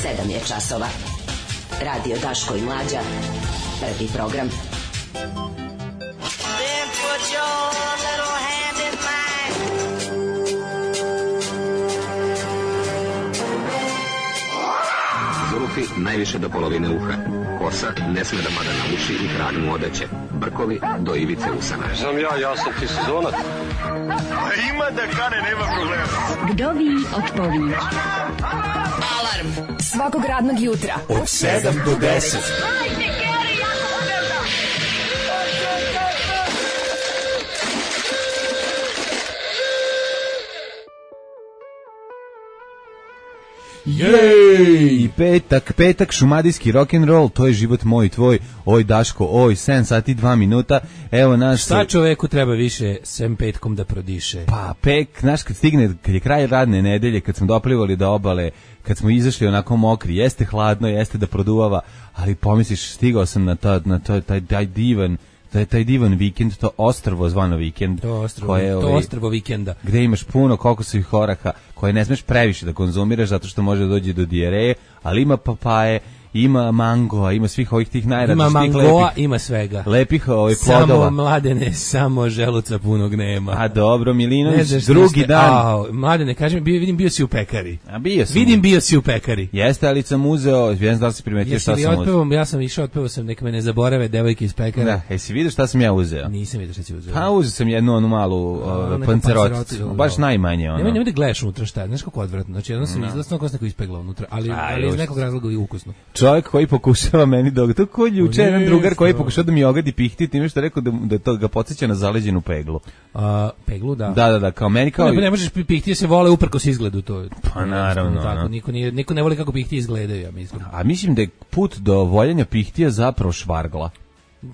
7 je časova. Radio Daško i Mlađa. Prvi program. Then put your little hand in mine. Zulufi najviše do polovine uha. Kosa ne sme da mada na uši i hranu mu odeće. Brkovi do ivice usana. Znam ja sam ti sezonac. A ima da kane, nema problema. Vdovi otpovi. Alarm svakog radnog jutra Od 7 do 10. Jej! Petak, šumadijski rock'n'roll, to je život moj i tvoj, oj Daško, oj, 7 sati 2 minuta, evo naš... Šta čoveku treba više sem petkom da prodiše? Pa, znaš, kad stigne, kad je kraj radne nedelje, kad smo doplivali do obale, kad smo izašli onako mokri, jeste hladno, jeste da produvava, ali pomisliš, stigao sam na taj divan vikend, to ostrvo zvano vikend. To ostrvo vikenda. Gde imaš puno kokosovih oraha koje ne smeš previše da konzumiraš zato što može dođi do dijareje, ali ima papaje, ima mangoa, ima svih ovih tih najrazličitih lepih. Ima mangoa, ima svega. Lepih plodova. Samo Mladene, samo želuca punog nema. A dobro, Milinović, drugi dan. Mladene, kaži mi, vidim bio si u pekari. A bio sam. Vidim bio si u pekari. Jeste, ali sam uzeo, ne znam da li si primetio šta sam uzeo. Ja sam išao, otpevao sam nek me ne zaborave devojke iz pekara. Da, jesi vidio šta sam ja uzeo? Nisam vidio šta si uzeo. Pa uzeo sam jednu onu malu panceroticu, baš najmanje ono. Nemoj da gledaš unutra šta, znaš kako odvratno. Znači jedno sam izlasno kao neko ispegla unutra, ali iz nekog razloga i ukusno. Čovjek koji pokušava meni to ko juče jedan drugar koji pokušao da mi ogadi pihti, time što rekao da to ga podsjeća na zaleđenu peglu. Peglu, da. Da, kao meni kao... Ne možeš pihti, se vole uprkos izgledu to. Pa naravno. Tako, niko ne voli kako pihti izgledaju, ja mislim. A mislim da je put do voljenja pihtija zapravo švargla.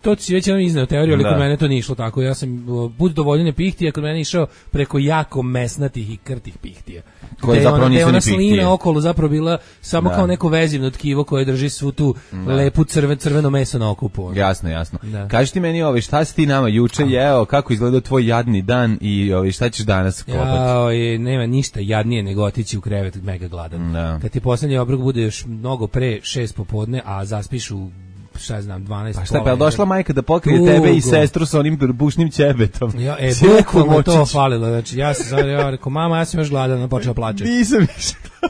To ti si već jedan izneo teoriju, ali kod mene to nije išlo tako. Ja sam put do voljenja pihtija kod mene išao preko jako mesnatih i krtih pihtija. Koje zapravo nisu ni pihtije. Slina okolo zapravo bila samo kao neko vezivno tkivo koje drži svu tu lepu crveno meso na okupu. Jasno. Kaži ti meni šta si ti nama juče jeo, kako izgledao tvoj jadni dan i šta ćeš danas kopati? Nema ništa jadnije nego otići u krevet mega gladan. Kad ti poslednji obrok bude još mnogo pre 6 popodne, a zaspiš u 12. Pa šta, pa je došla majka da pokrije tebe i sestru sa onim bušnim ćebetom? Bukvalno to falilo. Znači, ja sam rekao, mama, ja sam još gladan, počela plačati.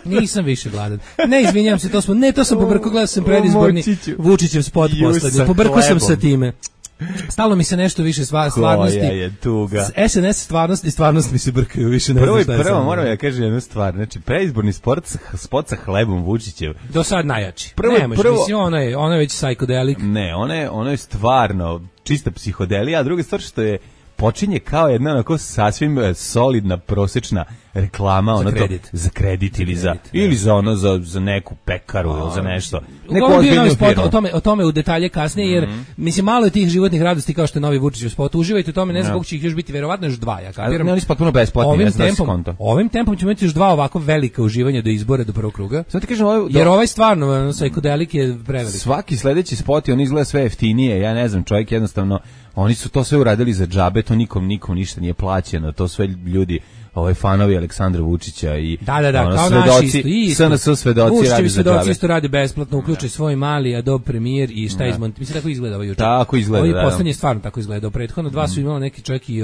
Nisam više gladan. Ne, izvinjam se, to sam pobrkao, gledao sam predizborni Vučićev spot poslednji. Pobrkao sam sa time. Stalo mi se nešto više stvarnosti. Koja je tuga. SNS stvarnost mi se brkaju više. Prvo moram ja kažem jednu stvar. Znači, preizborni spot sa hlebom Vučićev. Do sad najjači. Mislim, ono je već psihodelik. Ne, ono je stvarno čista psihodelija, a druga stvar što je počinje kao jedna onako sasvim solidna prosečna reklama za kredit ili za neku pekaru ili za nešto. Neku ozbiljnu firmu. O tome u detalje kasnije, jer mislim malo je tih životnih radosti kao što je novi Vučićev spot. Uživajte u tome, ne znam koliko će ih još biti, verovatno još 2, ja kapiram. Ne, oni su potpuno besplatni, ne znam skonto. Ovim tempom ćemo imati još 2 ovako velika uživanja do izbora, do prvog kruga. Sad ti kažem, jer ovaj stvarno psihodelik je prevelik. Svaki sledeći spot on izgleda sve jeftinije, ja ne znam, čovjek jednostavno, oni su to sve uradili za džabe, to nikom ništa nije plaćeno, to sve ljudi fanovi Aleksandra Vučića i kao naši isto. SNS svedoci radi za džabe. Isto radi besplatno, uključi svoj mali Adobe Premiere i šta izmonti. Mislim, tako izgleda juče. Tako izgleda, da. Ovi poslednji stvarno tako izgleda. Prethodno 2 su imali neki čovjek i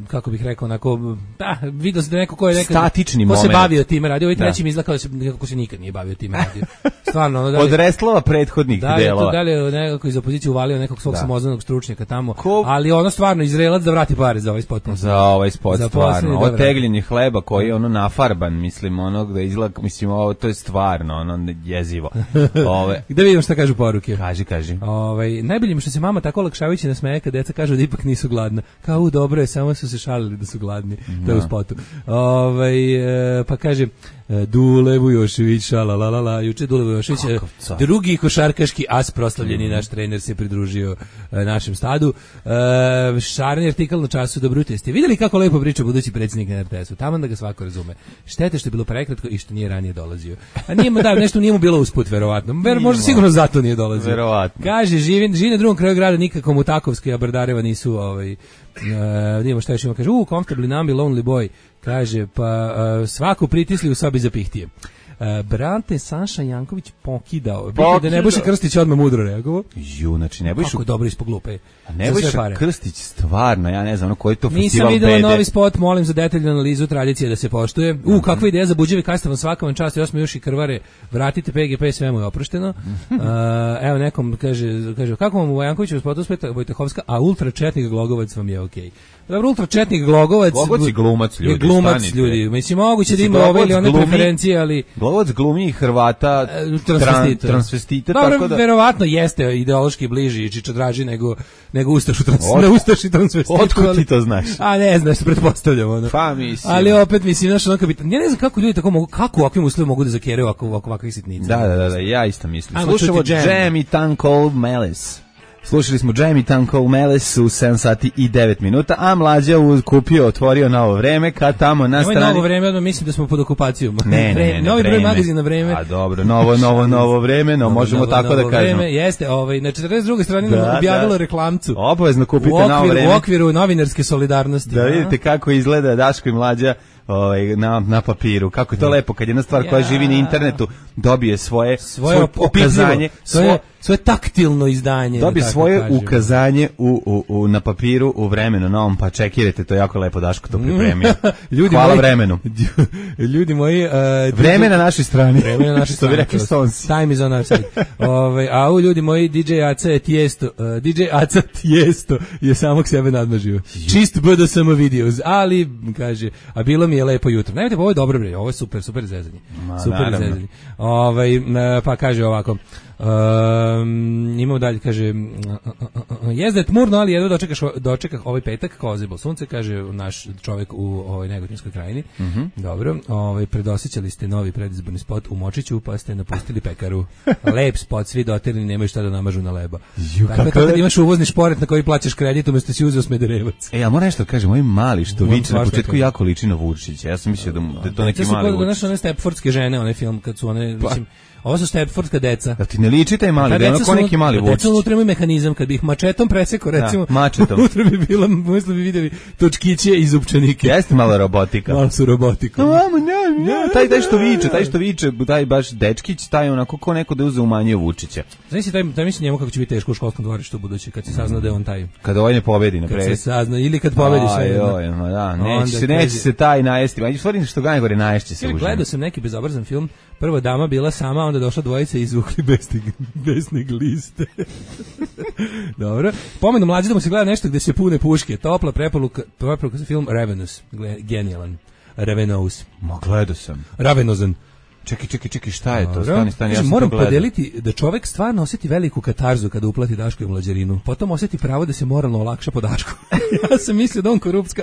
kako bih rekao, onako, vidio se da neko ko je statični ko moment. Se bavio time radio, ovaj treći mi izgleda kako se nikad nije bavio time radio. Stvarno, od reslova prethodnih delova. Da li je nekako iz opozicije uvalio nekog svog samozvanog stručnjaka tamo, ali ono stvarno Izraelac da vrati pare za ovaj spot. Za ovaj spot stvarno. Od tegljenje hleba koji je nafarban, mislim, onog da izgleda, mislim, ovo to je stvarno jezivo. Gde vidimo šta kažu poruke? Kaži. Najbolje mi što se mama tako olakšavajući nasmeje kad deca kažu da ipak nisu gladna. Kao dobro je, samo su se šalili da su gladni. To je u spotu. Pa kaže Dule Vujošević, šalalala, juče Dule Vujošević, drugi košarkaški as proslavljeni naš trener se pridružio našem stadu. Šarni artikal na Času, dobro jutro. Ste vidjeli kako lepo priča budući predsjednik na RTS-u? Taman da ga svako razume. Štete što je bilo prekratko i što nije ranije dolazio. A nešto nije mu bilo usput, verovatno. Možda sigurno zato nije dolazio. Verovatno. Kaže, živi na drugom kraju grada, nikako mu Takovska i Abardareva nisu vidimo šta još ima, kaže, comfortably numb, lonely boy, Kaže, pa svaku pritisli u sobi za pihtije. Brate, Saša Janković pokidao. Da Nebojša Krstić odmah mudro reagovao. Znači Nebojša... Kako dobro ispod glupe. Nebojša Krstić, stvarno, ja ne znam, koji je to festival Nisam videla novi spot, molim za detaljnu analizu tradicije da se poštuje. Kakva ideja za buđevi kastavan, svaka vam čast, još smo još i krvare, vratite PGP, sve mu je oprošteno. Evo nekom kaže, kako vam u Jankoviću u spotu speta Vojtehovska, a ultra četnik Glogovac vam je okej. Dobro, ultra četnik Glogovac je glumac, ljudi. Je glumac, ljudi. Mislim, moguće da ima ove ili one preferencije, ali... Glogovac glumi Hrvata transvestita, dobro, tako da... verovatno jeste ideološki bliži i čičodraži nego Ustašu transvestitu. Otkud ti to znaš? A ne znaš, pretpostavljam. Ono. Pa mislim. Ali opet mislim, znaš, ono kapitan. Ja ne znam kako ljudi tako mogu, kako u ovakvim uslovima mogu da zakeraju ovakvih sitnica. Da, ja isto mislim. Slušamo Jam i Tanko Melis. Slušali smo Jamie Tanko Meles u 7 sati i 9 minuta, a Mlađa otvorio Novo vreme, kad tamo na strani... Novo vreme, odmah mislim da smo pod okupacijom. Ne, novi broj magazina Vreme. A dobro, novo vreme, no možemo tako da kažemo. Jeste, na 42. strani nam objavilo reklamcu. Obavezno kupite Novo vreme. U okviru novinarske solidarnosti. Da vidite kako izgleda Daško i Mlađa na papiru. Kako je to lepo kad jedna stvar koja živi na internetu dobije svoje ukazanje, svoje taktilno izdanje. Dobije svoje ukazanje na papiru u Vremenu novom, pa čekirajte, to je jako lepo, Daško to pripremio. Hvala Vremenu. Ljudi moji... Vreme na našoj strani. Vreme na našoj strani. Time is on our side. A ljudi moji, DJ Aca Tijesto je samog sebe nadmažio. Čist BDSM videos, ali, kaže, a bilo mi je lepo jutro. Najmite, ovo je dobro, bre, ovo je super zezanje. Super zezanje. Pa kaže ovako, imamo dalje, kaže, jezda je tmurno, ali jedno dočekah ovaj petak, kao ozeblo sunce, kaže naš čovjek u ovoj Negotinskoj krajini. Dobro, predosjećali ste novi predizborni spot u Močiću, pa ste napustili pekaru. Lep spot, svi dotirni, nemaju šta da namažu na leba. Tako kad imaš uvozni šporet na koji plaćaš kredit, umjesto si uzeo Smederevac. Ja moram nešto da kažem, ovaj mali što viče na početku jako liči na Vučića. Ja sam mislio da je to neki mali Vučić. Znaš, one Stepfordske žene, onaj film, kad su one, mislim, ovo su Stepfordska deca. Da ti ne liči taj mali, da je onako neki mali Vučić. Deca unutra imaju mehanizam, kad bi ih mačetom presekao, recimo, mačetom. unutra bi bila, mislim bi vidjeli točkiće i zupčanike. Jeste malo robotika. Malo su robotika. Taj što viče, taj baš dečkić, taj onako ko neko da uze umanjuje Vučića. Znaš si, taj misli njemu kako će biti teško u školskom dvorištu u budući, kad se sazna da je on taj. Kad ovaj ne pobedi na predsjednici. Kad se sazna, ili kad pobedi sve. Neće se taj najesti. Ma stvari što ga najgore naješće se užine. Gledao sam neki bezobrazan film. Prva dama bila sama, onda došla dvojica i izvukli besnih liste. Dobro. Pomenu Mlađe da mu se gleda nešto gde se pune puške. Topla preporuka za film Ravenous. Genijalan. Ravenous. Ma gledao sam. Ravenozan. Čekaj, šta je to? Stani, ja moram podeliti da čovjek stvarno osjeti veliku katarzu kada uplati Daško i Mlađarinu. Potom osjeti pravo da se moralno olakša po Dašku. Ja sam mislio da on korupcka,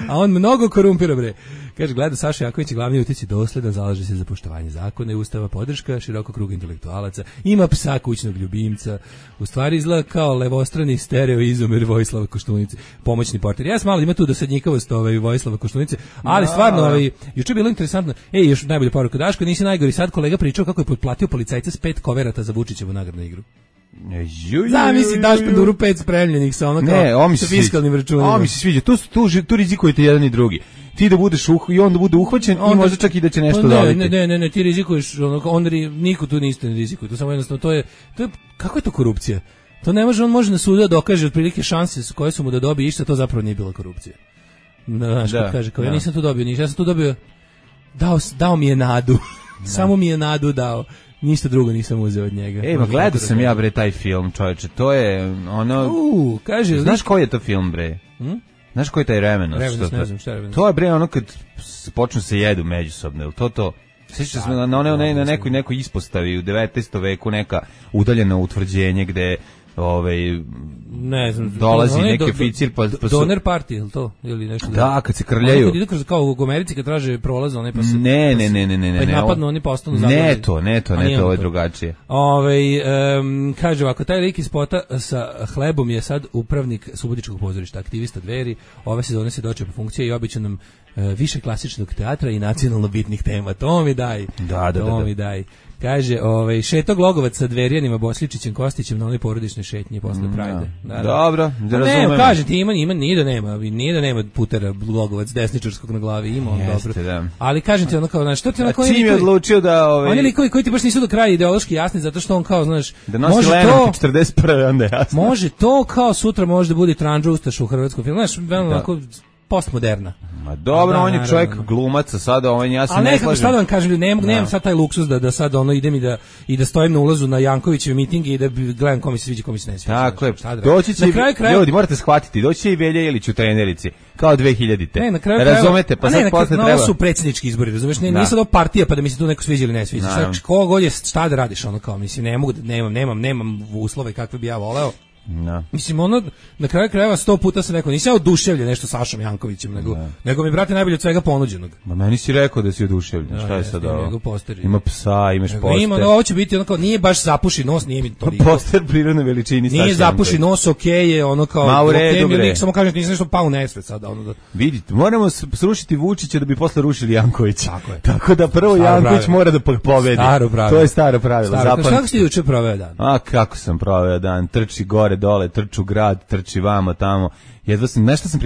a on mnogo korumpira, bre. Kaže, gleda Saša Jaković, glavni utjeci dosledan, zalaže se za poštovanje zakona i ustava, podrška širokog kruga intelektualaca, ima psa kućnog ljubimca, u stvari izgleda kao levostrani stereo izomer Vojislava Koštunice, pomoćni portir. Ja sam malo ima tu dosadnjikavost Vojislava Koštunice, ali stvarno, juče je bilo interesantno. Još najbolja poruka, Daško, nisi najgori, sad kolega pričao kako je potplatio policajca s 5 koverata za Vučićevu nagradnu igru. Zamisli Daško Duru 5 spremljenih sa ono kao sa fiskalnim računima. Mi se sviđa, tu rizikujete jedan i drugi. Ti da budeš i on da bude uhvaćen i možda čak i da će nešto dobiti. Ne, ti rizikuješ, onda niko tu niste ne rizikuje. To samo jednostavno, to je, kako je to korupcija? To ne može, on može na sudu da dokaže otprilike šanse koje su mu da dobije išta, to zapravo nije bila korupcija. Znaš, kad kaže, kao ja nisam tu dobio ništa, ja sam tu dobio, dao mi je nadu, samo mi je nadu dao. Ništa drugo nisam uzeo od njega. Ma gledao sam ja, bre, taj film, čovječe, to je ono... kaže... Znaš koji je to film, bre? Znaš koji je taj Revenos? Revenos, ne znam šta je Revenos. To je, bre, ono kad počnu se jedu međusobno, ili to... Sjećaš se na nekoj ispostavi u 19. veku, neka udaljena utvrđenje gde... ne znam, dolazi neki oficir pa donor party, ili to? Ili nešto kad se krljaju. Kao u Americi kad traže prolaz, one pa se... Ne. Pa napadnu, oni postanu zabrani. Ne to, ovo je drugačije. Kaže ovako, taj lik iz spota sa hlebom je sad upravnik Subotičkog pozorišta, aktivista Dveri, ove sezone se dočepa funkcije i obično nam više klasičnog teatra i nacionalno bitnih tema. To mi daj. Da. Mi daj. Kaže, šeto Glogovac sa Dverijanima, Bosličićem, Kostićem na onoj porodičnoj šetnji posle Prajde. Dobro, da razumem. Ne, kaže ti, ima nije da nema putera Glogovac desničarskog na glavi, ima on dobro. Da. Ali kažem ti ono kao, znaš, što ti onako... Čim je odlučio da... Oni likovi koji ti baš nisu do kraja ideološki jasni, zato što on kao, znaš... Da nosi Lenin 41. onda je jasno. Može to kao sutra može da bude Tranđa Ustaša u hrvatskom filmu, znaš, veoma onako postmoderna. Ma dobro, on je čovjek glumaca, sada ja se ne slažem. Šta da vam kažem, nemam sad taj luksuz da sad idem i da stojim na ulazu na Jankovićeve mitinge i da gledam kome se sviđa, kome se ne sviđa. Tako je, doći će ljudi, morate shvatiti, doći će i Velja Ilić u trenerici, kao 2000-te. Ne, na kraju razumete, pa sad posle treba. Ovo su predsjednički izbori, razumeš, nije sad ovo partija pa da mi se tu neko sviđa ili ne sviđa. Kogod je, šta da radiš, ono kao, mislim, ne mogu, nemam uslove kakve bi ja voleo. No. Mislim, na kraju krajeva 100 puta sam rekao, nisam oduševljen nešto Sašom Jankovićem, nego mi, brate, najbolje od svega ponuđenog. Ma meni si rekao da si oduševljen, šta je sad ovo? Ima psa, imaš poster. Ima, ovo će biti onako, nije baš zapuši nos, nije mi toliko. Poster prirodne veličini Saša. Nije zapuši nos, okej je, ono kao, okej mi lik, samo kažem, nisam nešto pao u nesvet sada. Vidite, moramo srušiti Vučića da bi posle rušili Jankovića. Tako da prvo Janković mora da pobedi. To je staro pravilo. Kako si juče proveo dan? A kako sam proveo dan, trči gore, dole, trču grad, trči vamo, tamo. Jedva sam, nešto sam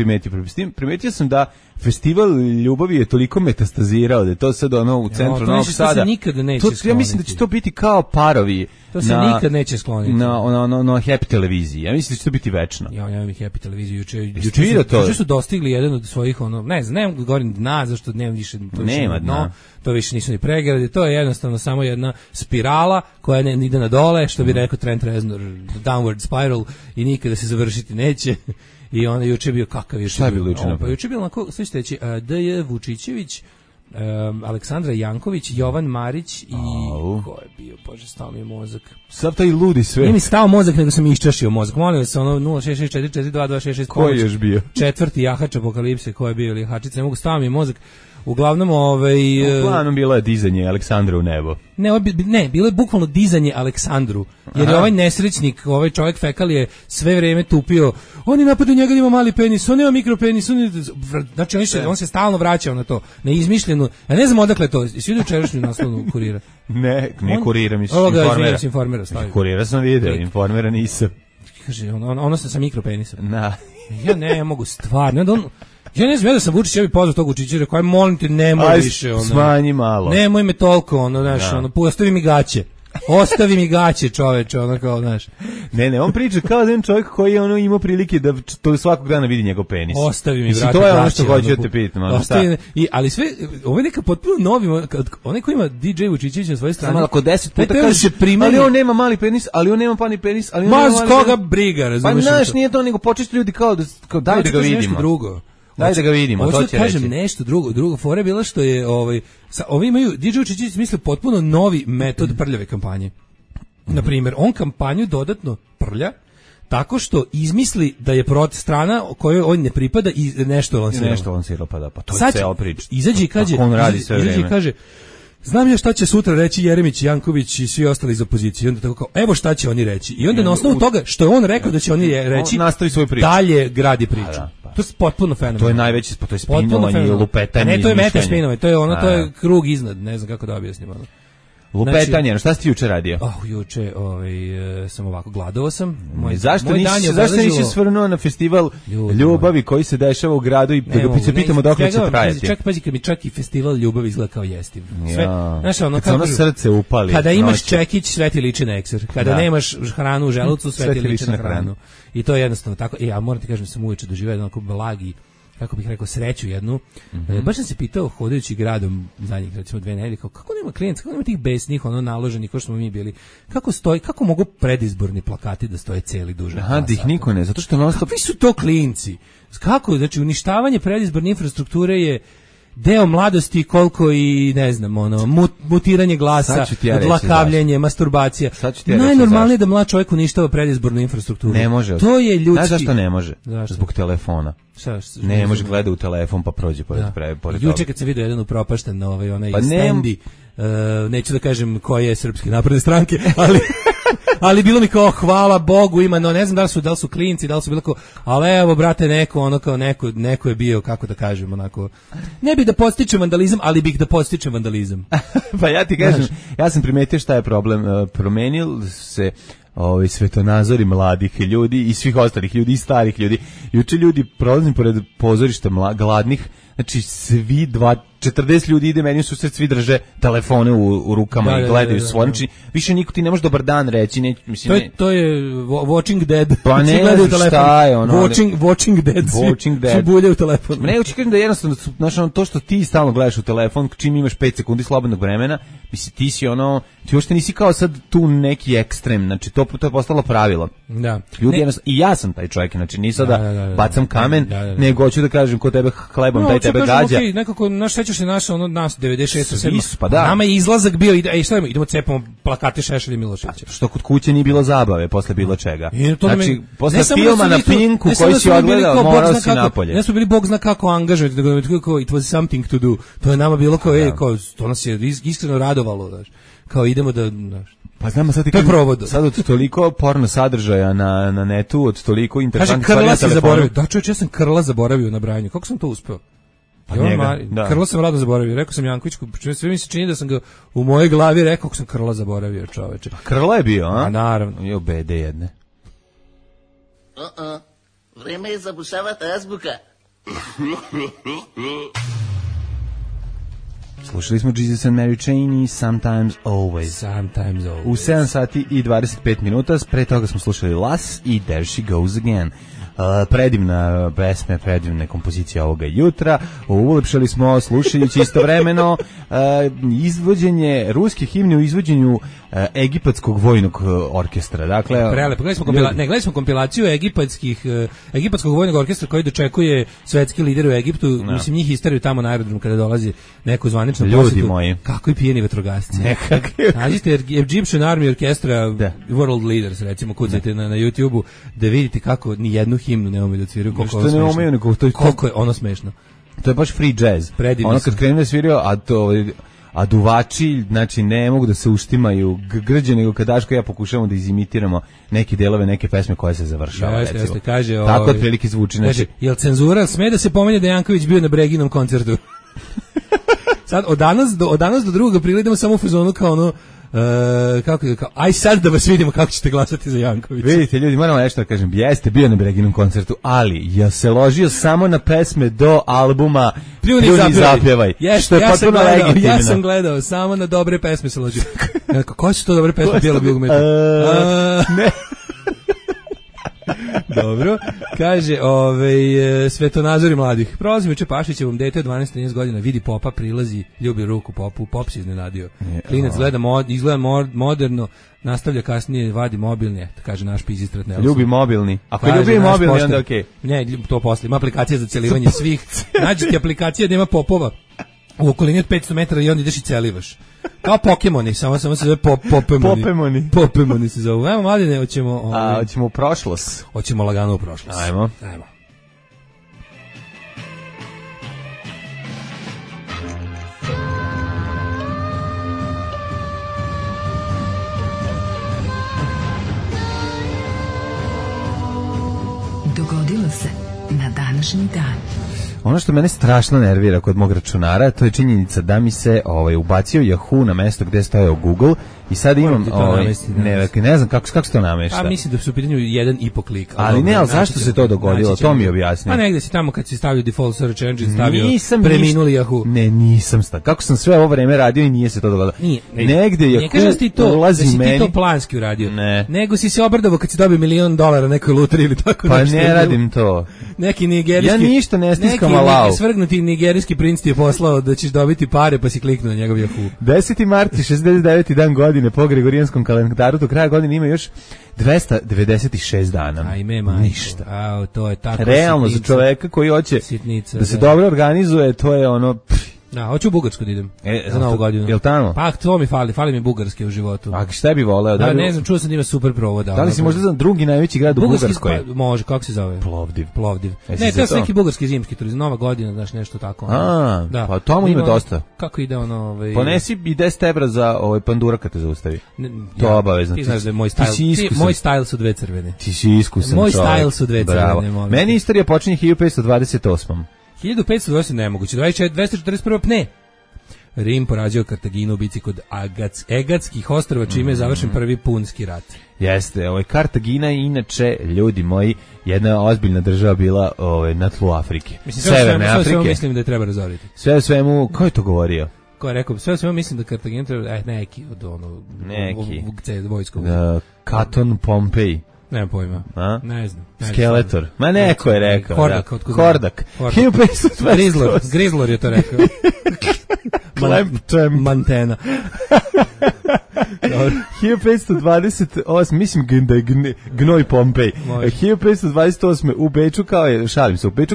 primetio sam da festival ljubavi je toliko metastazirao da je to sad u centru Novog Sada. To se nikada neće skloniti. Ja mislim da će to biti kao parovi. To se nikad neće skloniti. Na Happy televiziji. Ja mislim da će to biti večno. Ja imam i Happy televiziju juče su dostigli jedan od svojih ne znam, govorim dna, zašto nemam više nema dna. To više nisu ni pregrade, to je jednostavno samo jedna spirala koja ide na dole, što bi rekao Trent Reznor, downward spiral, i nikada se završiti neće. I on je juče bio kakav je bilo juče. Pa juče bilo onako, sve ćete reći, D.J. Vučićević, Aleksandra Janković, Jovan Marić i ko je bio, bože, stao mi je mozak. Sav taj ludi sve. Nije mi stao mozak, nego sam iščašio mozak. Molim vas, 06644222666. Ko je još bio? Četvrti jahač apokalipse, ko je bio ili jahačica, ne mogu, stao mi je mozak. Uglavnom, Uglavnom bilo je dizanje Aleksandra u nebo. Ne, bilo je bukvalno dizanje Aleksandru, jer je ovaj nesrećnik, ovaj čovjek fekal je sve vrijeme tupio, oni napadaju njega da ima mali penis, on ima mikropenis, znači on se stalno vraćao na to, neizmišljeno, ja ne znam odakle to, svi vidio čerašnju naslovnu Kurira? Ne Kurira, mislim, Informera. Kurira sam vidio, Informera nisam. Kaže, ono sa mikropenisom. Ja ne mogu stvarno, ja ne znam, da sam Vučić, ja bih pozvao tog Vučića, rekao, aj molim te, nemoj više, smanji malo. Nemoj me toliko, ostavi mi gaće. Ostavi mi gaće, čoveče, kao, znaš. Ne, on priča kao jedan čovjek koji je imao prilike da to svakog dana vidi njegov penis. Ostavi mi, brate, to je ono što hoću da te pitam. Ali sve, ovo je neka potpuno novi, onaj koji ima DJ Vučićević na svojoj strani. Samo ako 10 puta kaže, ali on nema mali penis, ali on nema pani penis, ali on nema mali penis. Ma, koga briga, razumiješ? Pa, znaš, nije to, nego počesto ljudi kao daj da ga vidimo. Daj da ga vidimo, to će reći. Nešto drugo fora je bila što je ovi imaju, DJ Vučićević smislio potpuno novi metod prljave kampanje. Na primjer, on kampanju dodatno prlja tako što izmisli da je protiv strana kojoj on ne pripada i nešto lansira. Pa to je ceo priča. Izađe i kaže, znam ja šta će sutra reći Jeremić, Janković i svi ostali iz opozicije. I onda tako kao, evo šta će oni reći. I onda na osnovu toga što je on rekao da će oni reći, nastavi svoju priču. Dalje gradi priču. To je potpuno fenomenalno. To je najveći, to je spinovanje i lupetanje. Ne, to je meta spinovanje, to je krug iznad, ne znam kako da objasnim. Lupetanje, šta si ti juče radio? Juče sam ovako, gladovao sam. Zašto nisi svrnuo na festival ljubavi koji se dešava u gradu i da se pitamo dokle će trajati? Pazi, kad mi čak i festival ljubavi izgleda kao jestiv. Znaš, ono srce upali. Kada imaš čekić, sve ti liči na ekser. Kada nemaš hranu u želucu, sve ti liči na hranu. I to je jednostavno tako. Ja moram ti kažem, sam uveče doživio jedan blagi, kako bih rekao, sreću jednu. Baš sam se pitao, hodajući gradom zadnjih, recimo 2 nedelje, kako nema klijenca, kako nema tih besnih, naloženih, ko što smo mi bili, kako mogu predizborni plakati da stoje cijeli duže? Da ih niko ne, zato što kakvi su to klinci? Kako, znači, uništavanje predizborne infrastrukture je deo mladosti koliko i, ne znam, mutiranje glasa, odlakavljenje, masturbacija. Najnormalnije da mlad čovjek uništava predizbornu infrastrukturu. Ne može. To je ljudski. Znaš zašto ne može? Zbog telefona. Ne može gleda u telefon pa prođe pored toga. Juče kad se vidio jedan upropašten onaj stendi, neću da kažem koje je Srpske napredne stranke, ali bilo mi kao hvala Bogu ima, no ne znam da li su klinci, da li su bilo kao, ali evo brate neko ono kao neko je bio, kako da kažem, onako ne bih da podstičem vandalizam, ali bih da podstičem vandalizam. Pa ja ti kažem, ja sam primetio šta je problem, promenil se svetonazori mladih ljudi i svih ostalih ljudi i starih ljudi. Juče ljudi prolazim pored pozorišta gladnih, znači svi 40 ljudi ide meni u susret, svi drže telefone u rukama i gledaju svoje. Znači više niko ti ne može dobar dan reći, ne, mislim to je Watching Dead. Pa ne znam šta je ono. Watching Dead. Svi bulje u telefon. Ne, kažem da jednostavno, znači to što ti stalno gledaš u telefon, čim imaš 5 sekundi slobodnog vremena, mislim ti si ono, ti uopšte nisi kao sad tu neki ekstrem, znači to je postalo pravilo. Da. Ljudi jednostavno, i ja sam taj čovjek, znači nisam da bacam kamen, nego hoću da kažem ko tebe hlebom, taj tebe gađa. Okay, nekako naš sećaš se nas 96 7. Pa da. Nama je izlazak bio i šta idemo cepamo plakate Šešelja i Miloševića. Što kod kuće nije bilo zabave posle bilo čega. Znači posle filma na Pinku koji si odgledao, morao si napolje. Ne smo bili bog zna kako angažovati, nego it was something to do. To je nama bilo kao to nas je iskreno radovalo, znači. Kao idemo da, znači. Pa znamo sad sad od toliko porno sadržaja na netu, od toliko interesantnih stvari na telefonu. Da, čovječ, ja sam Krla zaboravio na brajanju. Kako sam to uspeo? Pa njega, da. Krla sam rado zaboravio. Rekao sam Jankovićku, sve mi se čini da sam ga u mojoj glavi rekao kako sam Krla zaboravio, čoveče. Krla je bio, a? A naravno. Jo, bede jedne. Vreme je zabušavati azbuka. Slušali smo Jesus and Mary Chain i Sometimes Always. U 7 sati i 25 minuta, pre toga smo slušali Lass i There She Goes Again. Predivna pesme, predivne kompozicije ovoga jutra. Ulepšali smo slušajući istovremeno izvođenje ruske himne u izvođenju egipatskog vojnog orkestra. Dakle, prelepo. Gledali smo kompilaciju egipatskog vojnog orkestra koji dočekuje svetski lider u Egiptu. Mislim, njih isteraju tamo na aerodromu kada dolazi neko zvanično posjetu. Ljudi moji. Kako i pijeni vatrogasci. Nađite Egyptian Army Orchestra World Leaders, recimo, kucajte na YouTube-u da vidite kako ni jednu himnu ne umeju da sviraju. Koliko je ono smešno. To je baš free jazz. Predivno. Ono kad krenu da sviraju, a duvači, znači ne mogu da se uštimaju grđe, nego kad Daško ja pokušavamo da izimitiramo neke delove, neke pesme koje se završava. Jeste, kaže, tako otprilike zvuči. Kaže, jel cenzura sme da se pomene da Janković bio na Breginom koncertu? Sad, od danas do 2. aprila idemo samo u fazonu kao ono, aj sad da vas vidimo kako ćete glasati za Jankovića. Vidite ljudi, moramo nešto da kažem, jeste bio na Breginom koncertu, ali ja se ložio samo na pesme do albuma Pljuni zapjevaj, što je potpuno legitimno. Ja sam gledao, samo na dobre pesme se ložio. Koje su to dobre pesme Bijelog Dugmeta? Ne. Dobro, kaže, svetonazori mladih. Prolazim juče Pašićevom, dete od 12-13 godina, vidi popa, prilazi, ljubi ruku popu, pop se iznenadio. Klinac izgleda moderno, nastavlja kasnije, vadi mobilni, kaže naš pizistrat Nelson. Ljubi mobilni. Ako ljubi mobilni, onda okej. Ne, to posle, ima aplikacija za celivanje svih. Nađite aplikacija da ima popova u okolini od 500 metara i onda ideš i celivaš. Kao Pokemoni, samo se zove Popemoni. Popemoni se zove. Ajmo, Mladine, hoćemo... Hoćemo u prošlost. Hoćemo lagano u prošlost. Ajmo. Dogodilo se na današnji dan. Ono što mene strašno nervira kod mog računara, to je činjenica da mi se ubacio Yahoo na mesto gde je stajao Google i sad imam ne znam kako se to namešta. A mislim da su u pitanju 1,5 klika. Ali ne, ali zašto se to dogodilo? To mi objasni. Pa negde si tamo kad si stavio default search engine, stavio preminuli Yahoo. Ne, nisam stavio. Kako sam sve ovo vreme radio i nije se to dogodilo. Negde Yahoo ulazi meni. Ne ti to planski uradio. Ne. Nego si se obrdovao kad si dobio $1.000.000 na nekoj lutri ili tako nešto. Pa ne radim to. Neki nigerijski. Ja ništa ne stiskam alao. Neki svrgnuti nigerijski princ ti je poslao da ćeš dobiti pare, pa si kliknuo na njegov Yahoo. 10. marta, 69. dan godine po Gregorijanskom kalendaru, do kraja godine ima još 296 dana. Ajme, ništa. To je tako. Realno, za čoveka koji hoće da se dobro organizuje, to je ono... Da, hoću u Bugarsku da idem za Novu godinu. Jel tamo? Pa to mi fali mi Bugarske u životu. A šta bi voleo? Da, ne znam, čuo sam da ima super provoda. Da li si možda znam drugi najveći grad u Bugarskoj? Pa, može, kako se zove? Plovdiv. Ne, to je neki bugarski zimski turizam, Nova godina, znaš, nešto tako. Da. Pa tamo ima dosta. Kako ide ono... Ponesi i 10 evra za pandura kad te zaustavi. To je obavezno. Ti znaš da je moj stajl. Moj stajl su dve crvene. Ti si iskusan Moj čovjek. stajl su dve crvene. Meni istorija počinje 1528. 1520 nemoguće, 241. pne. Rim porađao Kartaginu u bici kod Egatskih ostrva, čime je završen prvi punski rat. Jeste, Kartagina je inače, ljudi moji, jedna ozbiljna država bila na tlu Afrike. Severne Afrike. Sve mislim da je treba razoriti. Sve svemu, ko je to govorio? Ko je rekao, sve svemu mislim da Kartagina treba, neki od vojskog. Katon Pompej. Nemam pojma. Ne znam. Skeletor. Ma neko je rekao. Hordak. 1528. Grizlor je to rekao. Mantena. 1528, mislim da je gnoj Pompej. 1528. u Beču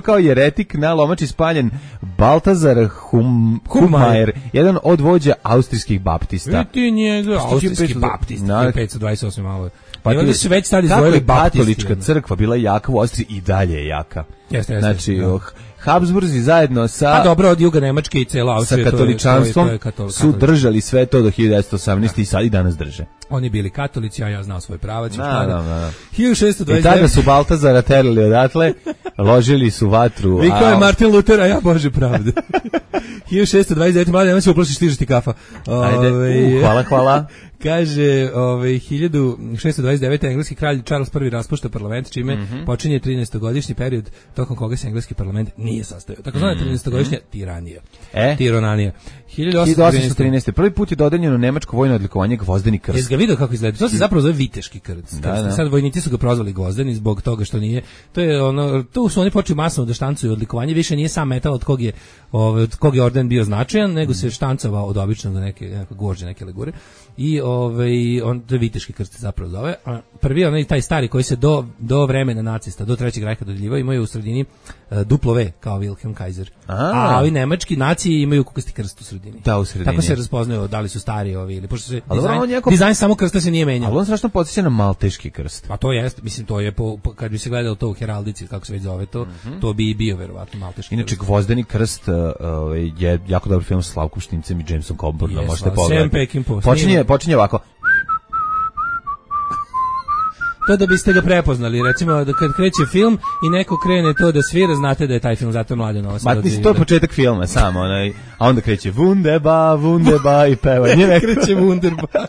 kao jeretik na lomači spaljen Baltazar Hummajer, jedan od vođa austrijskih baptista. Ti njega, austrijski baptist, 1528 malo. Pa ti su već stali zvojili baptisti. Katolička crkva bila jaka u Austriji i dalje je jaka. Jeste. Znači, Habsburzi zajedno sa... Pa dobro, od juga Nemačke i cela Austrija. Sa katoličanstvom su držali sve to do 1918. i sad i danas drže. Oni bili katolici, a ja znao svoj pravac. Da. 1629. I tada su Baltazara terali odatle, ložili su vatru. Vi kao je Martin Luther, a ja Bože pravde. 1629. Mladen, nema se uplašiš, stižeš ti kafa. Ajde, hvala. Kaže, 1629. engleski kralj Charles I raspušta parlament, čime počinje 13-godišnji period tokom koga se engleski parlament nije sastojao. Tako zvana 13-godišnja tiranija. Tironanija. 1813. Prvi put je dodeljeno nemačko vojno odlikovanje Gvozdeni krst. Jesi ga vidio kako izgleda? To se zapravo zove viteški krst. Da. Sad vojnici su ga prozvali Gvozdeni zbog toga što nije. To je tu su oni počeli masovno da štancuju odlikovanje, više nije sam metal od kog je orden bio značajan, nego se štancovao od običnog do neke gvožđe, neke legure. I on to je viteški krst zapravo zove. Prvi taj stari koji se do vremena nacista, do Trećeg rajha dodeljivao, imaju u sredini duplo V kao Wilhelm Kaiser. A ovi nemački naciji imaju kukasti krst u sredini. Da, u sredini. Tako se raspoznaju da li su stari ovi ili pošto se dizajn samo krsta se nije menjao. Ali on strašno podsjeća na malteški krst. Pa to jest, mislim to je kad bi se gledalo to u heraldici kako se već zove to bi i bio verovatno malteški. Inače Gvozdeni krst je jako dobar film sa Slavkom Štimcem i Jamesom Coburnom, možete pogledati. Počinje ovako. To da biste ga prepoznali, recimo da kad kreće film i neko krene to da svira, znate da je taj film, zato je Mladen ovo sad odživi. To je početak filma, samo a onda kreće Wunderbar i peva. Ne kreće Wunderbar.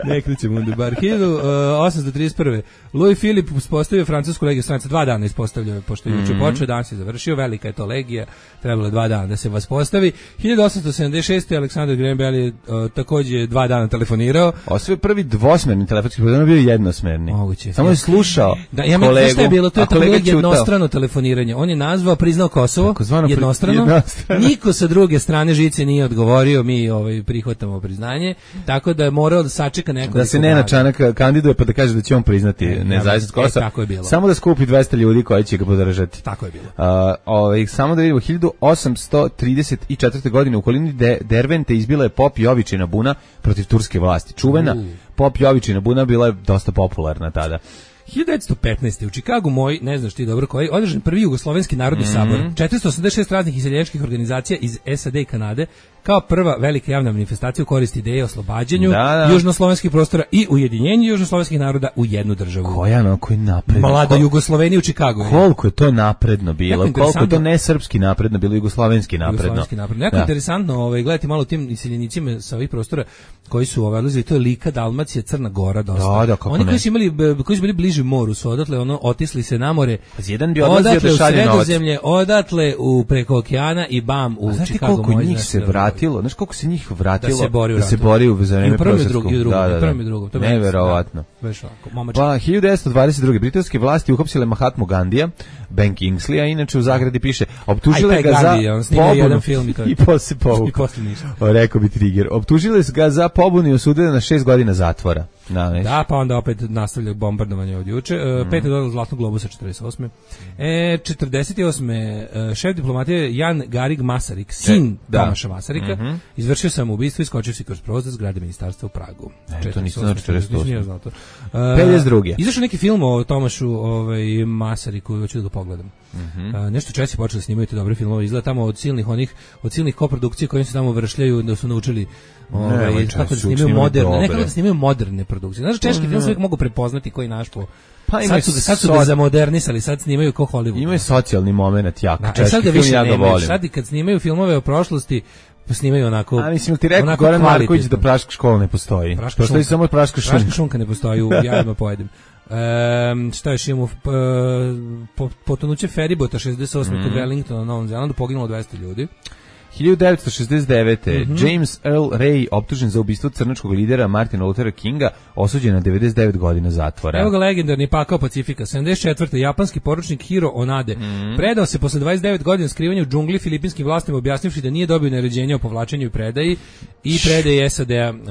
Ne kreće Wunderbar. 1831. Louis Philippe uspostavio francusku legiju stranaca, 2 dana ispostavljao, pošto je juče počeo, danas je završio, velika je to legija, trebalo 2 dana da se vaspostavi. 1876. Aleksandar Graham Bell je takođe 2 dana telefonirao. Osvoj prvi dvosmerni telefonski program bio jednosmerni. Moguće. Samo je slušao kolegu. Šta je bilo? To je tako jednostrano telefoniranje. On je nazvao, priznao Kosovo, jednostrano. Niko sa druge strane žice nije odgovorio, mi prihvatamo priznanje, tako da je morao da sačeka neko. Da se Nenad Čanak kandiduje pa da kaže da će on priznati nezavisnost Kosova. Tako je bilo. Samo da skupi 200 ljudi koji će ga podržati. Tako je bilo. Samo da vidimo, 1834. godine u okolini Dervente izbila je pop Jovičina buna protiv turske vlasti. Čuvena pop Jovičina buna bila je dosta popularna tada. 1915. u Čikagu ne znaš ti dobro koji, održan prvi jugoslovenski narodni sabor, 486 raznih iseljenčkih organizacija iz SAD i Kanade, kao prva velika javna manifestacija u korist ideje o oslobađanju južnoslovenskih prostora i ujedinjenju južnoslovenskih naroda u jednu državu. Koji napredno. Mlado Jugosloveniji u Čikagu. Koliko je to napredno bilo, koliko je to ne srpski napredno bilo, jugoslovenski napredno. Jako interesantno, gledajte malo tim iseljenicima sa ovih prostora koji su odlazili, to je Lika, Dalmacija, Crna Gora, dosta. Oni koji su bili bliži moru su odatle otisli se na more. Jedan bi odlazio da šalje novac. Sredozemlje, odatle preko okeana i bam u Čikagu. Znaš koliko se njih vratilo da se bori za vreme prosvjetskog. Prvom i drugom. Neverovatno. Pa 1922. britanske vlasti uhapsile Mahatmu Gandija, Ben Kingsleya, inače u zagradi piše, optužile ga za pobunu i posle povukao. Rekao bi Trigger. Optužile ga za pobunu i osudile na 6 godina zatvora. Da, pa onda opet nastavlja bombardovanje od juče. 5. dodala Zlatnog globusa 48. 48. Šef diplomatije Jan Garig Masarik, sin Tomaša Masarika, izvršio samoubistvo i skočio se kroz prozor zgrade ministarstva u Pragu. To nisam znao 48. 52. Izašao neki film o Tomašu Masariku, hoću da ga pogledam. Nešto Česi počeli da snimaju te dobre filmove, izgleda tamo od silnih koprodukcija koje se tamo vršljaju, da su naučili kako da snimaju moderne, nekako da snimaju moderne produkcije. Znaš, češki film se uvijek mogu prepoznati koji naš po... Sad su ga zamodernisali, sad snimaju kao Hollywood. Imaju socijalni moment jako. Češki film ja ga volim. Sad i kad snimaju filmove o prošlosti, pa snimaju onako... A mislim, ti rekao Goran Marković da praška škola ne postoji. Postoji samo praška šunka. Praška šunka ne postoji, u jajima pojedem. Šta još imamo? Potonuće feribota 68. kod Wellingtona na Novom Zelandu, poginulo 200 ljudi. 1969. James Earl Ray, optužen za ubistvo crnačkog lidera Martina Luthera Kinga, osuđen na 99 godina zatvora. Evo ga legendarni pakao Pacifika. 74. japanski poručnik Hiro Onade predao se posle 29 godina skrivanja u džungli filipinskim vlastima, objasnivši da nije dobio naređenje o povlačenju i predaji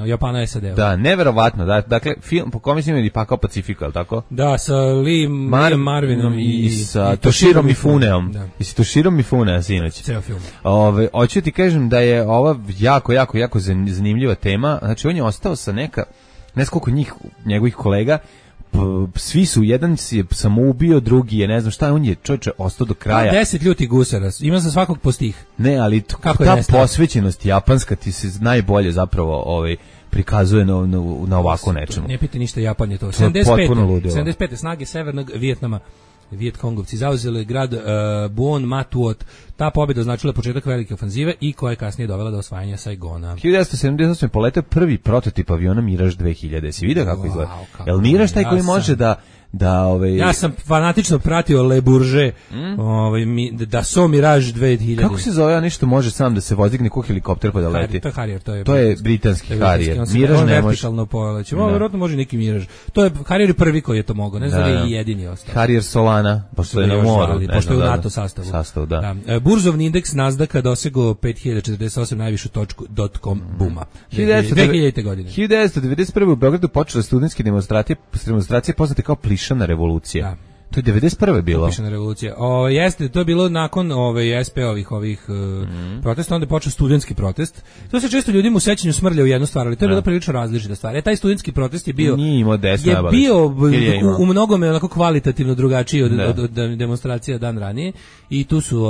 Japana SAD-a. Da, neverovatno. Dakle, film po kome snimaju pakao Pacifika, al tako? Da, sa Lee Marvinom i sa Toshiro Mifuneom. I sa Toshiro Mifune sinoć. Ceo film. Hoću ti kažem da je ova jako zanimljiva tema. Znači, on je ostao sa ne znam koliko njegovih kolega, svi su, jedan si je samoubio, drugi je, ne znam šta, on je čovječe ostao do kraja. 10 ljuti gusara, ima za svakog po stih. Ne, ali ta posvećenost japanska ti se najbolje zapravo prikazuje na ovako nečemu. Ne pite ništa, Japan je to. To je potpuno ludilo. 75. snage Severnog Vijetnama, Vijetkongovci zauzeli grad Buon Ma Thuot. Ta pobjeda označila početak velike ofanzive i koja je kasnije dovela do osvajanja Saigona. 1978. poletao prvi prototip aviona Mirage 2000. Si vidio kako izgleda? Jel Mirage taj koji može Ja sam fanatično pratio Le Bourget, da so Mirage 2000. Kako se zove, nešto može sam da se vozi neko helikopter pa da leti? To je Harrier, to je britanski Harrier. Mirage ne može. Vertikalno poleće. Vjerojatno može neki Mirage. To je Harrier prvi koji je to mogao, ne znam da je i jedini ostao. Harrier Solana, pošto je na moru. Pošto je u NATO sastavu. Burzovni indeks Nasdaka dosegao 5048, najvišu točku .com booma. 2000. godine. 1991. u Beogradu počela studentske demonstracije poznate kao Plišana revolucija. Da. To je 91. bilo. Plišana revolucija. Jeste, to je bilo nakon SP-ovih protesta, onda je počeo studentski protest. To se često ljudima u sećanju smrlja u jednu stvar, ali to je bila prilično različita stvar. Taj studentski protest je bio u mnogome onako kvalitativno drugačiji od demonstracija dan ranije i tu su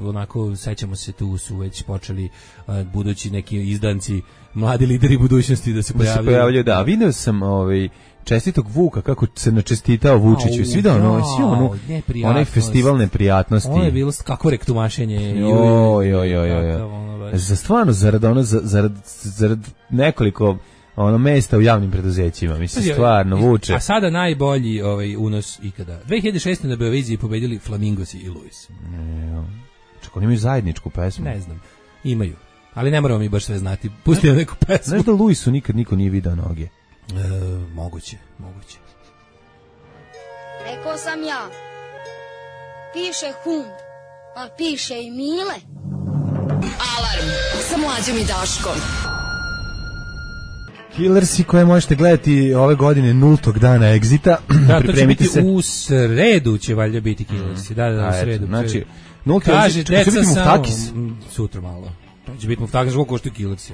onako, sećamo se, tu su već počeli budući neki izdanci, mladi lideri budućnosti da se pojavljaju. Da, vidio sam čestitog Vuka, kako se načestitao Vučiću. Svi da onaj festival neprijatnosti. Ono je bilo kako rektumašenje. Za stvarno, zarad nekoliko mesta u javnim preduzećima. Mislim, stvarno, Vuče. A sada najbolji unos ikada. 2006. na Beoviziji pobedili Flamingosi i Luis. Čak oni imaju zajedničku pesmu. Ne znam, imaju. Ali ne moramo mi baš sve znati. Pustimo neku pesmu. Znaš da Luisu nikad niko nije video noge? Moguće. Rekao sam ja, piše hum, a piše i Mile. Alarm sa Mlađom i Daškom. Killersi koje možete gledati ove godine 0. dana Exita. Da, to će biti u sredu, će valjda biti Killersi. Da, u sredu. Znači, 0. Kaže, deca samo sutra malo. Će biti Muftakis, koliko koštuju Killersi.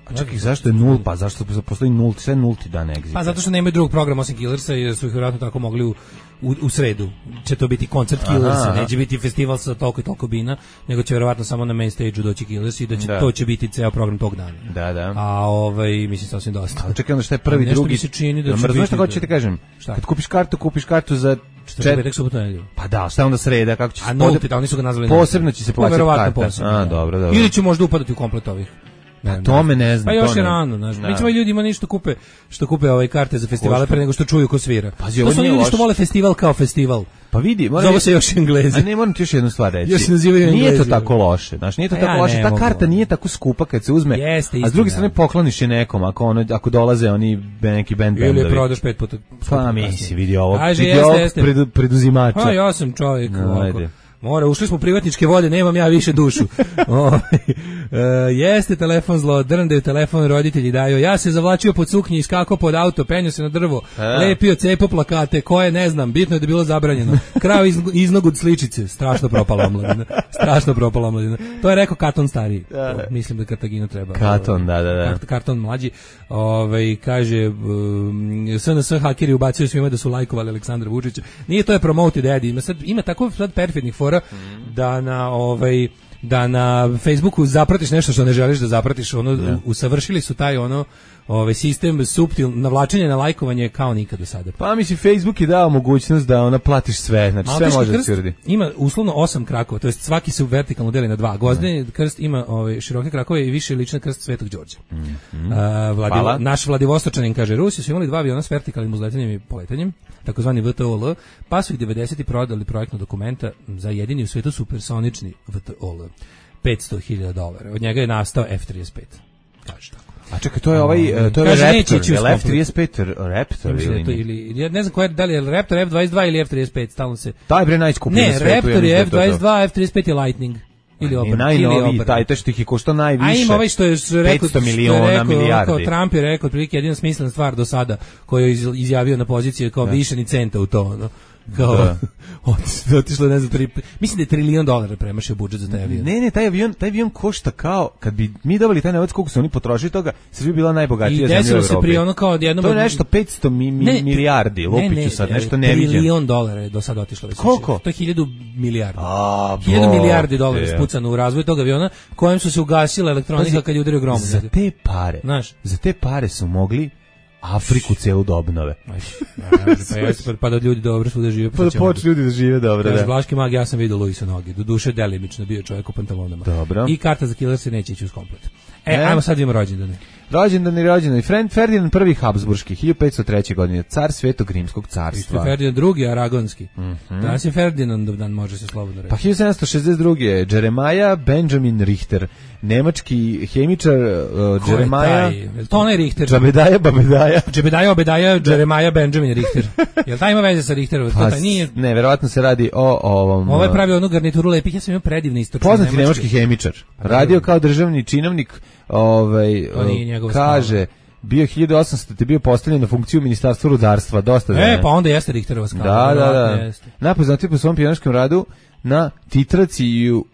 A čekaj, zašto je 0? Pa zašto postoji 0? Sve 0. dan Exita? Pa zato što nemaju drugog programa osim Killersa, jer su ih vjerojatno tako mogli u sredu. Će to biti koncert Killersa, neće biti festival sa toliko i toliko bina, nego će vjerojatno samo na main stage-u doći Killersi i to će biti ceo program tog dana. Da. A mislim sasvim dosta. Ali čekaj, onda šta je prvi, drugi? Nešto mi se čini da će biti... Znaš šta hoće ti kažem? Kad kupiš kartu za... Četvrtak, subotu, nedelju. Pa da, šta onda sreda, kako će se... A nulti, oni su ga nazvali... Posebno će se plaćati karta. Posebno, dobro. Ili će možda upadati u komplet ovih. Tome ne znam. Pa još je rano, znaš. Mi ćemo ljudima ništa kupe ove karte za festivale pre nego što čuju ko svira. To su ljudi što vole festival kao festival. Pa vidi, zove se još Englezi. A ne, moram ti još jednu stvar reći. Još se nazivaju Englezi. Nije to tako loše, znaš, nije to tako loše. Ta karta nije tako skupa kad se uzme. A s druge strane pokloniš je nekom ako dolaze oni neki band bendovi. Ili je prodaš 5 puta. Pa misli, vidi ovo preduzimača. Ja sam čovjek ovako. Mora, ušli smo u privatničke vode, nemam ja više dušu. Jeste telefon zlo, drndaju telefon, roditelji daju. Ja se zavlačio pod suknji, iskakao pod auto, penio se na drvo, lepio, cepo plakate, koje ne znam, bitno je da je bilo zabranjeno. Krao iznog od sličice, strašno propala omladina. Strašno propala omladina. To je rekao Katon stariji. Mislim da Kartaginu treba. Katon, da. Karton mlađi. Kaže, SNS hakeri ubacuju svima da su lajkovali Aleksandra Vučića. Nije, to je promoted ad. Ima tako sad perfidnih fora da na Facebooku zapratiš nešto što ne želiš da zapratiš, usavršili su taj sistem navlačenja na lajkovanje kao nikad do sada. Pa mislim, Facebook je dao mogućnost da platiš sve, znači sve može da se uradi. Ima uslovno 8 krakova, to jest svaki se vertikalno deli na 2. Gvozdeni krst ima široke krakove i više liči na krst Svetog Đorđa. Naš Vladivostočanin kaže, Rusi su imali 2 aviona s vertikalnim uzletanjem i poletanjem, takozvani VTOL, pa su ih 90. prodali projektno dokumenta za jedini u svetu supersonični VTOL. $500,000. Od njega je nastao F-35. Kaže tako. A čekaj, to je Raptor, je F-35 Raptor ili? Ja ne znam koja je, da li je Raptor F-22 ili F-35, stalno se... Taj bre najskuplji na svetu. Ne, Raptor je F-22, F-35 je Lightning. Ili Opera. Najnoviji, taj što ih je koštao najviše. A ima što je rekao, 500 miliona, milijardi. Kao Trump je rekao, otprilike jedina smislena stvar do sada, koju je izjavio na poziciji kao više ni centa u to, kao otišlo ne znam mislim da je $1 trilion premašio budžet za taj avion. Ne, taj avion košta kao kad bi mi dobili taj novac koliko su oni potrošili toga, Srbija bi bila najbogatija zemlja u Evropi. I desilo se pri ono kao odjednom. To je nešto 500 milijardi, lupiću sad, nešto neviđeno. $1 trilion je do sada otišlo. Koliko? To je 1000 milijardi. 1000 milijardi dolara spucano u razvoj tog aviona, kojem su se ugasila elektronika kad je udario grom. Za te pare su mogli Afriku celu da obnove. Pa da ljudi dobro svuda žive. Pa da počnu ljudi da žive dobro, da. Blaški mag, ja sam vidio Luisa noge. Do duše delimično bio čovjek u pantalonama. Dobro. I karta za killer se neće ići uz komplet. Ajmo sad vidimo rođendane. Rođendani. Ferdinand I Habsburški, 1503. godine, car Svetog Rimskog carstva. Ferdinand II Aragonski. Danas je Ferdinandov dan, može se slobodno reći. Pa 1762. Jeremiah Benjamin Richter, nemački hemičar. Jeremiah. To onaj Richter. Džebedaja, Obedaja, Jeremiah Benjamin Richter. Jel taj ima veze sa Richterom? Ne, verovatno se radi o ovom. Ovo je pravio onu garnituru lepih, ja sam imao predivni istočni poznati nemački hemičar. Radio kao državni činovnik, kaže, bio 1800, te bio postavljen na funkciju ministarstva rudarstva, dosta da. Pa onda jeste Richterova skala. Da. Najpoznatiji po svom pionerskom radu na titraci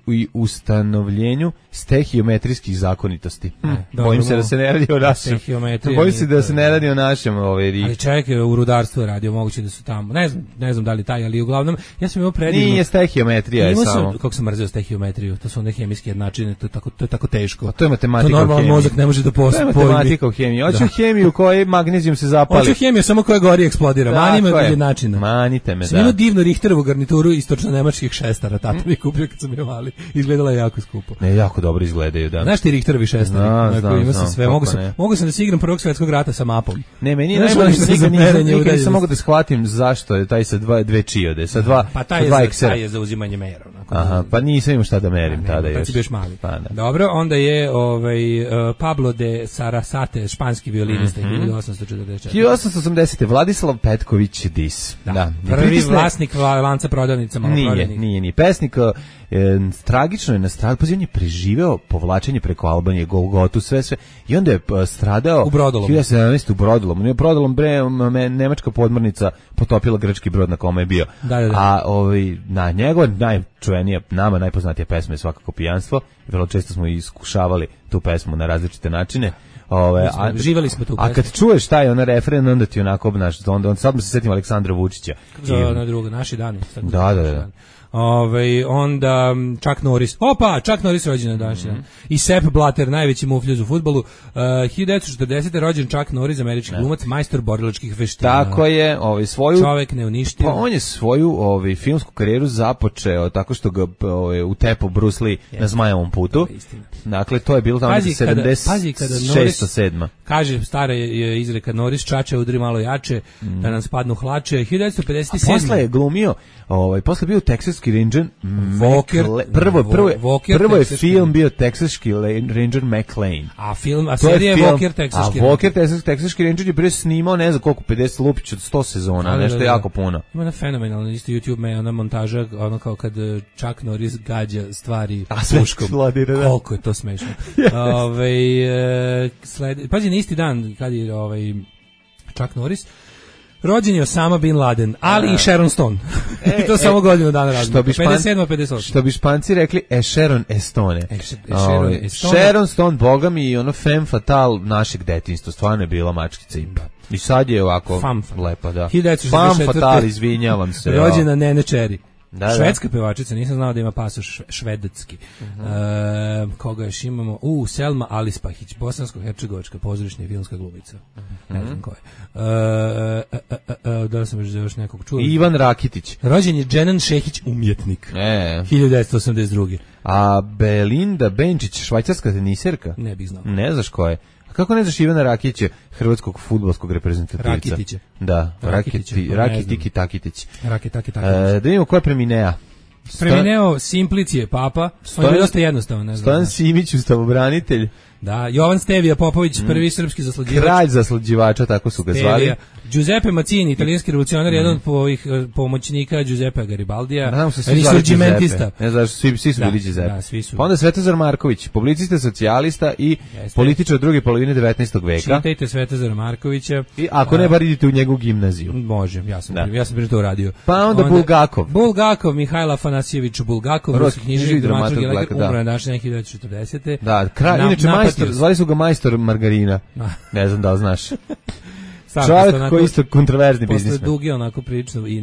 i ustanovljenju stehiometrijskih zakonitosti. Bojim se da se ne radi o našem. Bojim se da se ne radi o našem. Ali čovjek je u rudarstvu radio, moguće da su tamo. Ne znam da li taj, ali uglavnom, ja sam imao predivno. Nije stehiometrija je samo. Kako sam mrzeo stehiometriju, to su one hemijske jednačine, to je tako teško. A to je matematika u hemiji. To normalno mozak ne može da postoji. To je matematika u hemiji. Hoću hemiju u kojoj magnezijum se zapali. Hoću hemiju samo koja gori i eksplodira. Mani me jednačina. Manite me, da. Sam imao divnu Richterovu garnituru istočno-nemačkih šestara, tata mi kupio kad sam je mali. Izgledala je jako skupo. Ne, jako dobro izgledaju, da. Znaš ti Richterovi šestari? Ima se sve. Mogu sam da se igram Prvog svjetskog rata sa mapom. Ne, meni je najbolje što nikad nisam mogu da shvatim zašto je taj sa dve čiode, sa dva pa taj je za uzimanje mera. Aha, pa nisam imao šta da merim tada još. Tad si bio još mali. Dobro, onda je Pablo de Sarasate, španski violinista, 1844. 1880. Vladislav Petković Dis. Da. Prvi vlasnik lanca prodavnica maloprodajnih. Nije. Pesnik tragično je nastradao, pa on je preživeo povlačenje preko Albanije, Golgotu, sve. I onda je stradao u Brodolomu. 1917. u Brodolomu. Nije Brodolom, nemačka podmornica potopila grčki brod na kome je bio. Da. A na njegova najčuvenija, nama najpoznatija pesma je svakako Pijanstvo. Vrlo često smo iskušavali tu pesmu na različite načine. Živeli smo tu. A kad čuješ taj ona refren, onda ti onako obnaš, onda sad se setim Aleksandra Vučića. Na drugo, naši dani. Da. Onda Chuck Norris. Chuck Norris rođen na današnji dan. I Sepp Blatter, najveći mufljuz u fudbalu. 1940. rođen Chuck Norris, američki glumac, majstor borilačkih veština. Tako je, svoju čovek neuništiv. Pa on je svoju filmsku karijeru započeo tako što ga utepo Bruce Lee na Zmajevom putu. Dakle, to je bilo tamo 76-7. Kaže, stara je izreka Noris Čača udri malo jače, da nam spadnu hlače. 1957. Posle je glumio, posle bio Texaski Ranger prvo je film bio Texaski Ranger McLean. A serija je Walker Texaski Ranger. Walker Texaski Ranger je prije snimao, ne znam koliko, 50 lupić od 100 sezona, nešto jako puno. Ima na fenomenalno, isto YouTube ona montaža, ono kao kad Chuck Norris gađa stvari puškom. Koliko je to smešno. Pazi, na isti dan kad je Chuck Norris rođen je Osama Bin Laden, ali i Sharon Stone. I to samo godinu dana razlika. 57-58. Što bi Španci rekli, Sharon Estone. Sharon Stone, boga mi, ono femme fatale našeg detinjstva, stvarno je bila mačkica imba. I sad je ovako lepa, da. Femme fatale, izvinjavam se. Rođena Nene Cherry. Švedska pevačica, nisam znao da ima pasoš švedski. Koga još imamo? Selma Alispahić, bosansko-hercegovačka pozorišna i filmska glumica. Ne znam ko je. Da li sam još nekog čuo? Ivan Rakitić. Rođen je Dženan Šehić, umjetnik. 1982. A Belinda Benčić, švajcarska teniserka? Ne bih znao. Ne znaš ko je? A kako ne znaš Ivana Rakitića, hrvatskog fudbalskog reprezentativca? Rakitića. Da, Rakitiki Takitić. Rakitaki. Da vidimo ko je preminea. Premineo Simplicije, papa. On je dosta jednostavno, ne znam. Stojan Simić, ustavobranitelj. Da, Jovan Stevija Popović, prvi srpski zaslađivač. Kralj zaslađivača, tako su ga zvali. Giuseppe Mazzini, italijanski revolucionar, jedan od ovih pomoćnika Giuseppe Garibaldija, risorgimentista. Ne znaš, svi su bili Giuseppe. Da, svi su. Pa onda Svetozar Marković, publicista, socijalista i političar druge polovine 19. veka. Čitajte Svetozara Markovića. I ako ne, bar idite u njegovu gimnaziju. Može, ja sam prije to uradio. Pa onda Bulgakov, Mihajl Afanasijević Bulgakov, ruski književnik i dramaturg, umro je naš 1940. Da, inače zvali su ga majstor margarina. Ne znam da li znaš. Čovjek koji je isto kontroverzni biznismen. Posle duge onako prilično i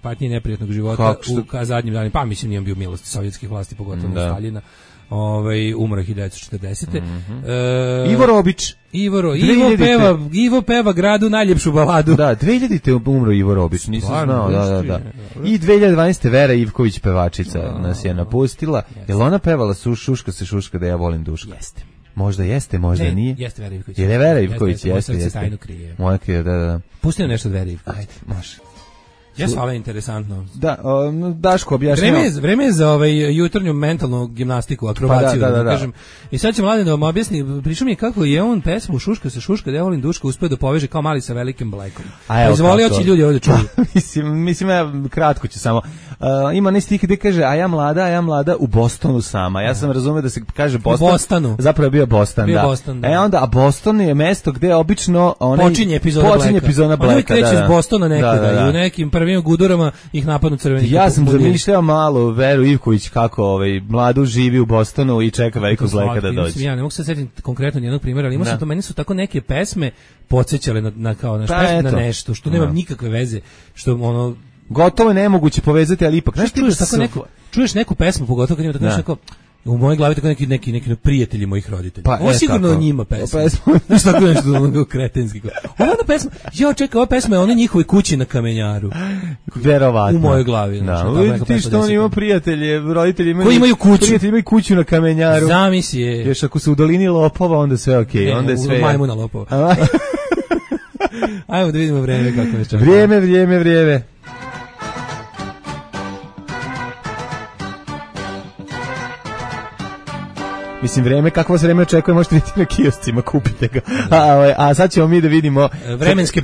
patnje neprijatnog života u zadnjim danima, pa mislim nije bio milost sovjetskih vlasti, pogotovo Staljina. Umro 1940. Ivo Robić. Ivo peva gradu najljepšu baladu. Da, 2000-te umro Ivo Robić, nisam znao. Da. I 2012. Vera Ivković, pevačica, nas je napustila. Jel ona pevala Šuška se šuška da ja volim duška? Jeste. Možda jeste, možda nije. Jeste Vera Ivković. Je Vera Ivković, jeste. Moje srce tajnu krije. Moje krije, da. Pusti nešto od Vera Ivković. Ajde, može. Jesu, ali interesantno. Da, Daško objašnjava. Vreme je za jutarnju mentalnu gimnastiku, akrobaciju, da kažem. I sad će Mladen da vam objasni, prišao mi je kako je on pesmu Šuška se šuška, da ja volim duška, uspio da poveže kao mali sa velikim blekom. Izvoli oći ljudi ovdje čuju. Mislim, ja kratko ću samo. Ima ne stih gdje kaže, a ja mlada u Bostonu sama. Ja sam razumio da se kaže Boston. U Bostonu. Zapravo je bio Boston, da. Boston, Onda, a Boston je mesto gde obično počinje epizoda Blacka. Oni kreću iz Bostona nekada i u nekim prvim gudurama ih napadnu crveni. Ja sam zamišljao malo Veru Ivković kako mladu živi u Bostonu i čeka velikog Blacka da dođe. Ja ne mogu se setiti konkretno nijednog primjera, ali imao sam to, meni su tako neke pesme podsjećale na nešto što nema nikakve veze, što ono gotovo je nemoguće povezati, ali ipak čuješ neku pesmu, pogotovo kad ima tako nešto u mojoj glavi tako neki prijatelji mojih roditelja. Ovo sigurno njima pesma. Znaš tako nešto kretenski. Ova pesma, ova pesma je ona njihovoj kući na Kamenjaru. Verovatno. U mojoj glavi. Ti što on ima prijatelje, roditelji koji imaju kuću. Prijatelji imaju kuću na Kamenjaru. Zamisli je. Još ako su u dolini lopova, onda sve okej. Onda je sve. Majmuna lopova. Ajmo da vidimo vreme kako je čak. Vrijeme. Mislim, kakvo se vreme očekuje, možete vidjeti na kioscima, kupite ga. A sad ćemo mi da vidimo vremenske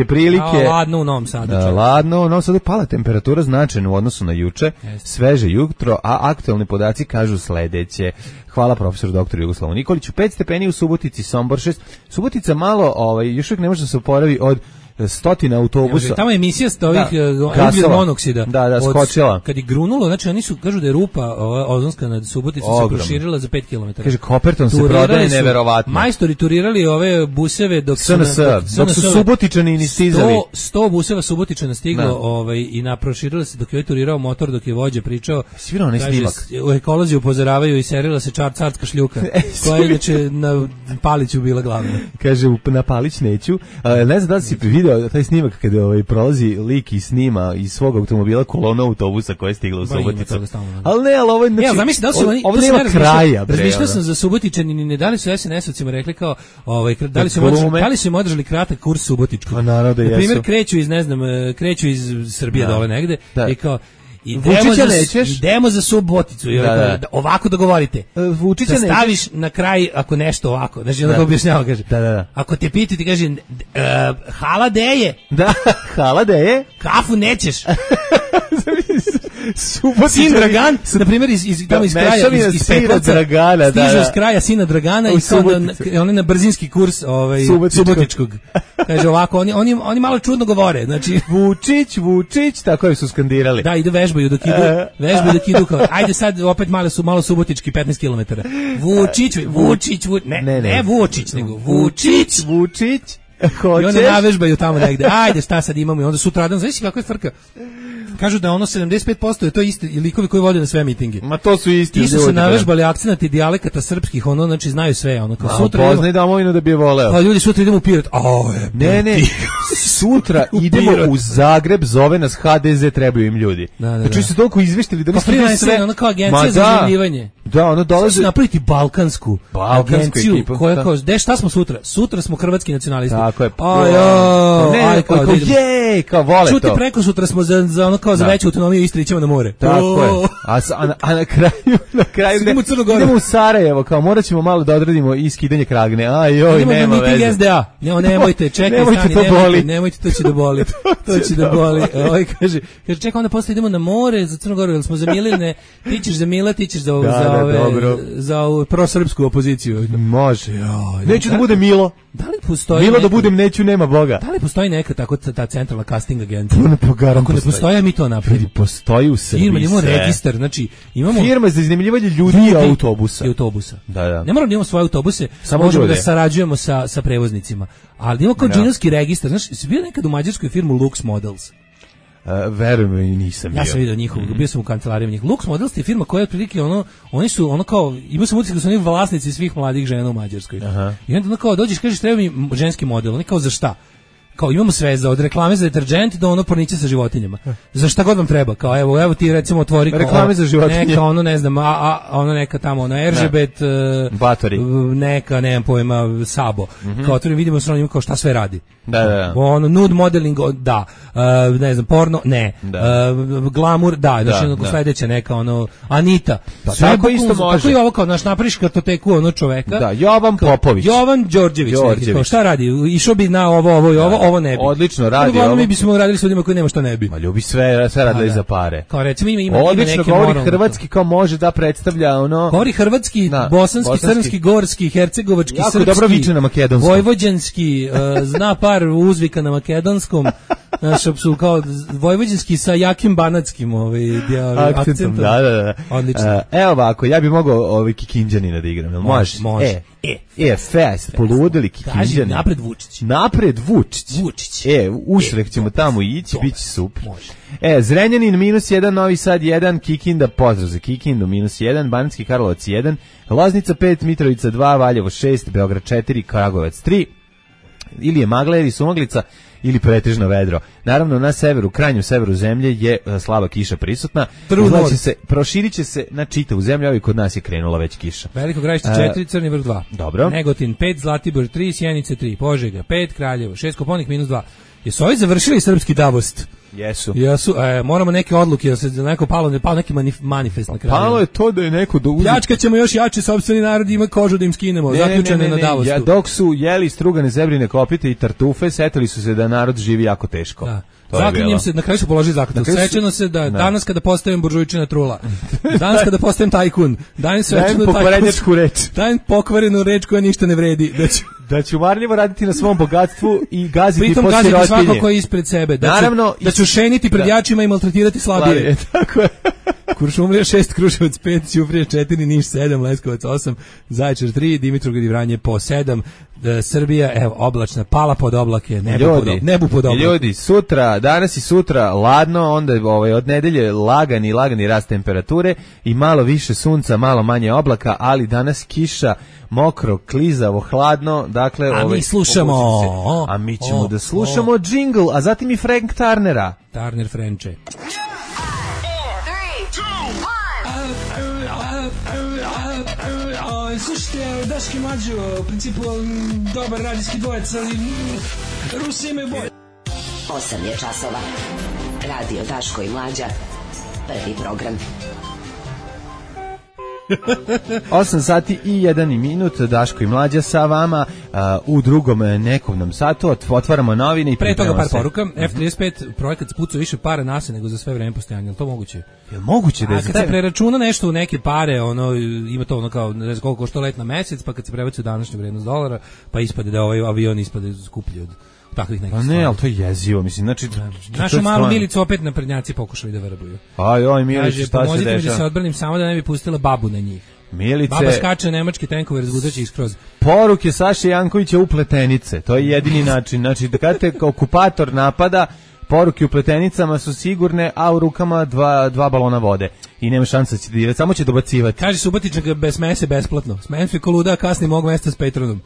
prilike. Ladno u Novom Sadu. Ladno u Novom Sadu, pala temperatura značajno u odnosu na juče, sveže jutro, a aktualni podaci kažu sledeće. Hvala profesoru doktoru Jugoslavu Nikoliću. 5 stepeni u Subotici, Sombor 6. Subotica malo, još uvijek ne može da se oporavi od stotina autobusa. Tamo je emisija ovih ugljen monoksida. Da, skočila. Kad je grunulo, znači oni su, kažu da je rupa ozonska nad Suboticom se proširila za 5 km. Kaže, Koperton se prodaje neverovatno. Majstori turirali ove buseve dok su Subotičani ni stizali. 100 buseva Subotičana stiglo i proširila se dok je turirao motor, dok je vođa pričao. Svirao onaj snimak. U ekolozi upozoravaju i serila se carska šljuka, koja je inače na Paliću bila glavna. Kaže, na Palić neću. Ne znam da li si vidio video taj snimak kada prolazi lik i snima iz svog automobila kolona autobusa koja je stigla u Suboticu. Ali ne, ali ovo je... Znači, zamisli, da li su oni... Ovo nema kraja, bre. Razmišljao sam za Subotičani, ne da li su SNS-ovcima rekli kao, da li su im održali kratak kurs subotičkog. Pa naravno da jesu. Na primjer, kreću iz Srbije dole negde i kao... Idemo za Suboticu, ovako dogovorite. Da staviš na kraj, ako nešto ovako, znači onda ga objašnjava, kaže. Ako te pitaju, ti kaže, hala deje. Da, hala deje. Kafu nećeš. Sin Dragan, na primjer, iz kraja, iz Petlovca, stižu iz kraja sina Dragana i on je na brzinski kurs subotičkog. Kaže ovako, oni malo čudno govore. Znači, Vučić, tako je su skandirali. Da, ide vežbaju dok idu kao, ajde sad opet malo subotički 15 km. Vučić, ne Vučić, nego Vučić. I onda navežbaju tamo negde. Ajde, šta sad imamo? I onda sutradan, znaš kako je frka? Kažu da ono 75% je to isti likovi koji vode na sve mitinge. Ma to su isti. Ti su se navežbali akcenat i dijalekata srpskih, znači znaju sve, kao sutra. Poznaj domovinu da bi je voleo. Pa ljudi sutra idemo u Pirot. Ne. Sutra idemo u Zagreb, zove nas HDZ, trebaju im ljudi. Znači su toliko izveštili da nisu sve. Ono kao agencija za iznajmljivanje. Da, ono dolaze. Napraviti balkansku agenciju koja kao, šta smo sutra? Sutra smo hrvatski nacionalisti. Tako je. Kao vole to. Čuti, preko sutra smo za ono kao za veću autonomiju Istre ićemo na more. Tako je. A na kraju idemo u Sarajevo, kao morat ćemo malo da odradimo i skidanje kragne. Nema veze. SDA. Nemojte, čekaj, nemojte, to će da boli. To će da boli. Kaže, čekaj, onda posle idemo na more za Crnu Goru, jer smo zamilili, ti ćeš za Mila, ti ćeš za prosrpsku opoziciju. Može. Neću da bude Milo. Da li postoji Milo da budem, neću, nema Boga. Da li postoji neka tako ta centralna casting agencija? Ako ne postoji, mi to napravimo. Postoji u Srbiji. Imamo registar, znači imamo firma za iznajmljivanje ljudi i autobusa. Da. Ne moramo da imamo svoje autobuse, možemo da sarađujemo sa prevoznicima. Ali imamo kao džinovski registar, znaš, si bio nekad u mađarskoj firmu Lux Models? Verujem i nisam bio. Ja sam vidio njihovog, bio sam u kancelarijama njih. Lux Models je firma koja je otprilike oni su ono kao, imao sam utisak da su oni vlasnici svih mladih žena u Mađarskoj. I onda kao dođeš, kažeš treba mi ženski model, oni kao za šta? Kao imamo sve od reklame za deterdžent do pornića sa životinjama. Za šta god vam treba, kao evo ti recimo otvori kao reklame za životinje. Neka ne znam, ono neka tamo RGB batori. Neka nemam pojma Sabo. Kao otvorim vidimo sa njima kao šta sve radi. Da. Nude modeling, da. Ne znam, porno, ne. Glamour, da. Znači sledeća neka Anita. Pa tako isto može. Tako i ovo kao napraviš kartoteku čoveka. Da, Jovan Popović. Jovan Đorđević. Kao šta radi? Išao bi na ovo ne bi. Odlično radi ovo. Mi bismo radili s ljudima koji nema što ne bi. Ma ljubi sve radili za pare. Kao recimo ima odlično govori hrvatski, kao može da predstavlja govori hrvatski, bosanski, crnski, gorski, hercegovački, jako srpski. Dobro viče na makedonskom. Vojvođanski, zna par uzvika na makedonskom. Su kao vojvođanski sa jakim banatskim akcentom. Da. Odlično. Evo ovako, ja bih mogao Kikinđanina da igram. Može. Fest, poludeli Kikinđani. Napred Vučić. Usrek ćemo tamo ići, bit će super. Zrenjanin -1, Novi Sad 1, Kikinda, pozdrav za Kikindu, -1, Banatski Karlovac 1, Loznica 5, Mitrovica 2, Valjevo 6, Beograd 4, Kragujevac 3, ili je magla ili sumaglica, ili pretežno vedro. Naravno, na severu, krajnjem severu zemlje je slaba kiša prisutna. Proširit će se na čitavu zemlju, ali kod nas je krenula već kiša. Veliko Gradište 4, Crni Vrh 2. Dobro. Negotin 5, Zlatibor 3, Sjenice 3, Požega 5, Kraljevo 6, Koponik -2. Jesu ovi završili srpski Davost? Jesu. Moramo neke odluke, da se neko palo neki manifest na kraju. Palo je to da je neko pljačkat ćemo još jače, sopstveni narod ima kožu da im skinemo, zaključane na Davostu. Dok su jeli strugane zebrine kopite i tartufe, setili su se da narod živi jako teško. Da. Zaklinjem se, na kraju su položili zakletvu. Srećeno se da danas kada postajem buržujčina trula, danas kada postajem tajkun, dajem pokvarenjačku reč. Dajem pokvarenu reč koja ništa ne vredi. Da ću marljivo raditi na svom bogatstvu i gaziti pritom po sirotinji. Pritom gaziti svako ko je ispred sebe. Da ću šeniti pred jačima i maltretirati slabije. Tako je. Kuršumlija 6, Kruševac 5, Ćuprija 4, Niš 7, Leskovac 8, Zaječar 3, Dimitrovgrad i Vranje po 7, Srbija, evo, oblačna, pala pod oblake, nebu pod oblake. Ljudi, sutra, danas i sutra ladno, onda od nedelje lagani rast temperature i malo više sunca, malo manje oblaka, ali danas kiša, mokro, klizavo, hladno, dakle... A mi slušamo... A mi ćemo da slušamo džingl, a zatim i Frank Turnera. Turner Frenče. Slušajte, Daški Mlađo, u principu dobar radijski dvojec, ali Rusi imaju bolje. 8 je časova. Radio Daško i Mlađa. Prvi program. 8 sati i 1 minut, Daško i Mlađa sa vama u drugom nekovnom satu. Otvaramo novine i pre toga par poruka. F35 projekat spucao više para nase nego za sve vreme postojanja. Je to moguće? Je moguće da je... A kad se preračuna nešto u neke pare, ima to kao, ne znam koliko košta let na mesec, pa kad se prebaci u današnju vrednost dolara, pa ispade da ovaj avion ispade skuplji od takvih nekih stvari. Pa ne, ali to je jezivo, mislim, znači... Našu malu Milicu opet naprednjaci pokušali da vrbuju. Aj, Milicu, šta se dešava? Pomozite mi da se odbranim samo da ne bi pustila babu na njih. Milice... Baba skače nemački tenkove, razguzaće ih skroz. Poruke Saše Jankovića u pletenice, to je jedini način. Znači, da kada te okupator napada, poruke u pletenicama su sigurne, a u rukama dva balona vode. I nema šansa da će dirati, samo će dobacivati. Kaže Subotičnjak, bez smeje se besplatno. Smejem se koluda, a kasnim mog mesta s Petronom.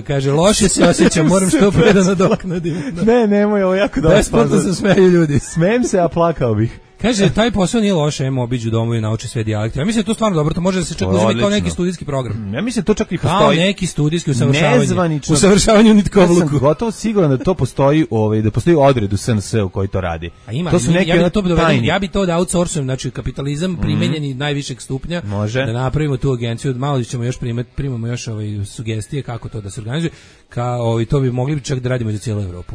Kaže, loše se osjećam, moram što pre da nadoknadim. Nemoj, ovo jako dobro. Besplatno se smeju ljudi. Smejem se, a plakao bih. Kaže, taj posao nije loše, obiđu domu i nauči sve dijalekte. Ja mislim da je to stvarno dobro, to može da se čak uzeti kao neki studijski program. Ja mislim da to čak i postoji. Kao neki studijski nezvanično. Usavršavanje u nitkovluku. Ja sam gotovo siguran da to postoji, da postoji odred u SNS-u koji to radi. A ima, to su neki ja bi to da outsourcujem, znači kapitalizam primenjeni najvišeg stupnja. Može. Da napravimo tu agenciju, malo ćemo još primamo još sugestije kako to da se organizuje. To bi mogli čak da radimo za cijelu Evropu.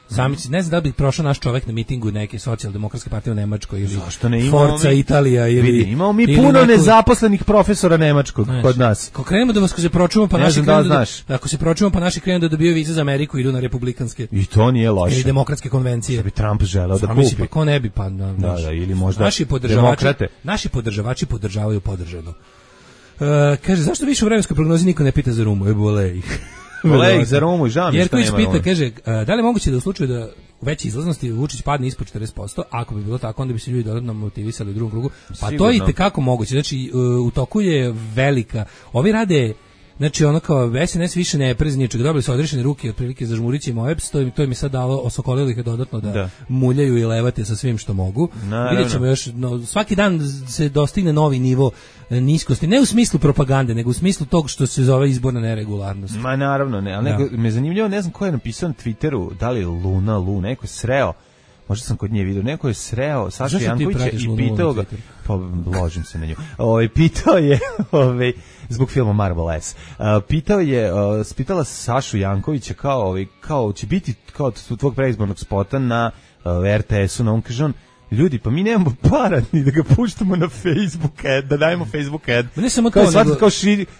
Sami ne znam da bi prošao naš čovjek na mitingu neke socijaldemokratske partije u Nemačkoj ili Forza Italija ili imamo mi puno nezaposlenih profesora nemačkog kod nas. Ako krenemo da se pročuvamo pa naši ako se pročuvamo pa naši krenu da dobiju vize za Ameriku i idu na republikanske. I to nije loše. Ili demokratske konvencije. Da bi Trump želeo da kupi. Pa ko ne bi pa da ili možda naši podržavači podržavaju podržano. Kaže zašto više u vremenskoj prognozi niko ne pita za Rumu? Bole ih. Volej za Romu i žao mi što nema Jerković pita, kaže, da li je moguće da u slučaju da u većoj izlaznosti Vučić padne ispod 40%, ako bi bilo tako, onda bi se ljudi dodatno motivisali u drugom krugu. Pa to je i tekako moguće. Znači, u toku je velika. Ovi rade, znači ono kao SNS više ne preznije, čak dobili su odrešene ruke otprilike za Žmurićem OEPS, to im je sad dalo, osokolilo ih je dodatno da muljaju i levate sa svim što mogu. Vidjet ćemo još, svaki dan se dostigne novi nivo niskosti, ne u smislu propagande, nego u smislu tog što se zove izborna neregularnost. Ma naravno ne, ali me zanimljivo, ne znam ko je napisao na Twitteru, da li Luna, neko je sreo, možda sam kod nje vidio, neko je sreo Sašu Jankovića i pitao ga, pa ložim se na nju, pitao je, zbog filma Marvel S, pitala Sašu Jankovića kao će biti kao tvog preizbornog spota na RTS-u, na on kaže on, ljudi, pa mi nemamo para ni da ga puštamo na Facebook ad, da dajemo Facebook ad. Ne samo to,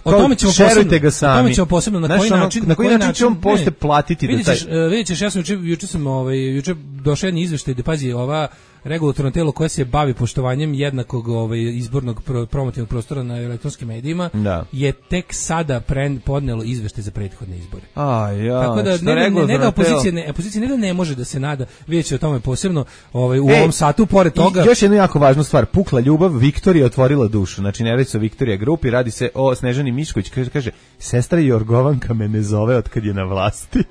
o tome ćemo šerujte ga sami. O tome ćemo posebno, na koji način će on posle platiti. Vidjet ćeš, ja sam juče došao jedan izveštaj da pazi ova regulatorno telo koje se bavi poštovanjem jednakog izbornog promotivnog prostora na elektronskim medijima je tek sada podnelo izveštaj za prethodne izbore. Tako da opozicija ne da ne može da se nada, vidjet će o tome posebno u ovom satu, pored toga. Još jednu jako važnu stvar, pukla ljubav, Viktorija otvorila dušu, znači ne radi se o Viktorija grupi, radi se o Snežani Mišković, kaže, sestra Jorgovanka me ne zove od kad je na vlasti.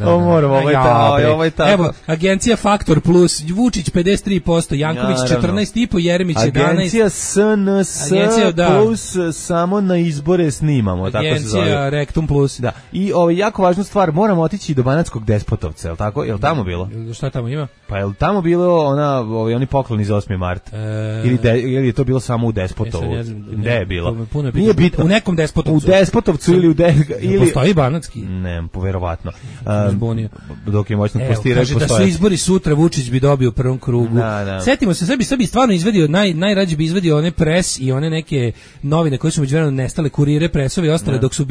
Ovo je tako. Evo, agencija Faktor Plus, Vučić 53%, Janković 14,5%, Jeremić 11%. Agencija SNS Plus, samo na izbore snimamo, tako se zove. Agencija Rektum Plus. Da. I jako važna stvar, moramo otići do Banatskog Despotovca, je li tako? Je li tamo bilo? Šta tamo ima? Pa je li tamo bilo oni pokloni za 8. mart? Ili je to bilo samo u Despotovu? Gde je bilo? Nije bitno. U nekom Despotovcu. U Despotovcu ili u... Postoji Banatski? Ne, verovatno. dok je moćno postirao. Kaže da su izbori sutra, Vučić bi dobio u prvom krugu. Setimo se, sve bi stvarno izvadio, najrađe bi izvadio one pres i one neke novine koje su međuvremeno nestale, kurire, presove i ostale, dok su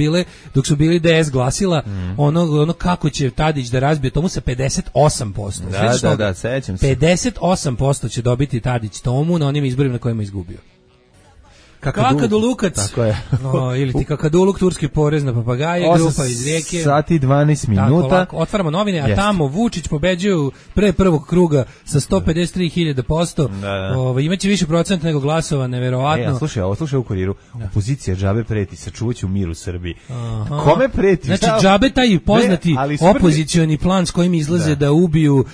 bili DS glasila, ono kako će Tadić da razbije tomu sa 58%. Da, sećam se. 58% će dobiti Tadić tomu na onim izborima na kojima je izgubio. Kakadulukac. Tako je. Ili ti Kakaduluk, turski porez na papagaje, grupa iz Rijeke. 8 sati 12 minuta. Tako, otvaramo novine, a tamo Vučić pobeđuju pre prvog kruga sa 153.000%. Imaće više procenta nego glasova, neverovatno. Slušaj u Kuriru. Opozicija džabe preti, sačuvaće u miru Srbiji. Kome preti? Znači, džabe taj poznati opozicioni plan s kojim izlaze da ubiju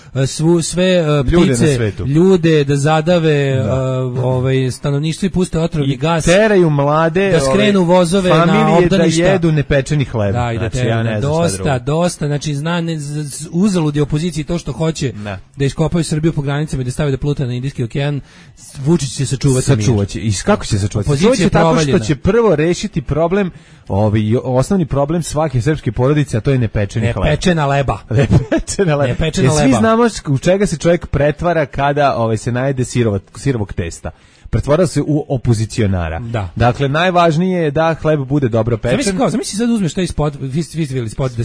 sve ptice, ljude, da zadave stanovništvo i puste otrovni gas. Teraju mlade, da skrenu vozove na obdaništa, da jedu nepečeni hleb. Da, i da teraju dosta, znači uzalud je opoziciji to što hoće da iskopaju Srbiju po granicama i da stave da pluta na Indijski okean. Vučić će sačuvati mir. I kako će sačuvati? Opozicija tako što će prvo rešiti problem, osnovni problem svake srpske porodice, a to je nepečeni hleb. Nepečena leba. Svi znamo u čega se čovjek pretvara kada se najede sirovog testa. Pretvara se u opozicionara. Da. Dakle, najvažnije je da hleb bude dobro pečen. Zamisli sad uzmeš taj spot, vi ste vidjeli spot da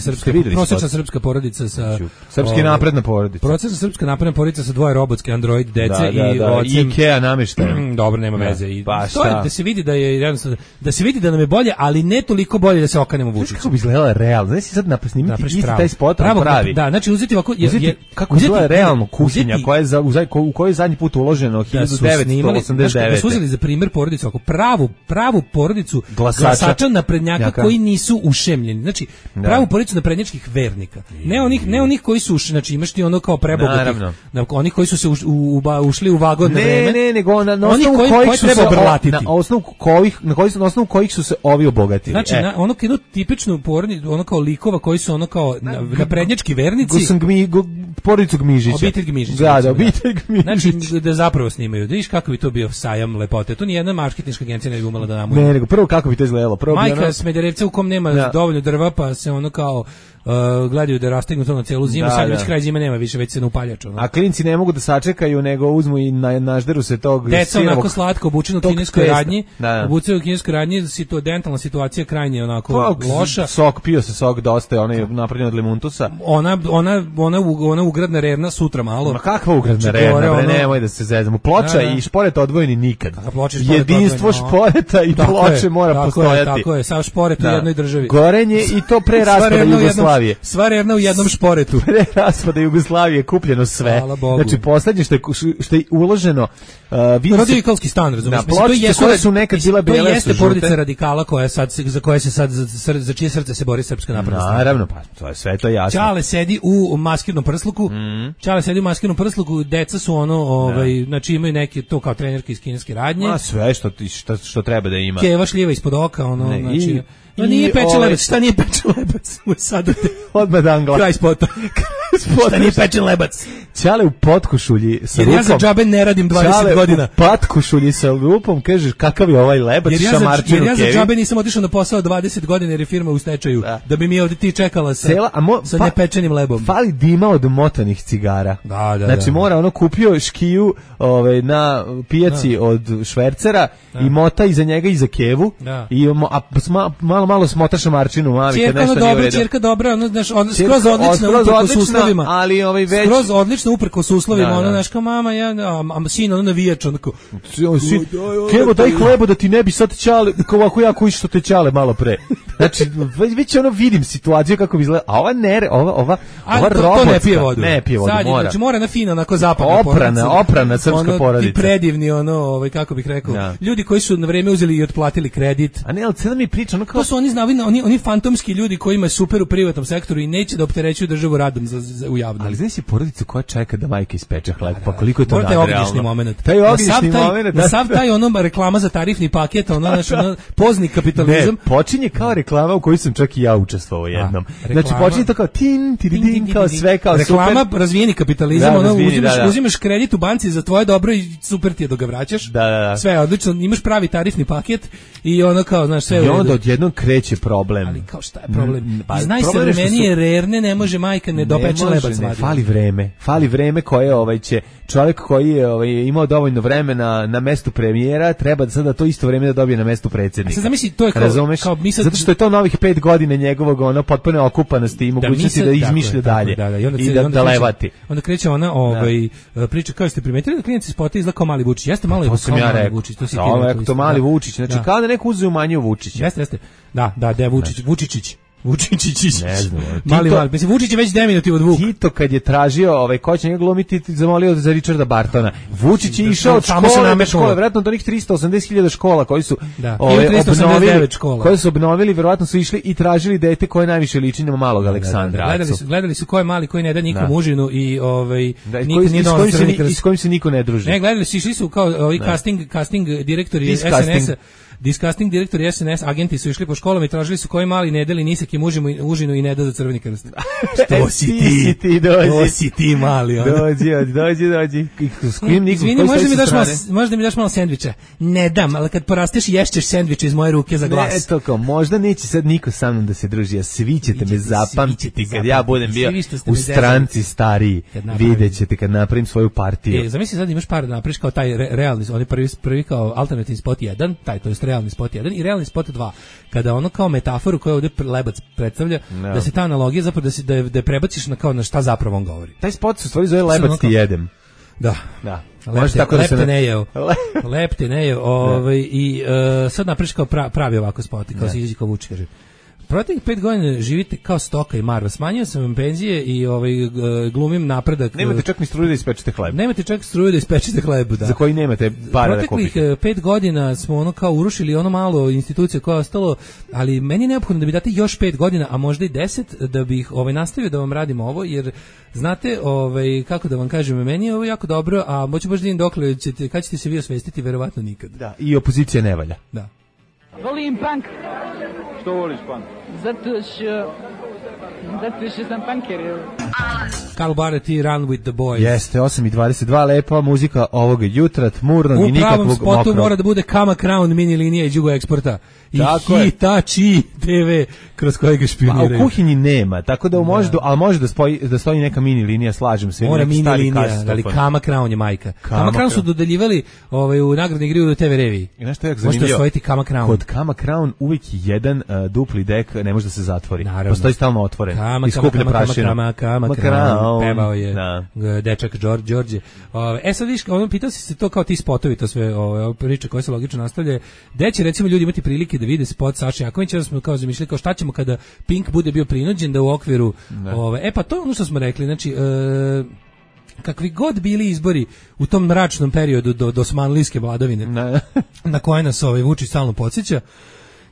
prosječna srpska porodica sa... Srpski napredna porodica. Prosječna srpska napredna porodica sa 2 robotske Android dece i ocem... IKEA namještajem. Dobro, nema veze. To je da se vidi da je jednostavno, da se vidi da nam je bolje, ali ne toliko bolje da se okanemo Vučiću. Kako bi izgledala realno? Znači sad snimiti isti taj spot pravi. Da, znači uzeti ovako... Kako izgleda realno kuhinja u kojoj je zadnji put uloženo 1989. Da su uzeli za primjer porodicu, ako pravu porodicu glasača naprednjaka koji nisu ušemljeni. Znači, pravu porodicu naprednjačkih vernika. Ne onih koji su, znači imaš ti ono kao prebogatih, onih koji su se ušli u vagon na vreme. Ne, nego na osnovu kojih su se ovi obogatili. Znači, ono jednu tipičnu porodicu, ono kao likova koji su ono kao naprednjački vernici. Porodicu Gmižića. Obitelj Gmižića. Da, obitelj Gmižića. Znači, da zapravo snimaju. Da viš kako bi to bio sajam lepote. To nijedna marketinška agencija ne bi umela da namuje. Ne, nego prvo kako bi to izgledalo. Majka Smederevca u kom nema dovoljno drva, pa se ono kao gledaju da rastegnu to na celu zimu, sad već kraj zime nema više, već se na upaljaču. A klinci ne mogu da sačekaju, nego uzmu i nažderu se tog deca onako slatko obučeno u kineskoj radnji, obučeno u kineskoj radnji, dentalna situacija krajnje onako loša. Pio se sok dosta, ona je napravljena od limuntusa. Ona ugradna revna sutra malo. Ma kakva ugradna revna, nemoj da se zezamo. Ploča i šporet odvojeni nikad. Jedinstvo šporeta i ploče mora postojati. Tako je, sav šporet u jednoj državi. Gorenje i to pre raspada Jugoslavije. Sva revna u jednom šporetu. Pre raspada Jugoslavije kupljeno sve. Znači, poslednje što je uloženo... Radikalski stan, razumiješ? Koje su nekad bila bele, to jeste porodica radikala za čije srce se bori Srpska napredna stranka. Naravno, pa to je sve to jasno. Čale sedi u maskirnom prsluku, deca su znači imaju neke, to kao trenerke iz kineske radnje. Sve što treba da ima. Keva šljiva ispod oka, znači... nije pečen lebac, šta nije pečen lebac? Odmah da angla. Kraj spota. Šta nije pečen lebac? Čale u potkošulji sa lupom. Jer ja za džabe ne radim 20 godina. Čale u potkošulji sa lupom, kažeš kakav je ovaj lebac, šamarčinu Jer ja za džabe nisam otišao na posao 20 godina jer je firma u stečaju. Da bi mi ovdje ti čekala sa nepečenim lebom. Fali dima od motanih cigara. Znači mora ono kupio škiju na pijaci od švercera i mota iza njega iza kevu i malo smota šamarčinu mami kad nešto nije u redu. Čerka dobra, skroz odlična, ali već skroz odlično uprkos uslovima, ono znaš kao mama, a sin ono navijač, onako Kevo daj hlebo da ti ne bi sad ćale, ovako jako išto te ćale malo pre. Znači, već vidim situaciju kako bi izgleda, a ova robotska, to ne pije vodu, mora. Znači mora na fina, onako zapadna porodica. Oprana srpska porodica. Ti predivni, kako bih rekao, ljudi koji su na vreme uzeli i otplatili kredit. A ne, ali cijela mi priča, to su oni fantomski ljudi koji imaju super u privatnom sektoru i neće da opterećuju državu radom u javnom. Ali znaš si porodicu koja čeka da majka ispeče hleb, pa koliko je to nadrealno. Taj ognjišni moment. Taj ognjišni moment. Na sav taj reklama za tarifni paket, pozni kapitalizam. Ne, počinje kao reklama u kojoj sam čak i ja učestvovao jednom. Znači, počinje to kao tin, kao sve, kao super. Reklama, razvijeni kapitalizam, uzimaš kredit u banci za tvoje dobro i super ti je dok ga vraćaš. Da. Sve je odlično, imaš pravi tarifni paket i ono kao, znaš, sve. I onda odjednom kreće problem. Ali kao šta je problem? Iz najsavremenije rerne ne može majka ne dopeče lebac vadi. Fali vreme koje će čovjek koji je imao dovoljno vremena na mestu premijera, treba sada to isto vreme da dobije na mestu predsjednika. Sad zamisli, to je kao mi sad, zato što je to novih 5 godina njegovog potpune okupanosti i mogućnosti da izmišlja dalje i da levati. Onda kreće ona priča, kao ste primetili da klijent se spota izgleda kao mali Vučić. Jeste malo kao mali Vučić. To mali Vučić, znači kada neko uzeo manju Vučića. Jeste. Da, Vučićić. Vučićić. Ne znam. Mali. Mislim, Vučić je već deminutiv od Vuk. Tito kad je tražio ko će njega glumiti, zamolio za Richarda Bartona. Vučić je išao od škole, vjerojatno do onih 380.000 škola koji su obnovili, vjerojatno su išli i tražili dete koje najviše liči na malog Aleksandra. Gledali su ko je mali, koji ne da nikom užinu i s kojim se niko ne druži. Ne, gledali su, išli su kao ovi casting direktori SNS-a. Disgusting direktori SNS, agenti su išli po školama i tražili su koji mali ne deli nisak im užinu i ne da za Crveni krst. Što si ti? To si ti mali. Dođi. Izvini, možda mi daš malo sendviča? Ne dam, ali kad porasteš ješćeš sendviče iz moje ruke za glas. Ne, to kao, možda neće sad niko sa mnom da se druži, a svi ćete me zapamtiti kad ja budem bio u stranci stariji. Vidjet ćete kad napravim svoju partiju. Zamisli sad imaš par da napraviš kao taj realni, oni prvi kao alternativni spot 1, to je realni spot 1 i realni spot 2, kada ono kao metaforu koju ovdje Lebac predstavlja, da se ta analogija zapravo da je prebaciš na šta zapravo on govori. Taj spot se stvari zove Lebac ti jedem. Da. Lep te ne je. I sad napraviš kao pravi ovako spot, kao se izađi kao Vučić, kaže. Protiv 5 godina živite kao stoka i marva. Smanjio sam vam penzije i glumim napredak. Nemate čak ni struju da ispečete hleb. Da. Za koji nemate para da kupite. Proteklih 5 godina smo kao urušili ono malo institucije koje je ostalo, ali meni je neophodno da bi date još 5 godina, a možda i 10, da bih nastavio da vam radim ovo, jer znate, kako da vam kažem, meni je ovo jako dobro, a moću baš da vidim dokle kad ćete se vi osvestiti, verovatno nikad. Da, i opozicija ne valja. Da. Volim punk. Što voliš punk? Zato što sam punker. Carl Barrett i Run with the Boys. Jeste, 8:22, lepa muzika ovoga jutra, tmurnog i nikakvog mokrog. U pravom spotu mora da bude Kama Crown mini linija iz Jugo Eksporta. I Hitachi TV kroz kojeg ga špioniraju. A u kuhinji nema, tako da ali može da stoji neka mini linija, slažem se. Mora mini linija, ali Kama Crown je majka. Kama Crown su dodeljivali u nagradni igri u TV reviji. I nešto je jako zanimljivo. Možete osvojiti Kama Crown. Kod Kama Crown uvijek jedan dupli dek ne može da se zatvori. Naravno. Postoji stalno otvoren. Kama Crown. Pevao je dečak Đorđe. Sad viš, pitao si se to kao ti spotovi, to sve priče koje se logično nastavljaju. Gde će recimo ljudi imati prilike da vide spot Saše Jankovića, da smo kao zamišljali kao šta ćemo kada Pink bude bio prinuđen da u okviru pa to je ono što smo rekli, znači kakvi god bili izbori u tom mračnom periodu do osmanlijske vladavine na koje nas Vučić stalno podsjeća,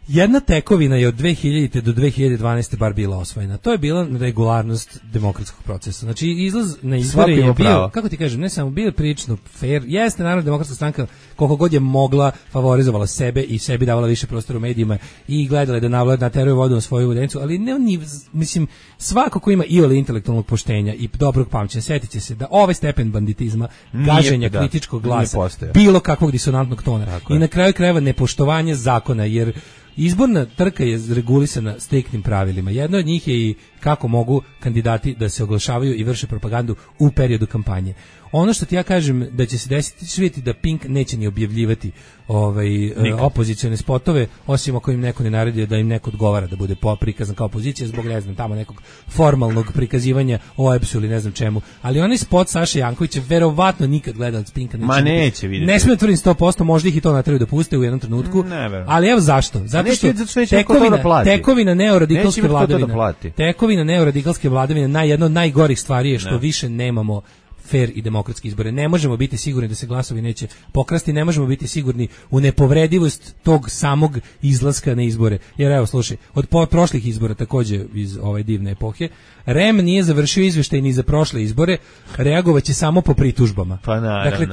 jedna tekovina je od 2000. do 2012. bar bila osvojena. To je bila regularnost demokratskog procesa. Znači, izlaz na izbore je bio, kako ti kažem, ne samo bio prilično fair. Jeste, naravno, demokratska stranka koliko god je mogla favorizovala sebe i sebi davala više prostora u medijima i gledala da nateruje vodu na svoju udencu, ali ne oni, mislim, svako ko ima iole intelektualnog poštenja i dobrog pamćenja, setit će se da ovaj stepen banditizma, gaženja kritičkog glasa, bilo kakvog disonantnog tona i na kraju krajeva nepoštovanje zakona, jer izborna trka je regulisana striktnim pravilima. Jedno od njih je i kako mogu kandidati da se oglašavaju i vrše propagandu u periodu kampanje. Ono što ti ja kažem da će se desiti, će vidjeti da Pink neće ni objavljivati opozicione spotove, osim ako im neko ne naredi da im neko odgovara da bude prikazan kao opozicija zbog, ne znam, tamo nekog formalnog prikazivanja o EPS-u ili ne znam čemu. Ali onaj spot Saše Jankovića verovatno nikad gledalac Pinka neće vidjeti. Ne smije tvrdim 100%, možda ih i to natraju da puste u jednom trenutku. Ali evo zašto? Zato što tekovina neoradikalske vladavine. Tekovina neoradikalske vladavine jedno od najgorih stvari je što više nemamo fair i demokratske izbore. Ne možemo biti sigurni da se glasovi neće pokrasti, ne možemo biti sigurni u nepovredivost tog samog izlaska na izbore. Jer evo, slušaj, od prošlih izbora, takođe iz ove divne epohe, REM nije završio izveštaj ni za prošle izbore, reagovaće samo po pritužbama. Pa naravno. Dakle,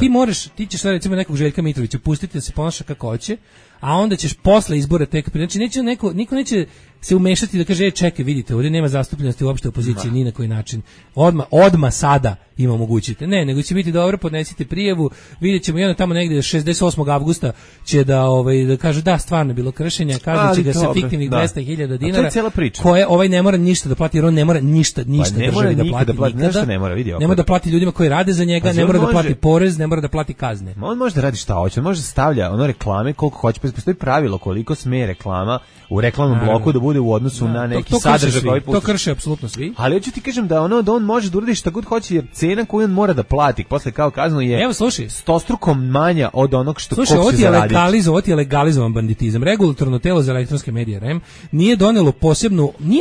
ti ćeš sad recimo nekog Željka Mitrovića pustiti da se ponaša kako hoće, a onda ćeš posle izbora tek, znači niko neće se umešati da kaže čekaj, vidite, ovdje nema zastupljenosti uopšte opozicije ni na koji način. Odma sada ima mogućite. Ne, nego će biti dobro, podnesite prijavu, vidjet ćemo jedno tamo negdje 68. avgusta će da kažu da, stvarno je bilo kršenja, kaznit će ga se fiktivnih 200.000 dinara, koje ovaj ne mora ništa da plati, jer on ne mora ništa državi da plati nikada. Ne mora da plati ljudima koji rade za njega, ne mora da plati porez, ne mora da plati kazne. On može da radi šta hoće, on može da stavlja reklame koliko hoće, postoji pravilo koliko sme reklama u reklamnom bloku da bude u odnosu na neki sadržaj koji pusti. To krše apsolutno svi. Ali hoću ti kažem da da on može da uradi šta god hoće, jer cena koju on mora da plati posle kao kaznu je stostrukom manja od onog što ko se zaradi. Ovo ti je legalizovan banditizam. Regulatorno telo za elektronske medije REM nije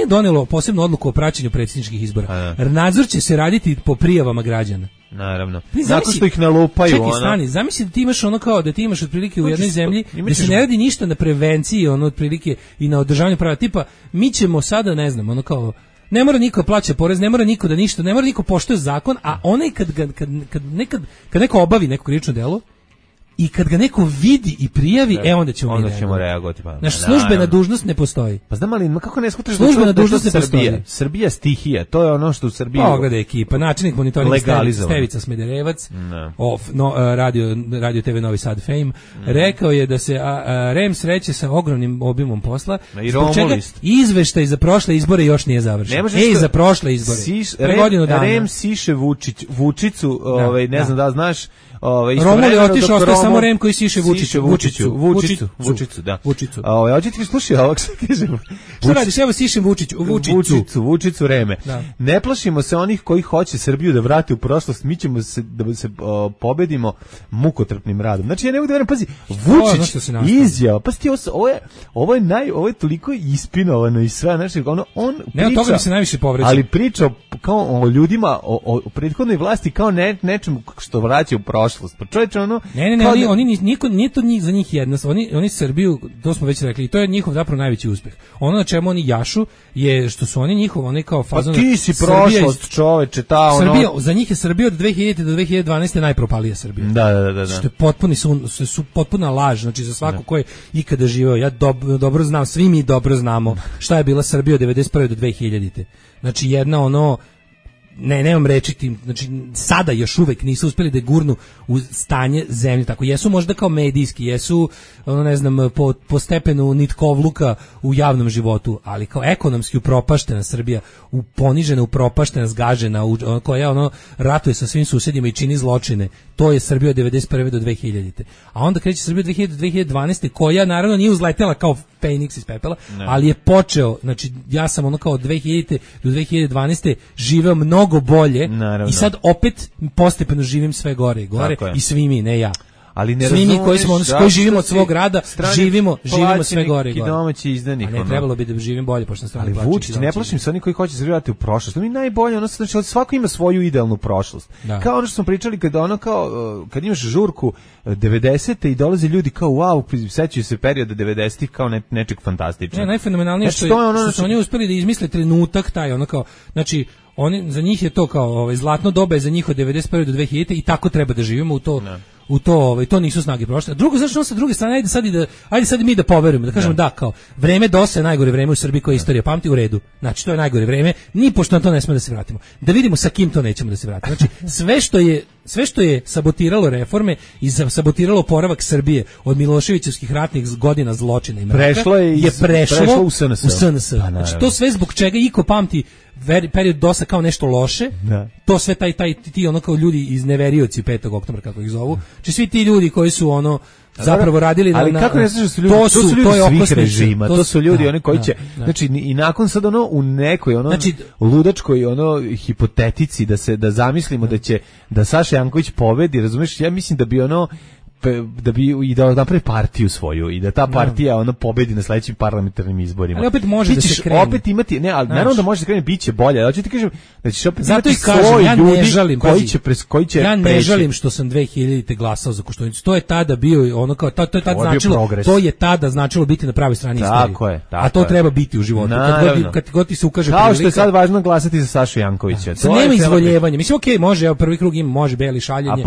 donelo posebnu odluku o praćenju predsjedničkih izbora. Nadzor će se raditi po prijavama građana. Naravno. Nakon što ih nalupaju. Čekaj, stani, zamisli da ti imaš da ti imaš otprilike u jednoj zemlji gdje se ne radi ništa na prevenciji, otprilike i na održavanju prava. Tipa, mi ćemo sada, ne znam, ne mora niko plaća porez, ne mora niko da ništa, ne mora niko poštuje zakon, a onaj kad neko obavi neko krivično delo i kad ga neko vidi i prijavi, onda ćemo reagovati. Naša službena dužnost ne postoji. Pa znam, ali kako ne shvataš službena dužnost ne postoji? Srbija stihija, to je ono što u Srbiji... Pogledaj ekipa, načelnik monitoringa Stevica Smederevac, radio TV Novi Sad Fame, rekao je da se REM sreće sa ogromnim obimom posla, zbog čega izveštaj za prošle izbore još nije završen. Za prošle izbore. REM siše Vučicu, ne znam da znaš, Romul je otišao, ostaje samo REM koji siše Vučiću, da. Hoće ti slušaj ovog što kažem. Što radiš? Evo sišem Vučiću Reme. Ne plašimo se onih koji hoće Srbiju da vrate u prošlost, mi ćemo da se pobedimo mukotrpnim radom. Znači ja ne mogu da verujem, pazi, Vučić izjava, pa ovo je toliko ispinovano i sve, znači on priča, toga mi se najviše povređa. Ali priča kao o ljudima, o prethodnoj vlasti kao nečemu što vraća u prošlost. Pa čovječe, nije to za njih jedna, oni Srbiju, to smo već rekli, i to je njihov zapravo najveći uspeh. Ono na čemu oni jašu je što su oni kao fazon. Pa ti si prošlost, čoveče, Srbija, za njih je Srbija od 2000 do 2012 najpropalija Srbija. Da. Što je potpuna laž, znači za svako ko je ikada živeo, ja dobro znam, svi mi dobro znamo šta je bila Srbija od 91. do 2000. Znači jedna nemam reći tim, znači sada još uvek nisu uspjeli da gurnu u stanje zemlje, tako jesu možda kao medijski, jesu ne znam po stepenu nitkovluka u javnom životu, ali kao ekonomski upropaštena Srbija, ponižena, upropaštena, zgažena, koja ratuje sa svim susjedima i čini zločine, to je Srbija od 91. do 2000. A onda kreće Srbija od 2000 do 2012. koja naravno nije uzletela kao Feniks iz pepela, ali je počeo, znači ja sam kao od 2000 do 2012. živeo mnogo bolje. Naravno. I sad opet postepeno živim sve gore i gore i svi mi, ne ja. Ali ne svi mi koji živimo od svog rada, živimo sve gore i gore. Domaći izdanik. A ne trebalo bi da živim bolje, pošto strani plaćam. Vučić, ne plašim se oni koji hoće se vratiti u prošlost. Oni najbolje, znači svako ima svoju idealnu prošlost. Kao ono što smo pričali kad imaš žurku 90-te i dolaze ljudi kao wow, sećaju se perioda 90-ih kao nečeg fantastičnog. Najfenomenalnije što su oni uspeli da izmisle trenutak taj, znači za njih je to kao zlatno doba je za njih od 91. do 2000 i tako treba da živimo u to nisu snage prošle. Drugo, znači sa druge strane, ajde sad mi da poverujemo, da kažemo da kao vreme DOS je najgore vreme u Srbiji koje istorija pamti, u redu. Znači to je najgore vreme, ni pošto na to ne smemo da se vratimo. Da vidimo sa kim to nećemo da se vratimo. Znači sve što je sabotiralo reforme i sabotiralo oporavak Srbije od Miloševićevskih ratnih godina zločina i mraka je prešlo u SNS. Znači to sve zbog čega iko pamti period DOS-a kao nešto loše, to sve ti kao ljudi iz neverioci 5. oktobra kako ih zovu, znači svi ti ljudi koji su zapravo radili ali kako ne znaš da su ljudi, to su ljudi svih režima, to su ljudi oni koji će, znači i nakon sad u nekoj ludačkoj hipotetici da zamislimo da će da Saša Janković pobedi, razumeš, ja mislim da bi da bi i da napravi partiju svoju i da ta partija ono pobedi na sledećim parlamentarnim izborima. Ali opet može da se krene. Opet imati, ne, ali naravno da može da krene, biće bolje. Hoću ti kažem da ćeš opet zato imati kažem, sloj ja ljudi ne žalim, koji će ja ne žalim što sam 2000-te glasao za Koštunicu. To je tada bio ono kao to je tada značilo, to je tada značilo biti na pravoj strani istorije. Tako je. A to treba biti u životu. Kad god ti se ukaže kao što je sad važno glasati za Sašu Jankovića. To nema izvoljevanja. Mislim okej, može, evo prvi krug ima, može beli šaljenje. A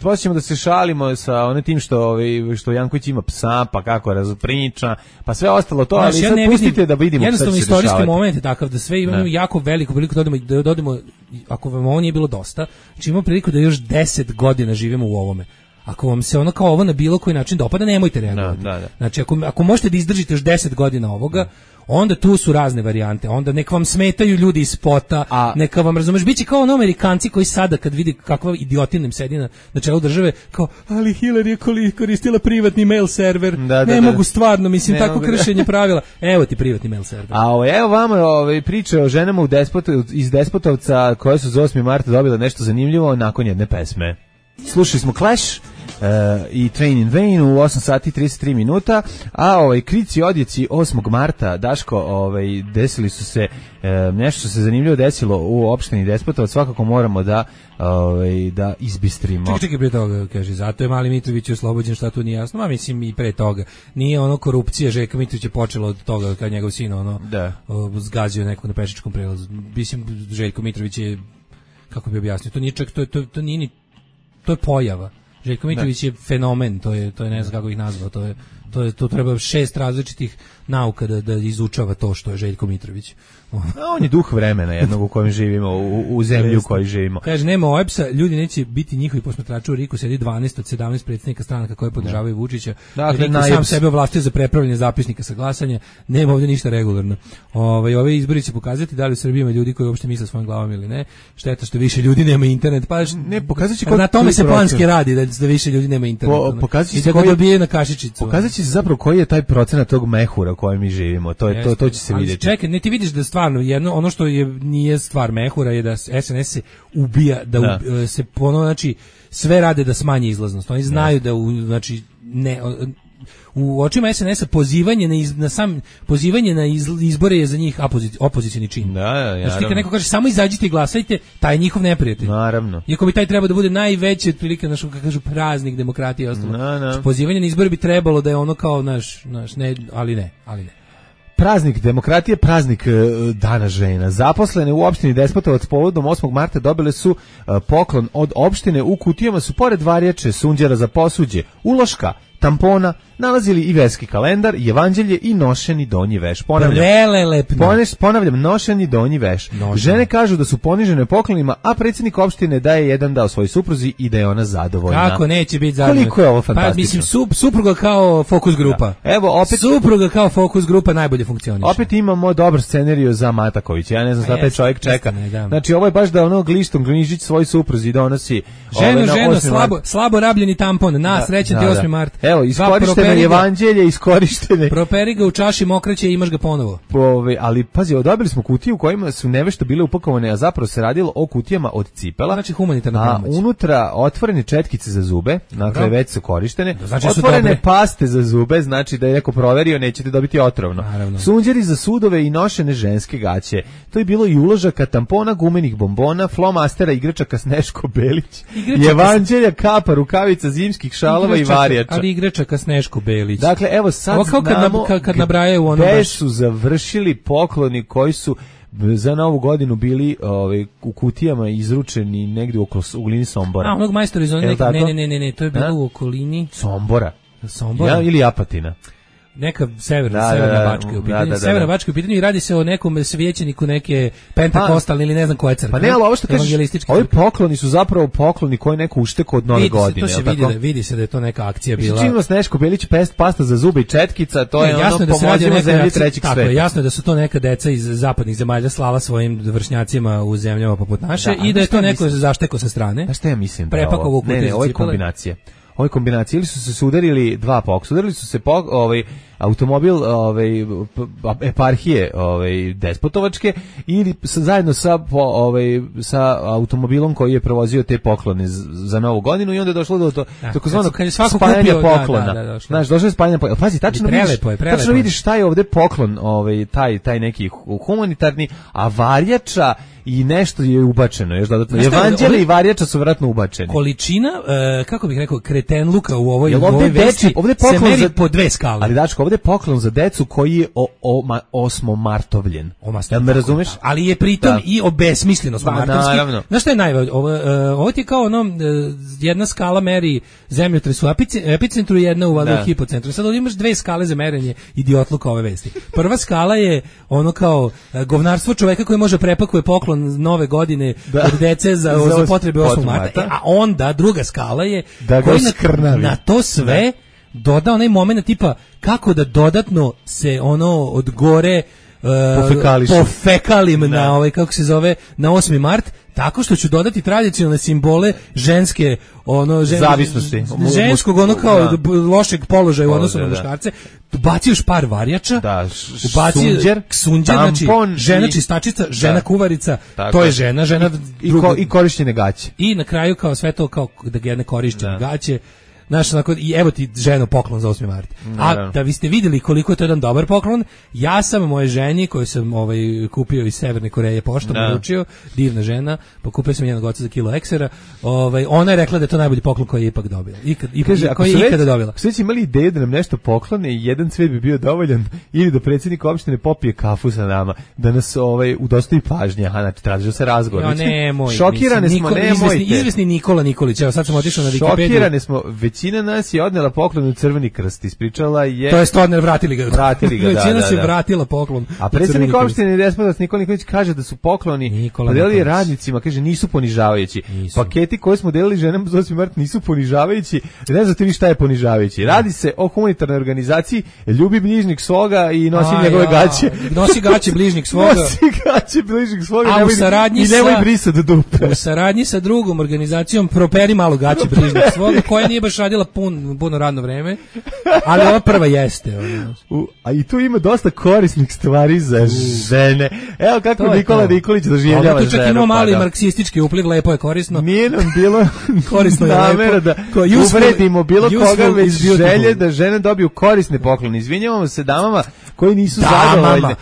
posjećamo da se šalimo sa onim tim što Janković ima psa, pa kako razpriča, pa sve ostalo to, ali sad pustite da vidimo šta će se dešavati. Jednostavno istorijski moment je takav da sve imamo jako veliku priliku da dodamo, ako vam ovo nije bilo dosta, znači imamo priliku da još 10 godina živimo u ovome. Ako vam se ono kao ovo na bilo koji način dopada, nemojte reagovati. Znači, ako možete da izdržite još 10 godina ovoga, onda tu su razne varijante. Onda neka vam smetaju ljudi iz spota, neka vam, razumeš, biće kao ono Amerikanci koji sada kad vidi kakva idiotina im sedi na čelu države, kao, ali Hillary je koristila privatni mail server, ne mogu stvarno, mislim, tako kršenje pravila. Evo ti privatni mail server. Evo vama priče o ženama iz Despotovca koje su za 8. marta dobile nešto zanimljivo nakon jedne pesme. Slušali smo Clash i Train in Vain u 8 sati 33 minuta, a krici odjeci 8. marta, Daško, desili su se, nešto se zanimljivo desilo u opštini Despotovac, svakako moramo da izbistrimo. Čekaj, pre toga, kaže, zato je Mali Mitrović oslobođen, šta tu nije jasno, a mislim i pre toga. Nije ono korupcija, Željka Mitrović je počela od toga kad njegov sin zgazio nekog na pešičkom prelazu. Mislim, Željko Mitrović je, kako bi objasnio, to nije čak, to nije ni, to je pojava. Željko Mitrović je fenomen, to je ne znam kako ih nazvao, to treba 6 različitih nauka da izučava to što je Željko Mitrović. On je duh vremena jednog u kojem živimo, u zemlji u kojoj živimo. Kaže, nema OEBS-a, ljudi neće biti njihovi posmatrači, u RIK-u sedi 12 od 17 predsjednika stranaka koje podržavaju Vučića. Dakle, RIK sam sebe ovlastio za prepravljanje zapisnika sa glasanja, nema ovdje ništa regularno. Ove izbori će pokazati da li u Srbiji ima ljudi koji uopšte misle svojim glavom ili ne. Šteta što više ljudi nema internet. Pa ne, pokazaće na tome se planski radi, da više ljudi nema internet. Pokazaće se koji dobije na kašičicu. Pokazaće se zapravo koji je taj procenat tog mehura u kojem mi živimo. To će se vidjeti. Čekaj, ne, ti vidiš da stvarno ono što nije stvar mehura je da SNS se ubija, da se znači sve rade da smanje izlaznost. Oni znaju da u očima SNS-a pozivanje na izbore je za njih opozicioni čin. Znači ti kad neko kaže samo izađite i glasajte, taj je njihov neprijatelj. Naravno. Iako bi taj trebao da bude najveći otprilike naš, kako kažu, praznik demokratije i ostalo. Pozivanje na izbore bi trebalo da je ono kao naš ne, ali ne. Praznik demokratije, praznik dana žena. Zaposlene u opštini Despotovac povodom 8. marta dobile su poklon od opštine. U kutijama su pored varjače, sunđera za posuđe, uloška, tampona, nalazili i verski kalendar, evanđelje i nošeni donji veš. Ponavljam, nošeni donji veš. Žene kažu da su ponižene poklonima, a predsjednik opštine da je jedan dao svoj supruzi i da je ona zadovoljna. Kako neće biti zadovoljna? Koliko je ovo fantastično? Pa mislim, supruga kao fokus grupa. Da. Evo, opet supruga kao fokus grupa najbolje funkcioniše. Opet imamo dobar scenariju za Matakovića. Ja ne znam šta taj čovjek čeka. Znači, ovo je baš da ono glistom Glinžić svoj supruzi donosi. Ženo, slabo rabljeni tampon, srećan ti 8. mart. Evo, iskorištene evanđelje, iskorištene. Properi ga u čaši mokraće i imaš ga ponovo. Ali pazi, dobili smo kutiju u kojima su nevešto bile upakovane, a zapravo se radilo o kutijama od cipela. Znači humanitarna pomoć. A unutra otvorene četkice za zube, dakle već su korištene. Znači otvorene paste za zube, znači da je neko proverio, nećete dobiti otrovno. Naravno. Sunđeri za sudove i nošene ženske gaće. To je bilo i uložaka, tampona, gumenih bombona, flomastera, igračaka Sneško Belić, evanđelja, kapa, rukavica, zimskih šalova i varjača. Ali igračaka Sneško Belić. Dakle, evo sad znamo kad nabrajaju ono gde su završili pokloni koji su za Novu godinu bili u kutijama izručeni negdje u okolini Sombora. Onog majstora iz ne, to je bilo u okolini Sombora. Ili Apatina. Neka severna Bačka je u pitanju. Severna Bačka je u pitanju i radi se o nekom svećeniku neke pentakostalne ili ne znam koje crkve. Pa ne, ali ovo što kažeš, ovi pokloni su zapravo pokloni koje neko ušteko od Nove godine. Vidi se da je to neka akcija bila. Činilo Sneško Belić, pasta za zube i četkica, to je ono pomoćimo zemlji trećeg sveta. Tako je, jasno je da su to neka deca iz zapadnih zemalja slala svojim vršnjacima u zemljama poput naše i da je to neko zašteko sa strane. Pa šta ja mislim? Prepakovo ovo je kombinacija. Ove kombinacije ili su se udarili dva poksa, udarili su se automobil eparhije Despotovačke ili zajedno sa automobilom koji je prevozio te poklone za Novu godinu i onda je došlo do takozvanog spajanja poklona. Znaš, došlo je spajanje poklona. Pazi, tačno vidiš šta je ovde poklon, taj neki humanitarni, a varjača i nešto je ubačeno, još dodatno. Evanđelje i varjača su vjerojatno ubačeni. Količina, kako bih rekao, kretenluka u ovoj vesti se meri po dve skale. Ali Dačko, ovdje je poklon za decu koji je osmomartovljen. Jel me razumeš? Ali je pritom i obesmisleno osmomartovski. Znaš šta je najvažnije? Ovo ti je kao jedna skala meri zemljotres u epicentru i jedna u hipocentru. Sad ovdje imaš dve skale za merenje idiotluka ove vesti. Prva skala je ono kao govnarstvo čoveka koji može prepakuje poklon nove godine od dece za potrebe 8. marta. A onda druga skala je koji na to sve doda onaj moment tipa kako da dodatno se od gore pofekalim na kako se zove, na 8. mart, tako što ću dodati tradicionalne simbole ženske zavisnosti, ženskog kao lošeg položaja u odnosu na muškarce. Baci još par varjača, sunđer, znači žena čistačica, žena kuvarica, to je žena i korišćene gaće. I na kraju kao sve to kao da jedne korišćene gaće. Znaš, i evo ti ženu poklon za 8. mart. A da vi ste vidjeli koliko je to jedan dobar poklon, ja sam moje ženi koju sam kupio iz Severne Koreje poštom, naručio, divna žena, pokupio sam njenog oca za kilo eksera, ona je rekla da je to najbolji poklon koji je ipak dobila. Koji je ikada dobila. Ako su već imali ideju da nam nešto poklone, jedan cvet bi bio dovoljan, ili da predsjednik opštine popije kafu sa nama, da nas udostoji pažnje, znači traži da se razgovor. Šokirane smo, izvesni Nikola Nikolić, evo sad sam otišao na Wikipediju. Šokirane smo, većina nas je odnela poklon u Crveni krst, ispričala je... To je stvarno, vratili ga, većina se vratila poklon. A predsjednik opštine Despotovac Nikola Nikolić kaže da su pokloni podelili radnicima, kaže nisu ponižavajući. Paketi koje smo delili ženama za 8. mart nisu ponižavajući, ne znate vi šta je ponižavajući. Radi se o humanitarnoj organizaciji, ljubi bližnjeg svoga i nosi njegove gaće. Nosi gaće bližnjeg svoga. A u saradnji sa... I nemoj brisati dupe. U saradnji sa drugom organizacijom properi malo gaće bližnjeg svoga, koja nije baš radila puno radno vreme, ali ova prva jeste. A i tu ima dosta korisnih stvari za žene. Evo kako Nikola Nikolić doživljava ženu. Tu čak ima mali marksistički upliv, lepo je korisno. Nije nam bilo korisno je namera da uvredimo bilo koga, već želje da žene dobiju korisne poklone. Izvinjavamo se damama koji nisu zadovoljne.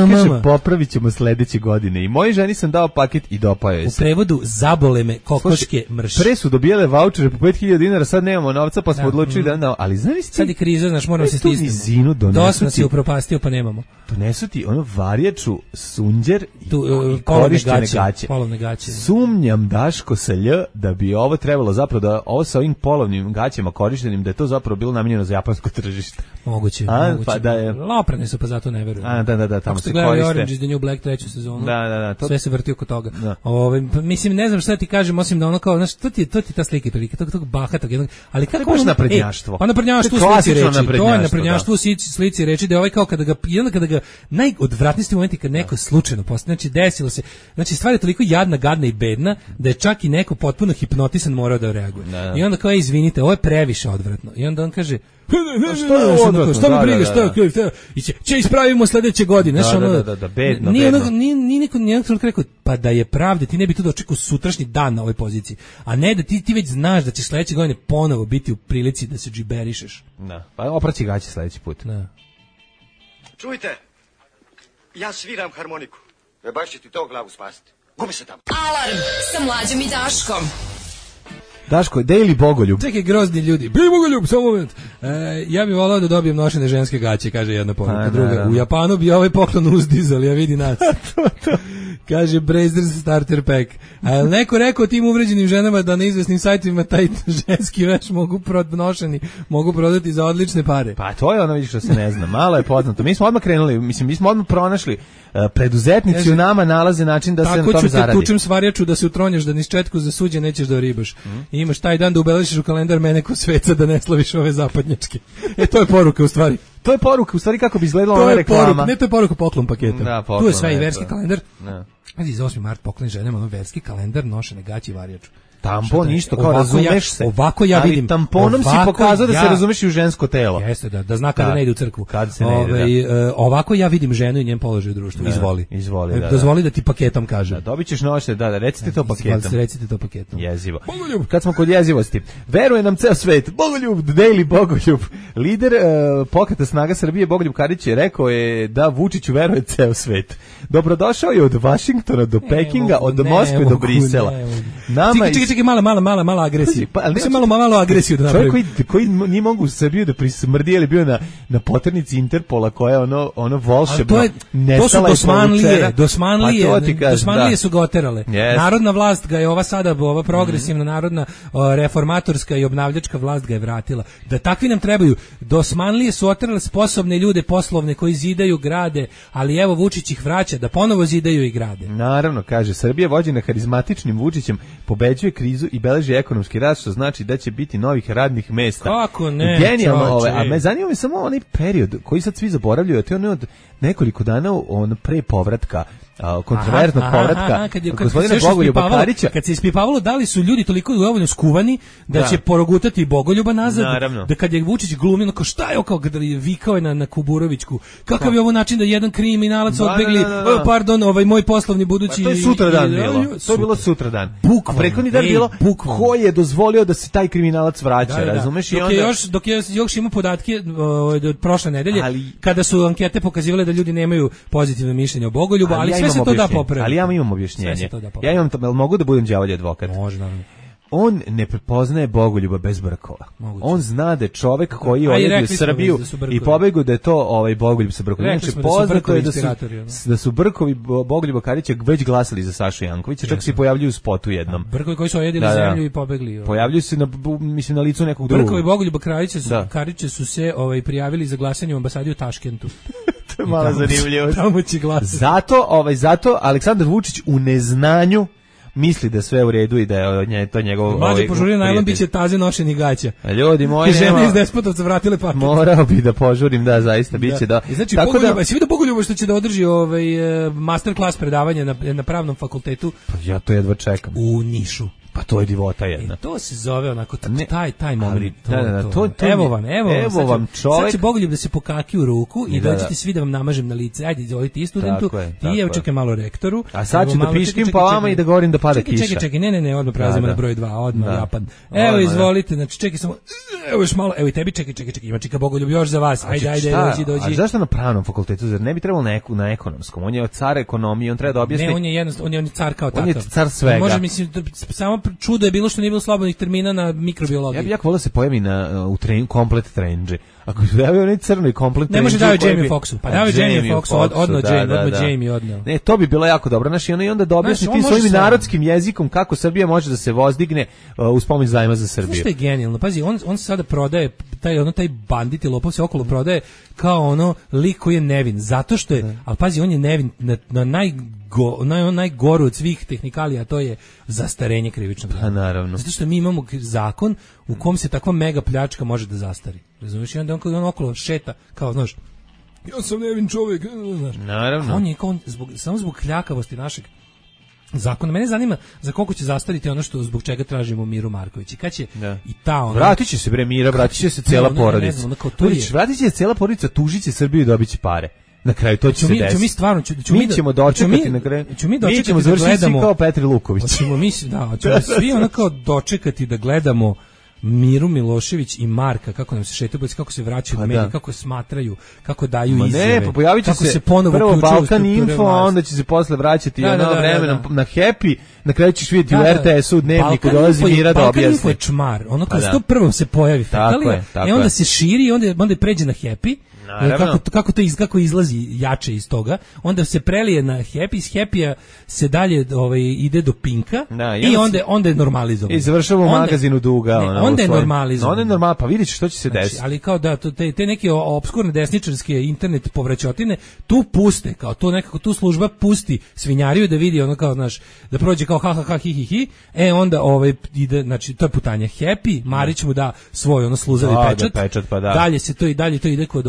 Kaže, popravit ćemo sledeće godine. I mojoj ženi sam dao paket i dopao joj se. U prevodu zabole me kokoške mrš. Pre su dobijale vaučere po 5.000 dinara, sad nemamo novca, pa smo odlučili da ali znaš ti... Sad je kriza, znaš, moramo se stisnemo. Dosta si upropastio, pa nemamo. Donesu ti varjaču, sunđer i korištene gaće. Polovne gaće. Sumnjam, Daško, sa lj, da bi ovo trebalo zapravo da ovo sa ovim polovnim gaćama korištenim, da je to zapravo bilo namijenjeno za japansko tržište. Moguće. Pa da je... Loprane su, pa zato ne verujem. Da, tamo se koriste. Orange is the New Black 3. sezonu. Da. Sve se vrti oko toga. Mislim, ne znam šta ti kažem, osim da ono kao, znaš, to ti je ta slika prilike, tog bahatog jednog, ali kako ono... naprednjaštvo. Pa naprednjaštvo u slici reči. To je naprednjaštvo u slici reči, da je kao kada ga najodvratniji momenti kad neko slučajno postane, znači desilo se, znači stvar je toliko jadna, gadna i bedna, da je čak i neko potpuno hipnotisan morao da reaguje. I onda kao, izvinite, ovo je previše odvratno. I onda on kaže, šta me briga, šta će ispravimo sledeće godine. Bedno. Nije niko rekao, pa da je pravde, ti ne bi tu dočekao sutrašnji dan na ovoj poziciji, a ne da ti već znaš da ćeš sledeće godine ponovo biti u prilici da se džiberišeš. Pa opraći gaće sledeći put. Čujte, ja sviram harmoniku. Baš će ti to glavu spasiti. Gubi se tamo. Alarm sa Mlađom i Daškom. Daško, Daily Bogoljub. Čekaj, grozni ljudi. Bili Bogoljub, samo moment. Ja bih volao da dobijem nošene ženske gaće, kaže jedna poruka. Druga, u Japanu bi ovaj poklon uzdizali, ja vidi nas. Kaže Brazers Starter Pack. A je neko rekao tim uvređenim ženama da na izvesnim sajtovima taj ženski veš mogu prodati za odlične pare? Pa to je ono, vidiš, što se ne zna. Malo je poznato. Mi smo odmah krenuli, mi smo odmah pronašli. Preduzetnici u nama nalaze način da se na tome zaradi. Tako ću te tučem svarjaču da se utronjaš, da niz četku za suđe nećeš da ribaš. I imaš taj dan da ubeležiš u kalendar mene ko sveca da ne slaviš ove zapadnjačke. To je poruka u stvari. To je poruka u stvari kako bi izgledala ova reklama. Ne, to je poruka poklon paketa. Da, poklon, tu je sve i verski kalendar. Za 8. mart poklon ženama verski kalendar, nošene gaće i varjaču. tampon isto kao razumeš se. Ovako ja vidim. Ali tamponom si pokazao da se razumeš i u žensko telo. Jeste, da zna kada ne ide u crkvu. Kad se ne ide, ovako ja vidim ženu i njen položaj u društvu. Izvoli. Da. Dozvoli da ti paketom kažem. Dobit ćeš noće, recite to paketom. Recite to paketom. Jezivo. Bogoljub. Kad smo kod jezivosti, veruje nam ceo svet. Bogoljub, daily Bogoljub. Lider pokreta Snaga Srbije Bogoljub Karić je rekao je da Vučiću veruje ceo svet. Dobrodošao je od Vašingtona do Pekinga, od Moskve do Brisela. Čekaj, mala agresija. Malo agresiju da napravim. Čovjek koji nije mogu u Srbiju da prismrdi, je li bio na poternici Interpola koja je ono volšebno nestala i povučena. Dosmanlije su ga oterale. Narodna vlast ga je ova progresivna narodna reformatorska i obnavljačka vlast ga je vratila. Da takvi nam trebaju. Dosmanlije su oterale sposobne ljude poslovne koji zidaju, grade, ali evo Vučić ih vraća da ponovo zidaju i grade. Naravno, kaže, Srbija vođena harizmatičnim Vučićem pobeđuje krizu i beleži ekonomski rast, što znači da će biti novih radnih mesta. Kako ne? Genijalno, a me zanima samo onaj period koji sad svi zaboravljaju, a to je ono od nekoliko dana pre povratka, kontroverznog povratka gospodina Bogoljuba Karića. Kad se ispipavalo da li su ljudi toliko dovoljno skuvani da će porogutati Bogoljuba nazad, da kad je Vučić glumio, kao šta je kao kada je vikao je na Kuburovićku, kakav je ovo način da jedan kriminalac odbegli, pardon, moj poslovni budući. To je sutradan bilo. To je bilo sutradan. Prethodni dan bilo ko je dozvolio da se taj kriminalac vraća, razumeš? Dok je još imao podatke od prošle nedelje, kada su ankete pokazivale da ljudi nemaju pozitivno mišljenje o Bogoljubu, ali sve se to da popraviti. Ali ja imam objašnjenje. Ja imam, mogu da budem đavolji advokat? Može, naravno. On ne prepoznaje Bogoljuba bez brkova. On zna da je čovek koji je odjedio u Srbiju i pobegao da je to Bogoljub sa brkovima. Znači, poznato je da su brkovi Bogoljuba Karića već glasali za Sašu Jankovića, čak se pojavljuju u spotu jednom. Brkovi koji su ojedili zemlju i pobegli. Pojavljuju se na licu nekog drugog. Brkovi Bogoljuba Karića su se prijavili za glasanje u ambasadi u Taškentu. To je malo zanimljivo. Tamo će glasati. Zato Aleksandar Vučić u neznanju misli da sve u redu i da je to njegov... Mlađe požurio najlon biće taze nošenih gaća. Ljudi moji, žene iz Despotovca vratile paket. Morao bi da požurim, da, zaista, biće da... Znači, si vidio Bogoljuba što će da održi masterclass predavanje na pravnom fakultetu? Pa ja to jedva čekam. U Nišu. Pa to je divota jedna. To se zove onako taj moment. Evo vam čovjek. Sad će Bogoljub da se pokaki u ruku i dođete svi da vam namažem na lice. Ajde, izvolite i studentu, ti evo čekaj malo rektoru. A sad ću da piškim pa vama i da govorim da pada kiša. Čekaj, ne, odmah prelazimo na broj 2, odmah Japan. Evo, izvolite, znači čekaj samo, evo još malo, evo i tebi, čekaj, ima čeka Bogoljub još za vas. Ajde, dođi. A zašto na pravnom fakultetu, zar ne bi trebalo na ekonomskom? On je car ekonomije, on treba da objasni. Ne, on je car kao takav. On je car svega. Može, mislim, samo čudo je bilo što nije bilo slobodnih termina na mikrobiologiji. Ja bih volio da se pojavi u komplet trendži. Ako se javio onaj crno i komplet trendži... Ne može davio Jamie Foxxu. Pa davio Jamie Foxxu, odno Jamie odneo. Ne, to bi bilo jako dobro. Znaš, i onda da objasni tim svojim narodskim jezikom kako Srbija može da se vozdigne uz pomoć zajma za Srbiju. Znaš što je genijalno? Pazi, on sada prodaje, taj bandit i lopov se okolo prodaje kao lik koji je nevin. Zato što je, ali pazi, on je nevin na najgoru od svih tehnikalija, to je zastarenje krivičnog dela. Naravno. Zato što mi imamo zakon u kom se takva mega pljačka može da zastari. Razumiješ? I onda on okolo šeta, kao, znaš, ja sam nevin čovjek, znaš. Naravno. A on je samo zbog kljakavosti našeg zakona. Mene zanima za koliko će zastariti ono što zbog čega tražimo Miru Marković. I kad će i ta vratit će se Mira, vratit će se cijela porodica. Vratit će se cijela porodica, tužit će Srbiju i dobit će pare. Na kraju to će se desiti. Mi stvarno mi ćemo dočekati na kraju. Mi ćemo završiti svi kao Petri Luković. Ćemo svi onako dočekati da gledamo Miru Milošević i Marka kako nam se šetaju, kako se vraćaju u medije, kako smatraju, kako daju izjave. Ne, pojavit će se prvo Balkan Info, a onda će se posle vraćati vremenom na Happy, na kraju ćeš vidjeti u RTS-u Dnevniku dolazi Mira da objasni. Balkan Info je čmar, ono kao što prvo se pojavi fekalija, i onda se širi i onda pređe na Happy. Kako izlazi jače iz toga, onda se prelije na Happy, iz Happy-a se dalje ide do Pinka i onda je normalizovano. I završava u magazinu Duga. Onda je normalizovano. Onda je normalno, pa vidite što će se desiti. Ali kao da, te neke obskurne desničarske internet povraćotine tu puste, kao to nekako tu služba pusti svinjariju da vidi ono kao, znaš, da prođe kao ha hi hi hi, onda ide, znači to je putanje Happy, Marić mu da svoj sluzavi pečat, pa da. Dalje se to i dalje to ide kod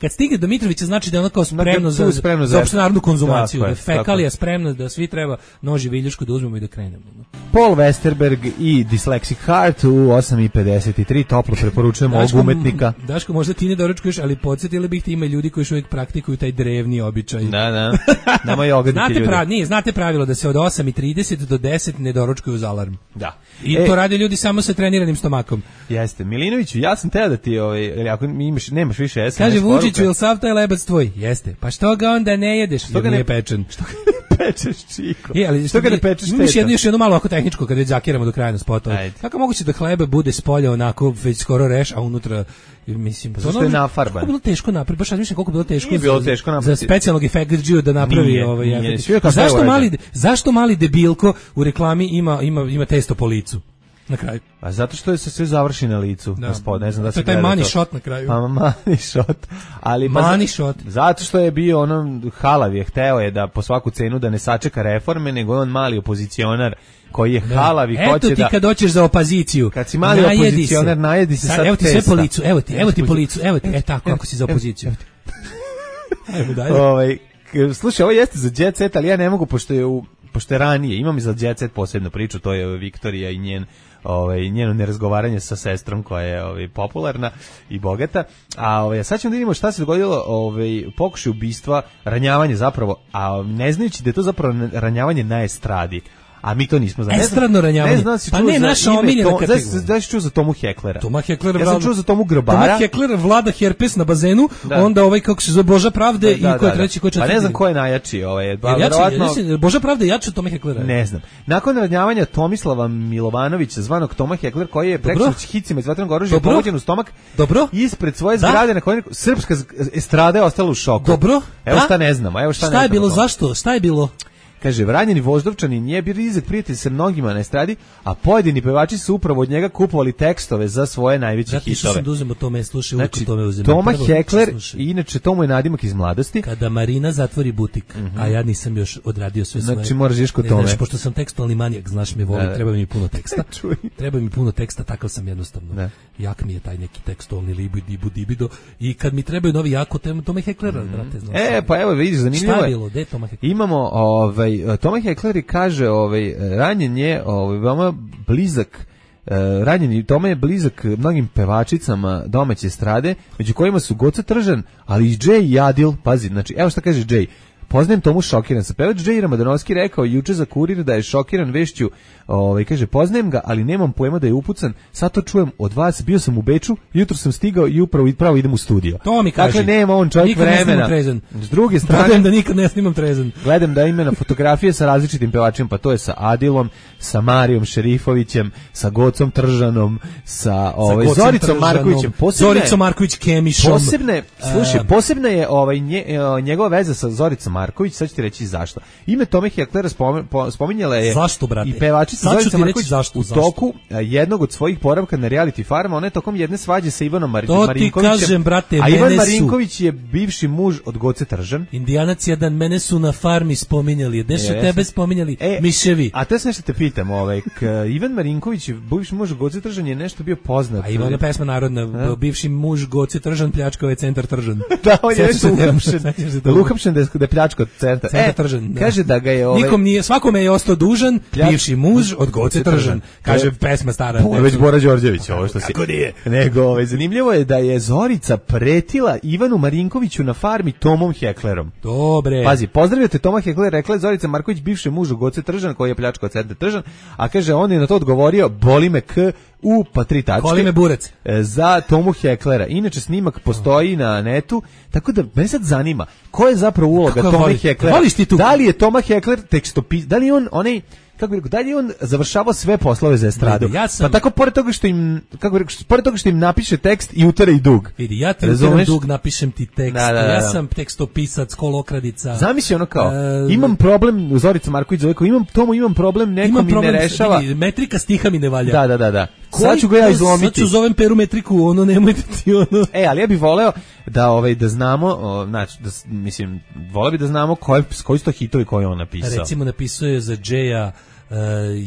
kad stigne do Mitrovića znači da je ono kao spremno za opštenarodnu konzumaciju, da je fekalija spremna, da svi treba noži viljušku da uzmemo i da krenemo. Paul Westerberg i Dyslexic Heart u 8:53, toplo preporučujemo ovog umetnika. Daško, možda ti ne doručkuješ, ali podsjetili bih ti ima ljudi koji još uvijek praktikuju taj drevni običaj. Da. Nama je ogaditi ljudi. Znate pravilo da se od 8:30 do 10 ne doručkuju uz alarm. Da. I to rade ljudi samo sa treniranim stomakom. Jeste. Milinoviću, ja sam teo da ti, ako nemaš više SMS kaže Vučiću, jel sav taj lebac tvoj? Jeste. Pa što ga onda ne jedeš? Što ga nije pečen? Što ga ne pečeš, čiko? Ali što ga ne pečeš? Još jedno malo ako tehničko kad već zakiramo do kraja na spotu. Kako moguće da hleba bude s polja onako već skoro reš, a unutra mislim pa zašto je nafarban? Kako je bilo teško napraviti? Baš mislim koliko je bilo teško. Nije bilo teško napraviti. Za specijalnog efektđiju da napravi zašto mali debilko u reklami ima testo po licu? Na kraju. A zato što je se sve završi na licu, gospod, ne znam da se gleda. To je taj money shot na kraju. Pa money shot. Ali money shot. Zato što je bio halav je, hteo je da po svaku cenu da ne sačeka reforme, nego je on mali opozicionar koji je halav i hoće da... Eto ti kad dođeš za opoziciju. Kad si mali opozicionar, najedi se sad evo ti sve po licu, evo ti po licu, tako ako si za opoziciju. Ajmo dalje. Slušaj, ovo jeste za Jet Set, ali ja ne mogu, pošto je ranije, imam i za Jet Set posebnu priču, to je Viktorija i njeno nerazgovaranje sa sestrom koja je popularna i bogata. A sad ćemo da vidimo šta se dogodilo, pokušaj ubistva, ranjavanje zapravo, a ne znajući da je to zapravo ranjavanje na estradi. A mi to nismo znali. Estradno ranjavanje. Pa ne, naša omiljena kategorija. Da si čuo za Tomu Heklera. Ja sam čuo za Tomu Grobara. Toma Hekler vlada herpes na bazenu, onda kako se zove Boža Pravde i ko je treći, ko je četvrti. Pa ne znam ko je najjači. Boža Pravde je jači od Tome Heklera. Ne znam. Nakon ranjavanja Tomislava Milovanovića, zvanog Toma Hekler, koji je preksinoć hicima iz vatrenog oružja pogođen u stomak, ispred svoje zgrade na kojoj srpska estrada je ostala u šoku. Dobro. Evo šta ne znamo. Šta je bilo, zašto? Šta je bilo? Kaže, ranjeni Voždovčanin nije bio blizak prijatelj sa mnogima na estradi, a pojedini pevači su upravo od njega kupovali tekstove za svoje najveće hitove. Zato sam da uzemo tome, slušaj, uvijek tome uzemo. Toma Hekler, inače Tomo je nadimak iz mladosti. Kada Marina zatvori butik, a ja nisam još odradio sve svoje. Znači moraš ješ kod tome. Znači, pošto sam tekstualni manijak, znaš me voli, treba mi puno teksta. Treba mi puno teksta, takav sam jednostavno. Jak mi je taj neki tekstualni libido i kad mi trebaju novi jako Toma Heklera, brate, znaš. Pa evo vidiš, zanimljivo je. Šta je bilo? Gde je Toma Hekler? Imamo Toma Hekler kaže ranjen je veoma blizak ranjeni Toma je blizak mnogim pevačicama domaće estrade, među kojima su Goca Tržan, ali i Jay i Adil. Pazi, znači evo šta kaže Jay. Poznajem Tomu šokiran sa. Pevač Jay Ramadanovski rekao juče za Kurir da je šokiran vešću, kaže poznajem ga, ali nemam pojma da je upucan. Sad to čujem od vas, bio sam u Beču, jutro sam stigao i upravo idem u studio. To mi kaže. Dakle, nema on čovjek vremena. S druge strane, gledam da nikad ne snimam trezan. Gledam da ima na fotografije sa različitim pevačima, pa to je sa Adilom, sa Marijom Šerifovićem, sa Gocom Tržanom, sa Zoricom Markovićem, Zoricom Marković Kemišom. Posebna je njegova veza sa Zoricom Marković, sad ću ti reći zašto. Ime Tome Heklera spominjala je i pevačica Zorica Marković u toku jednog od svojih boravka na reality farma. Ona je tokom jedne svađe sa Ivanom Marinkovićem. To ti kažem, brate, a Ivan Marinković je bivši muž od Goce Tržan. Indijanac jedan, mene su na farmi spominjali. Gde su tebe spominjali? Miševi. A to je nešto te pitam. Ivan Marinković, bivši muž Goce Tržan, je nešto bio poznat. A Ivana pesma narodna, bivši muž Goce Tržan pljačkao je centar Tržan. Da, on je nešto uhapšen da je pljačkao centar Tržan. Kaže da ga je nikom nije, svakome je ostao dužan bivši muž od Goce Tržan. Kaže pesma stara. Već Bora Đorđević, ovo što si. Kako nije? Nego, zanimljivo je da je Zorica pretila Ivanu Marinkoviću na farmi Tomom Heklerom. Dobre. Pazi, pozdravljate Toma Hekler, rekla je Zorica Marković, bivši muž Goce Tržan koji je pljačkao centar Tržan, a kaže on je na to odgovorio boli me k u pa 3 tačke. Boli me burec. Za Tomu Heklera. Inače snimak postoji na netu, tako da me sad zanima ko je zapravo uloga Toma Heklera. Da li je Toma Hekler tekstopis, da li je on onaj, kako bih rekao, da li je on završavao sve poslove za estradu? Pa tako pored toga što im, pored toga što im napiše tekst i utera i dug. Vidi, ja ti uteram dug, napišem ti tekst. Ja sam tekstopisac, kolokradica. Zamisli ono kao, imam problem, Zorica Marković zove, imam problem, neko mi ne rešava. Vidi, metrika stiha mi ne valja. Da. Sad ću ga ja izlomiti. Sad ću zovem Peru metriku, ono nemojte ti ono. Ali ja bih voleo da znamo, znači, voleo bih da znamo koji su to hitovi koje on napisao. Recimo napisao je za Jaya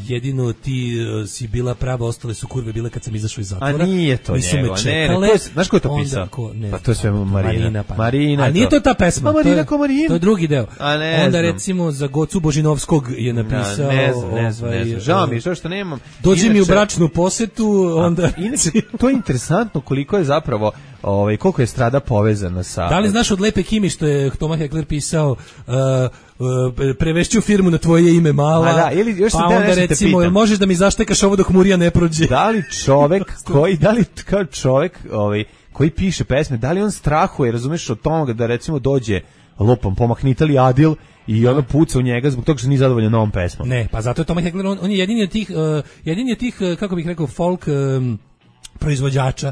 jedino ti si bila prava, ostale su kurve bile kad sam izašao iz zatvora. A nije to nisu njego, me čekale. znaš ko je to pisao? Ne, pa to je sve Marina. Marina. A nije to ta pesma. Marina ko Marina. To je drugi deo. Onda znam. Recimo za Gocu Božinovskog je napisao. Ne znam. Žao mi što nemam. Dođi mi u bračnu posetu, onda... To je interesantno koliko je zapravo, koliko je strada povezana sa... Da li znaš od Lepe Kimi što je Toma Heckler pisao... prevešću firmu na tvoje ime mala, da, ili još pa onda recimo, možeš da mi zaštekaš ovo dok Murija ne prođe. Da li čovek koji piše pesme, da li on strahuje, razumeš, od toga da recimo dođe lupom, pomahnite li Adil i ono puca u njega zbog toga što nije zadovoljan novom pesmom. Ne, pa zato je Toma Heckler, on je jedini od tih, kako bih rekao, folk proizvođača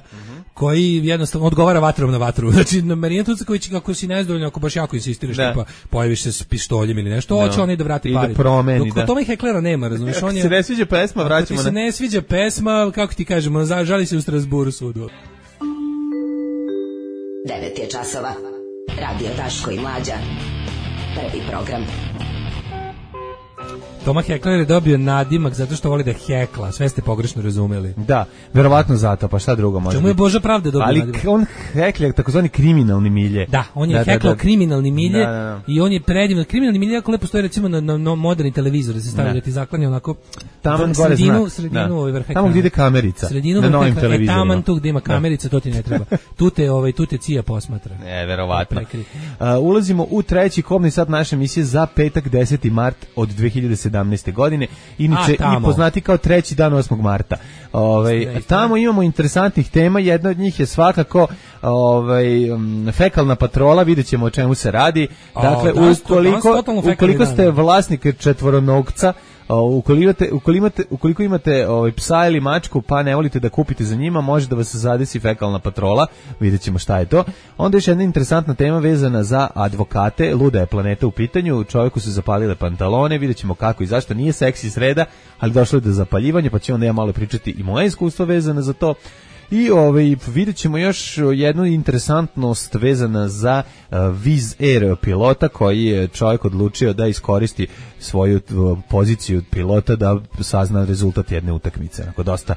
koji jednostavno odgovara vatrom na vatru. Znači, Marina Tucaković, kako si nezadovoljna, ako baš jako insistiraš, tipa, pojaviš se s pištoljem ili nešto, hoće on i da vrati pari. I da promeni, dok Toma Hecklera nema, razumiješ? Ako se ne sviđa pesma, vraćamo. Ako se ne sviđa pesma, kako ti kažemo, žali se u Strasburu sudu. 9 je časova. Radio Daško i Mlađa. Prvi program. Toma Heckler je dobio nadimak zato što voli da hekla, sve ste pogrešno razumeli. Da, verovatno zato, pa šta drugo može. Čemu je Boža pravde dobio nadimak? Ali on heklja takozvani kriminalni milje. Da, on je heklao kriminalni milje i on je predivno. Kriminalni milje jako lepo stoji recimo na moderni televizor, da se stavlja da ti zaklanja onako taman gore znak. Sredinu ovaj vrh ekrana. Tamo gdje ide kamerica. Sredinu na novim televizorima. Taman tu gdje ima kamerica, to ti ne treba. Tu te cija posmatra. Verovatno. Ulazimo u treći kobni sat naše emisije za petak 10. mart od 2017. godine, inače i poznati kao treći dan 8. marta. Tamo imamo interesantnih tema, jedna od njih je svakako fekalna patrola, vidjet ćemo o čemu se radi. Dakle, ukoliko ste vlasnik četvoronogca, ukoliko imate psa ili mačku pa ne volite da kupite za njima, može da vas zadesi fekalna patrola, vidjet ćemo šta je to. Onda još jedna interesantna tema vezana za advokate, luda je planeta u pitanju, čovjeku su zapalile pantalone, vidjet ćemo kako i zašto, nije seksi sreda, ali došlo je do zapaljivanja, pa ću onda ja malo pričati i moje iskustvo vezano za to. I vidjet ćemo još jednu interesantnost vezana za Wizz Air pilota koji je čovjek odlučio da iskoristi svoju poziciju pilota da sazna rezultat jedne utakmice. Onako, dosta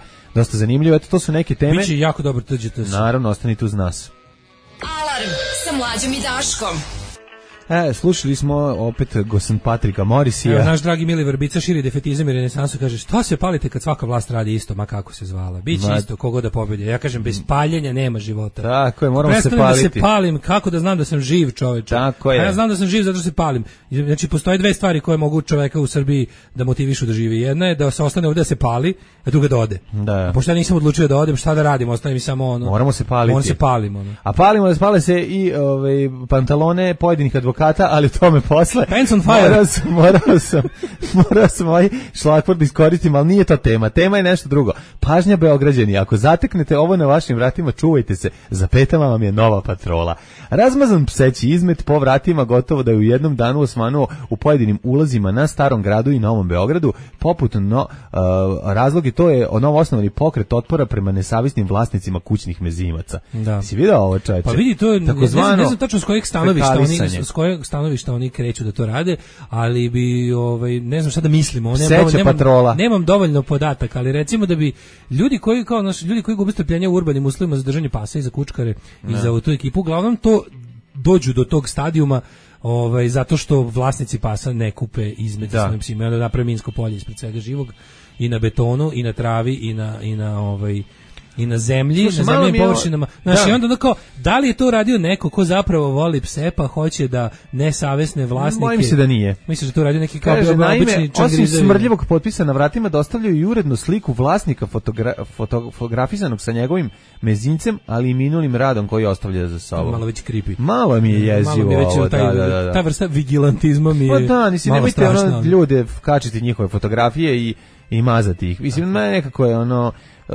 zanimljivo. Eto, to su neke teme. Biće jako dobro, tuđite se. Naravno, ostanite uz nas. Alarm sa Mlađom i Daškom. Slušali smo opet Gosan Patrika Morisija. Naš dragi Mili Vrbica širi defetizam i renesansu, kaže šta se palite kad svaka vlast radi isto, ma kako se zvala. Biće isto, kogo da pobedi. Ja kažem, bez paljenja nema života. Tako je, moramo se paliti. Prestanem da se palim, kako da znam da sam živ, čoveče. Tako je. Ja znam da sam živ zato što se palim. Znači, postoje dve stvari koje mogu čoveka u Srbiji da motivišu da živi. Jedna je da se ostane ovdje da se pali, a druga da ode. Da. A pošto ja nisam odlučio da odem, šta da radim, ostane mi samo ono. Moramo se paliti. On se palimo. Ono. A palimo da spale se i pantalone pojedinih advokata, ali tome posle. Pants on fire. Morao sam ovaj šlagvort iskoristim, ali nije to tema. Tema je nešto drugo. Pažnja Beograđani, ako zateknete ovo na vašim vratima, čuvajte se, za petama vam je nova patrola. Razmazan pseći izmet po vratima gotovo da je u jednom danu osvanuo u pojedinim ulazima na Starom gradu i Novom Beogradu, poput razlog je to je novoosnovani pokret otpora prema nesavjesnim vlasnicima kućnih mezimaca. Da. Si vidio ovo, čoveče? Pa vidi, to je, ne znam tačno s kojeg stanovišta oni kreću da to rade, ali bi ne znam šta da mislimo, nemam dovoljno podataka, ali recimo da bi ljudi koji gube strpljenje u urbanim uslovima za držanje pasa i za kučkare i za tu ekipu, uglavnom to dođu do tog stadijuma zato što vlasnici pasa ne kupe između svojim psima, onda naprave minsko polje ispred svega živog i na betonu i na travi i na zemlji, na zemljim površinama. Znači, onda onako, da li je to radio neko ko zapravo voli pse, pa hoće da nesavesne vlasnike... Mojim se da nije. Misliš da to radio neki kao obični čangrizevi? Osim smrdljivog potpisa na vratima dostavljaju i urednu sliku vlasnika fotografisanog sa njegovim mezincem, ali i minulim radom koji ostavlja za sobom. Malo već creepy. Malo mi je jezivo ovo. Ta vrsta vigilantizma mi je malo strašna. Nemojte ljude kačiti njihove fotografije i mazati ih. Mislim, nekako je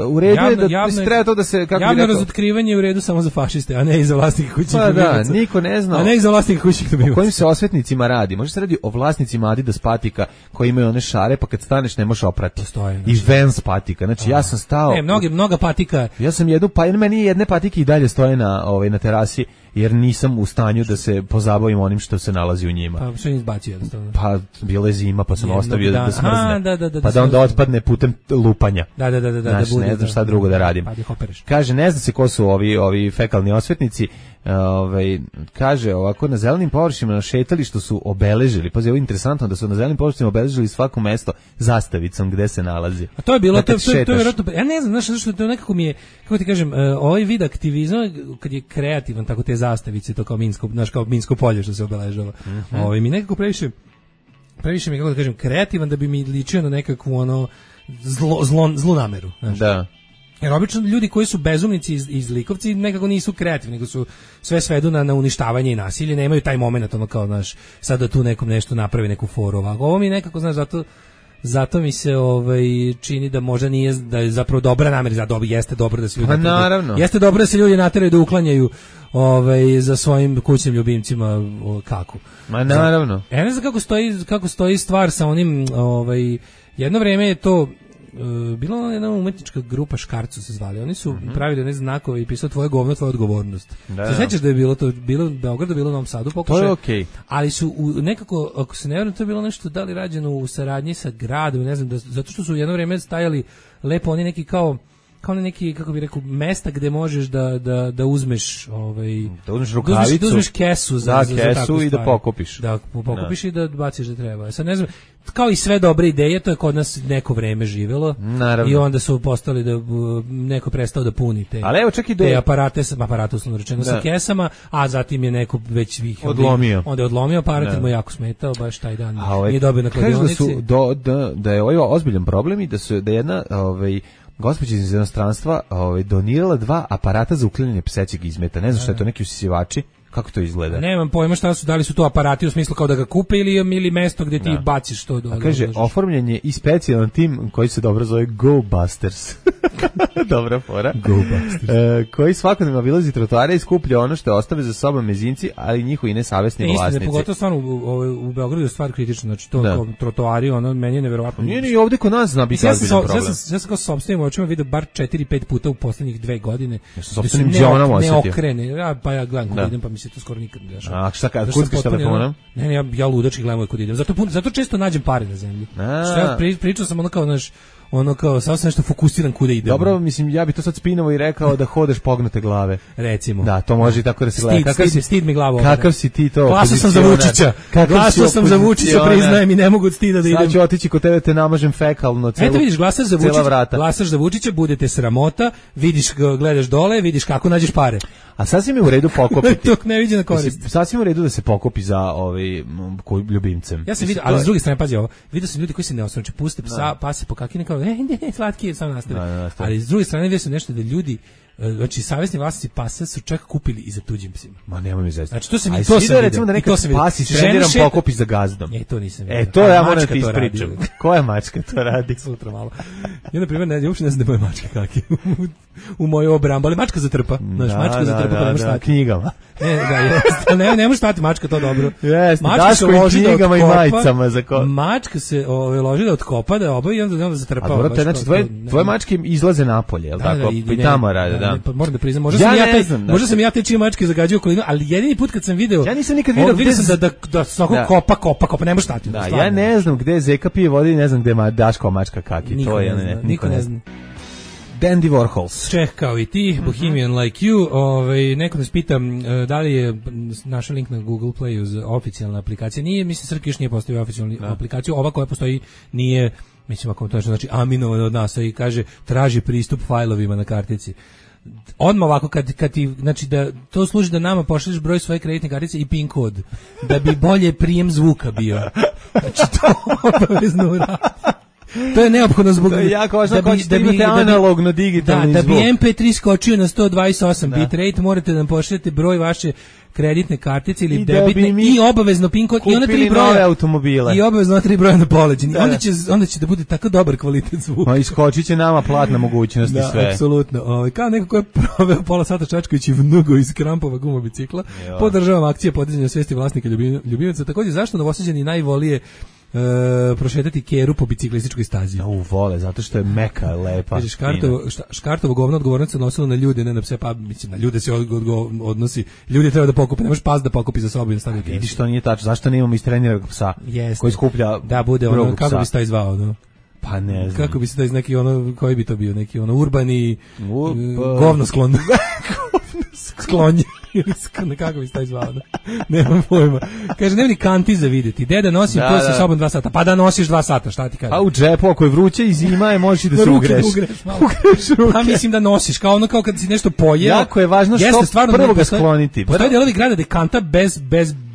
u redu je da treba to da se javno razotkrivanje je u redu samo za fašiste, a ne i za vlasnike kućnih ljubimaca. Da, niko ne zna. A ne i za vlasnike kućnih ljubimaca. O kojim se osvetnicima radi? Može se radi o vlasnicima Adidas patika koji imaju one šare, pa kad staneš ne možeš oprati. I Vans patika. Znači ja sam stao. Mnoga patika. Ja sam meni jedne patike i dalje stoje na terasi jer nisam u stanju da se pozabavim onim što se nalazi u njima. Pa što je izbacio jednostavno? Pa bila je zima, pa sam ostavio da smrzne. Aha, pa da onda otpadne putem lupanja. Da, znači, ne znam šta drugo da radim. Kaže, ne zna se ko su ovi fekalni osvetnici. Kaže ovako, na zelenim površinama na šetalištu su obeležili, pazi, ovo je interesantno da su na zelenim površinama obeležili svako mesto zastavicom gde se nalazi. A to je bilo, to je vjerojatno, ja ne znam, znaš što to nekako mi je, kako ti kažem, ovaj vid aktivizma kad je kreativan, tako te zastavice, to kao Minsko polje što se obeležava. Mi nekako previše mi, kako da kažem, kreativan da bi mi ličio na nekakvu zlu nameru, znaš. Da. Jer obično ljudi koji su bezumnici i zlikovci nekako nisu kreativni, nego su sve svedu na uništavanje i nasilje, nemaju taj moment kao, znaš, sad da tu nekom nešto napravi, neku foru ovako. Ovo mi nekako, znaš, zato mi se čini da možda nije, da je zapravo dobra namjera, jeste dobro da se ljudi jeste dobro da se ljudi nateraju da uklanjaju za svojim kućnim ljubimcima kaku. Ma naravno. Ja ne znam kako stoji stvar sa onim, jedno vreme je to bila jedna umetnička grupa Škarcu se zvali. Oni su pravili one znakove i pisali tvoje govno, tvoja odgovornost. Se sjećaš da je bilo to, bilo u Beogradu, bilo u Novom Sadu pokušaj. To je okej. Ali su nekako, ako se ne vjerujem, to je bilo nešto da li rađeno u saradnji sa gradom, ne znam, zato što su jedno vrijeme stajali lepo oni neki kao neki, kako bih rekao, mesta gde možeš da uzmeš da uzmeš rukavicu, da uzmeš kesu za kesu i da pokupiš. Da pokupiš i da baciš da treba. Sad ne znam, kao i sve dobre ideje, to je kod nas neko vreme živelo. Naravno. I onda su postali da neko prestao da puni te. Ali evo čak i te aparate uslovno rečeno sa kesama, a zatim je neko već ih odlomio. Onda je odlomio aparat, mu jako smetao baš taj dan. Nije dobio na kladionici. Da je ovo ozbiljan problem i da jedna gospođa iz inostranstva donirala 2 aparata za uklanjanje psećeg izmeta. Ne znam šta je to, neki usisivači. Kako to izgleda? Nemam pojma šta su, da li su to aparati u smislu kao da ga kupe ili mesto gdje ti baciš to. A kaže, oformljen je i specijalan tim koji se dobro zove Go Busters. Dobra fora. Go Busters. Koji svakodnevno obilazi trotoare i skuplja ono što ostave za sobom mezinci, ali njihovi nesavesni vlasnici. Pogotovo stvarno u Beogradu je stvar kritična, znači to kao trotoari, meni je neverovatno. Nije ni ovdje kod nas zna biti ozbiljan problem. Ja sam kao sopstvenim očima vidio bar 4-5 puta u posljednjih 2 godine. Ja sam sopstvenim džonom osjetio. Ne okrene, pa ja gledam kod idem, pa mi se to skoro nikad ne dešava. A šta kad kuckaš telefonom? Ne, ja ludački gledam kod idem. Zato često nađem pare na zemlji. Šta pričao sam kao samo sam nešto fokusiran kuda idem. Dobro, mislim, ja bi to sad spinovo i rekao da hodeš pognute glave. Recimo. Da, to može i tako da se gleda. Stid mi glavu. Kakav si ti to? Glasao sam za Vučića, priznajem i ne mogu od stida da idem. Sad ću otići kod tebe, te namažem fekalno cela vrata. Eto vidiš, glasaš za Vučića, bude te sramota, vidiš, gledaš dole, vidiš kako nađeš pare. A sasvim je u redu pokopiti. To ne viđe na korist. Sasvim u redu da se pokopi za ljubimcem. Ja sam vidio, ali s druge strane, pazi ovo, vidio sam ljudi koji se ne osvrću, puste psa, pa se pokakine kao, ne, slatki, samo nastavi. Ali s druge strane vidio sam nešto da ljudi, znači savjesni vlasnici pasa su čak kupili i za tuđim psima. Ma nema mi zezati. Znači to sam vidio. Recimo da neka pas trendiram pokopi za gazdom. To nisam vidio. To ja moram ti ispričam. Koja mačka to radi? Sutra malo. Ja na primjer uopšte ne znam da je moja mačka kaki u moju obrambu, ali mačka zatrpa. Znaš, mačka zatrpa pa ne može stati. Knjigama. Ne može stati mačka, to dobro. Daško i knjigama i majicama. Mačka se loži da otkopa, da obavi i onda zatrpa. A dobro, znači tvoje mačke izlaze napolje, jel tako? I tamo rade, da. Pa moram da priznam, možda sam ja te čije mačke zagađio okolinu, ali jedini put kad sam video, ja nisam nikad vidio sam da svako kopa, ne može stati. Da, ja ne znam gde Zeka pije vode i ne znam gde Daškova mačka kaki. Niko ne zna. Dandy Warhols. Čeh kao i ti, Bohemian Like You. Neko nas pita da li je naš link na Google Playu za oficijalna aplikacija. Nije, mislim, Srki još nije postavio oficijalnu aplikaciju. Ova koja postoji nije, mislim, ako to znači aminovan od nas i kaže traži pristup fajlovima na kartici. Odmah ovako kad ti, znači da to služi da nama pošalješ broj svoje kreditne kartice i PIN kod, da bi bolje prijem zvuka bio. Znači to obavezno uradi. To je neophodno zbog to je jako važno da imate analogno digitalni zvuk. Da bi MP3 skočio na 128 bitrate, morate da nam pošaljete broj vaše kreditne kartice ili debitne i obavezno PIN kod i ona 3 broja automobile. I obavezno 3 broja na poleđini. Onda će da bude tako dobar kvalitet zvuka. Ma iskočiće nama platna mogućnost i sve. Da, apsolutno. Kao neko ko je proveo pola sata čačkajući vnugo iz krampova gumobicikla, podržavam akcije podizanja svesti vlasnika ljubimaca. Takođe, zašto Novosađani najvolije prošetati keru po biciklističkoj stazi. Vole, zato što je meka, lepa. Kaže, Škartovo govno odgovornost se odnosilo na ljude, ne na pse, pa mislim, na ljude se odnosi, ljudi treba da pokupe, nemaš pas da pokupi za sobu i da stavi u kesu. Vidiš, to nije tačno, zašto nemamo istreniranog psa koji skuplja da bude ono, kako bi se taj zvao, no? Pa ne znam. Kako bi se taj neki ono, koji bi to bio, neki ono urbani govno sklon. Sklonje. Kako bi se taj zvao, da? Nemam pojma. Kaže, nema ni kanti za vidjeti. Deda nosim to sa sobom 2 sata. Pa da nosiš 2 sata, šta ti kaže? A u džepu, ako je vruće i zima je, možeš i da se ugreš. Ugreš ruke. Pa mislim da nosiš, kao ono kao kad si nešto pojeo. Jako je važno što prvo ga skloniti. Postoje delovi grada da je kanta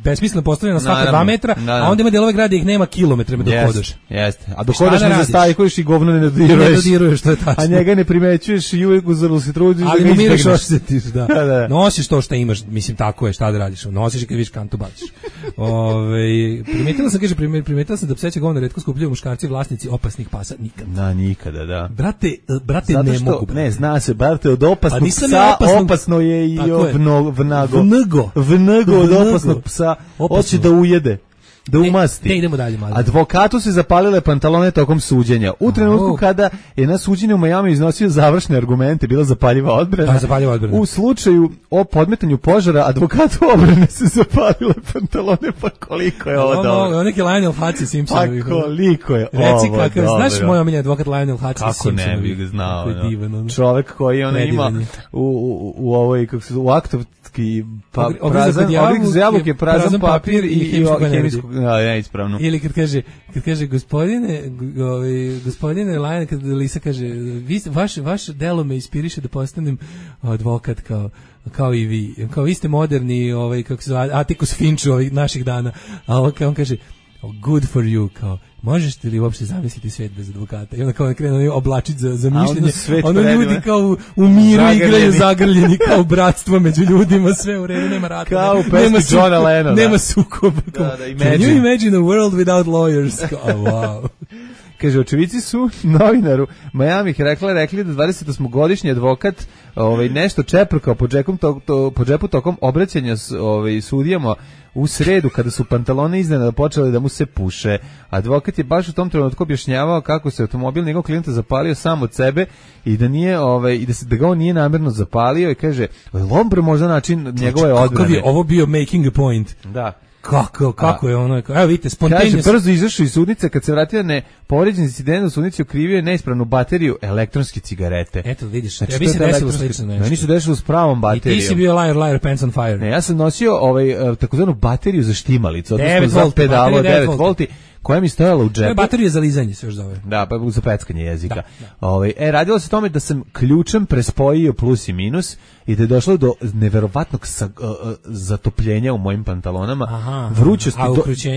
besmisleno postavljena svaka 2 metra, a onda ima delove grada ih nema kilometrima dok hodaš. Jeste. A dok hodaš ne zastajkuješ i govno ne dodiruješ. Ne dodiruješ, to je tačno. A njega ne primećuješ i uvijek uzorno se trudiš da ga izbegneš. Ali umiraš osjetiš, da. Nosiš to što imaš, mislim tako je, šta da radiš. Nosiš i kad vidiš kantu baciš. Primetila sam da pseće govno retko skupljaju muškarci vlasnici opasnih pasa nikad. Nikada, da. Brate ne mogu. Ne, zna se, brate, od opasnog psa opasno je i vnago od opasnog psa. Hoće da ujede, da umasti. Idemo dalje, malo. Advokatu se zapalile pantalone tokom suđenja. U trenutku kada je na suđenju u Majamiju iznosio završne argumente, bila zapaljiva odbrana. U slučaju o podmetanju požara, advokatu obrane se zapalile pantalone, pa koliko je ovo dobro. Ovo neki Lionel Hutchins Simpsonovi. Pa koliko je ovo Reci kakav, znaš moj omiljeni advokat Lionel Hutchins Simpsonovi? Kako ne bih ga znao. Čovek koji ona ima u ovoj, kako se u aktovski prazan, ogrik za jabuke, prazan papir i hemijsku, neispravno. Ili kad kaže gospodine Lionel, kad Lisa kaže, vaš delo me inspiriše da postanem advokat kao i vi. Kao vi ste moderni, kako se zove, Atticus Finch ovih naših dana. A on kaže, good for you, kao, možeš li uopšte zamisliti svet bez advokata? I onda kao krenu oblačiti za mišljenje. Ono ljudi kao u miru igraju zagrljeni, kao bratstvo među ljudima, sve u redu, nema rata. Kao u pesmi Johna Lennona. Nema sukoba. Can you imagine a world without lawyers? Wow. Kaže, očevici su novinaru Miami rekli da 28-godišnji advokat nešto čeprkao po džepu tokom obraćanja sudijama u sredu kada su pantalone iznenada počeli da mu se puše. Advokat je baš u tom trenutku objašnjavao kako se automobil njegov klijenta zapalio sam od sebe i da nije da ga on nije namjerno zapalio i kaže, lombre možda način njegove odbrane. Kakav je ovo bio making a point? Da. Kako je ono? Evo vidite, spontanejno. Kaže, brzo izašao iz sudnice, kad se vratio povređen incident u sudnici, okrivio je neispravnu bateriju elektronske cigarete. Eto, vidiš, ja bi se desilo slično nešto. Meni su desilo s pravom baterijom. I ti si bio liar, pants on fire. Ne, ja sam nosio takozvanu bateriju za štimalicu, odnosno za pedalo 9 volti, koja mi stojala u džepu. Baterija za lizanje se još zove. Da, pa za peckanje jezika. Radilo se o tome da sam ključem prespojio plus i minus i da je došlo do neverovatnog zatopljenja u mojim pantalonama. Vrućosti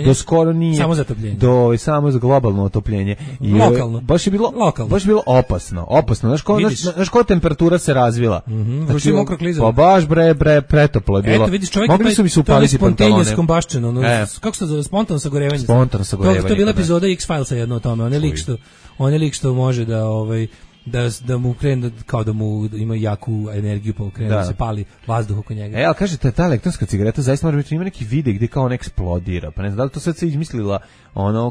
do skoro nije. Samo zatopljenje. Samo za globalno otopljenje. Lokalno. Baš je bilo opasno. Znaš koja temperatura se razvila? Znači, mokro klizalo. Pa baš pretoplo je bilo. Eto, vidiš, čovjek mogli su mi se upaliti pantalone. Kako se zove? Spontano sagorevanje. To je bila epizoda X-Filesa jedna o tome. On je lik što može da mu krene, kao da mu ima jaku energiju, pa krene da se pali vazduh oko njega. Ali kažete, ta elektronska cigareta zaista može biti, ima neki vide gdje kao on eksplodira, pa ne znam da li to sad se izmislila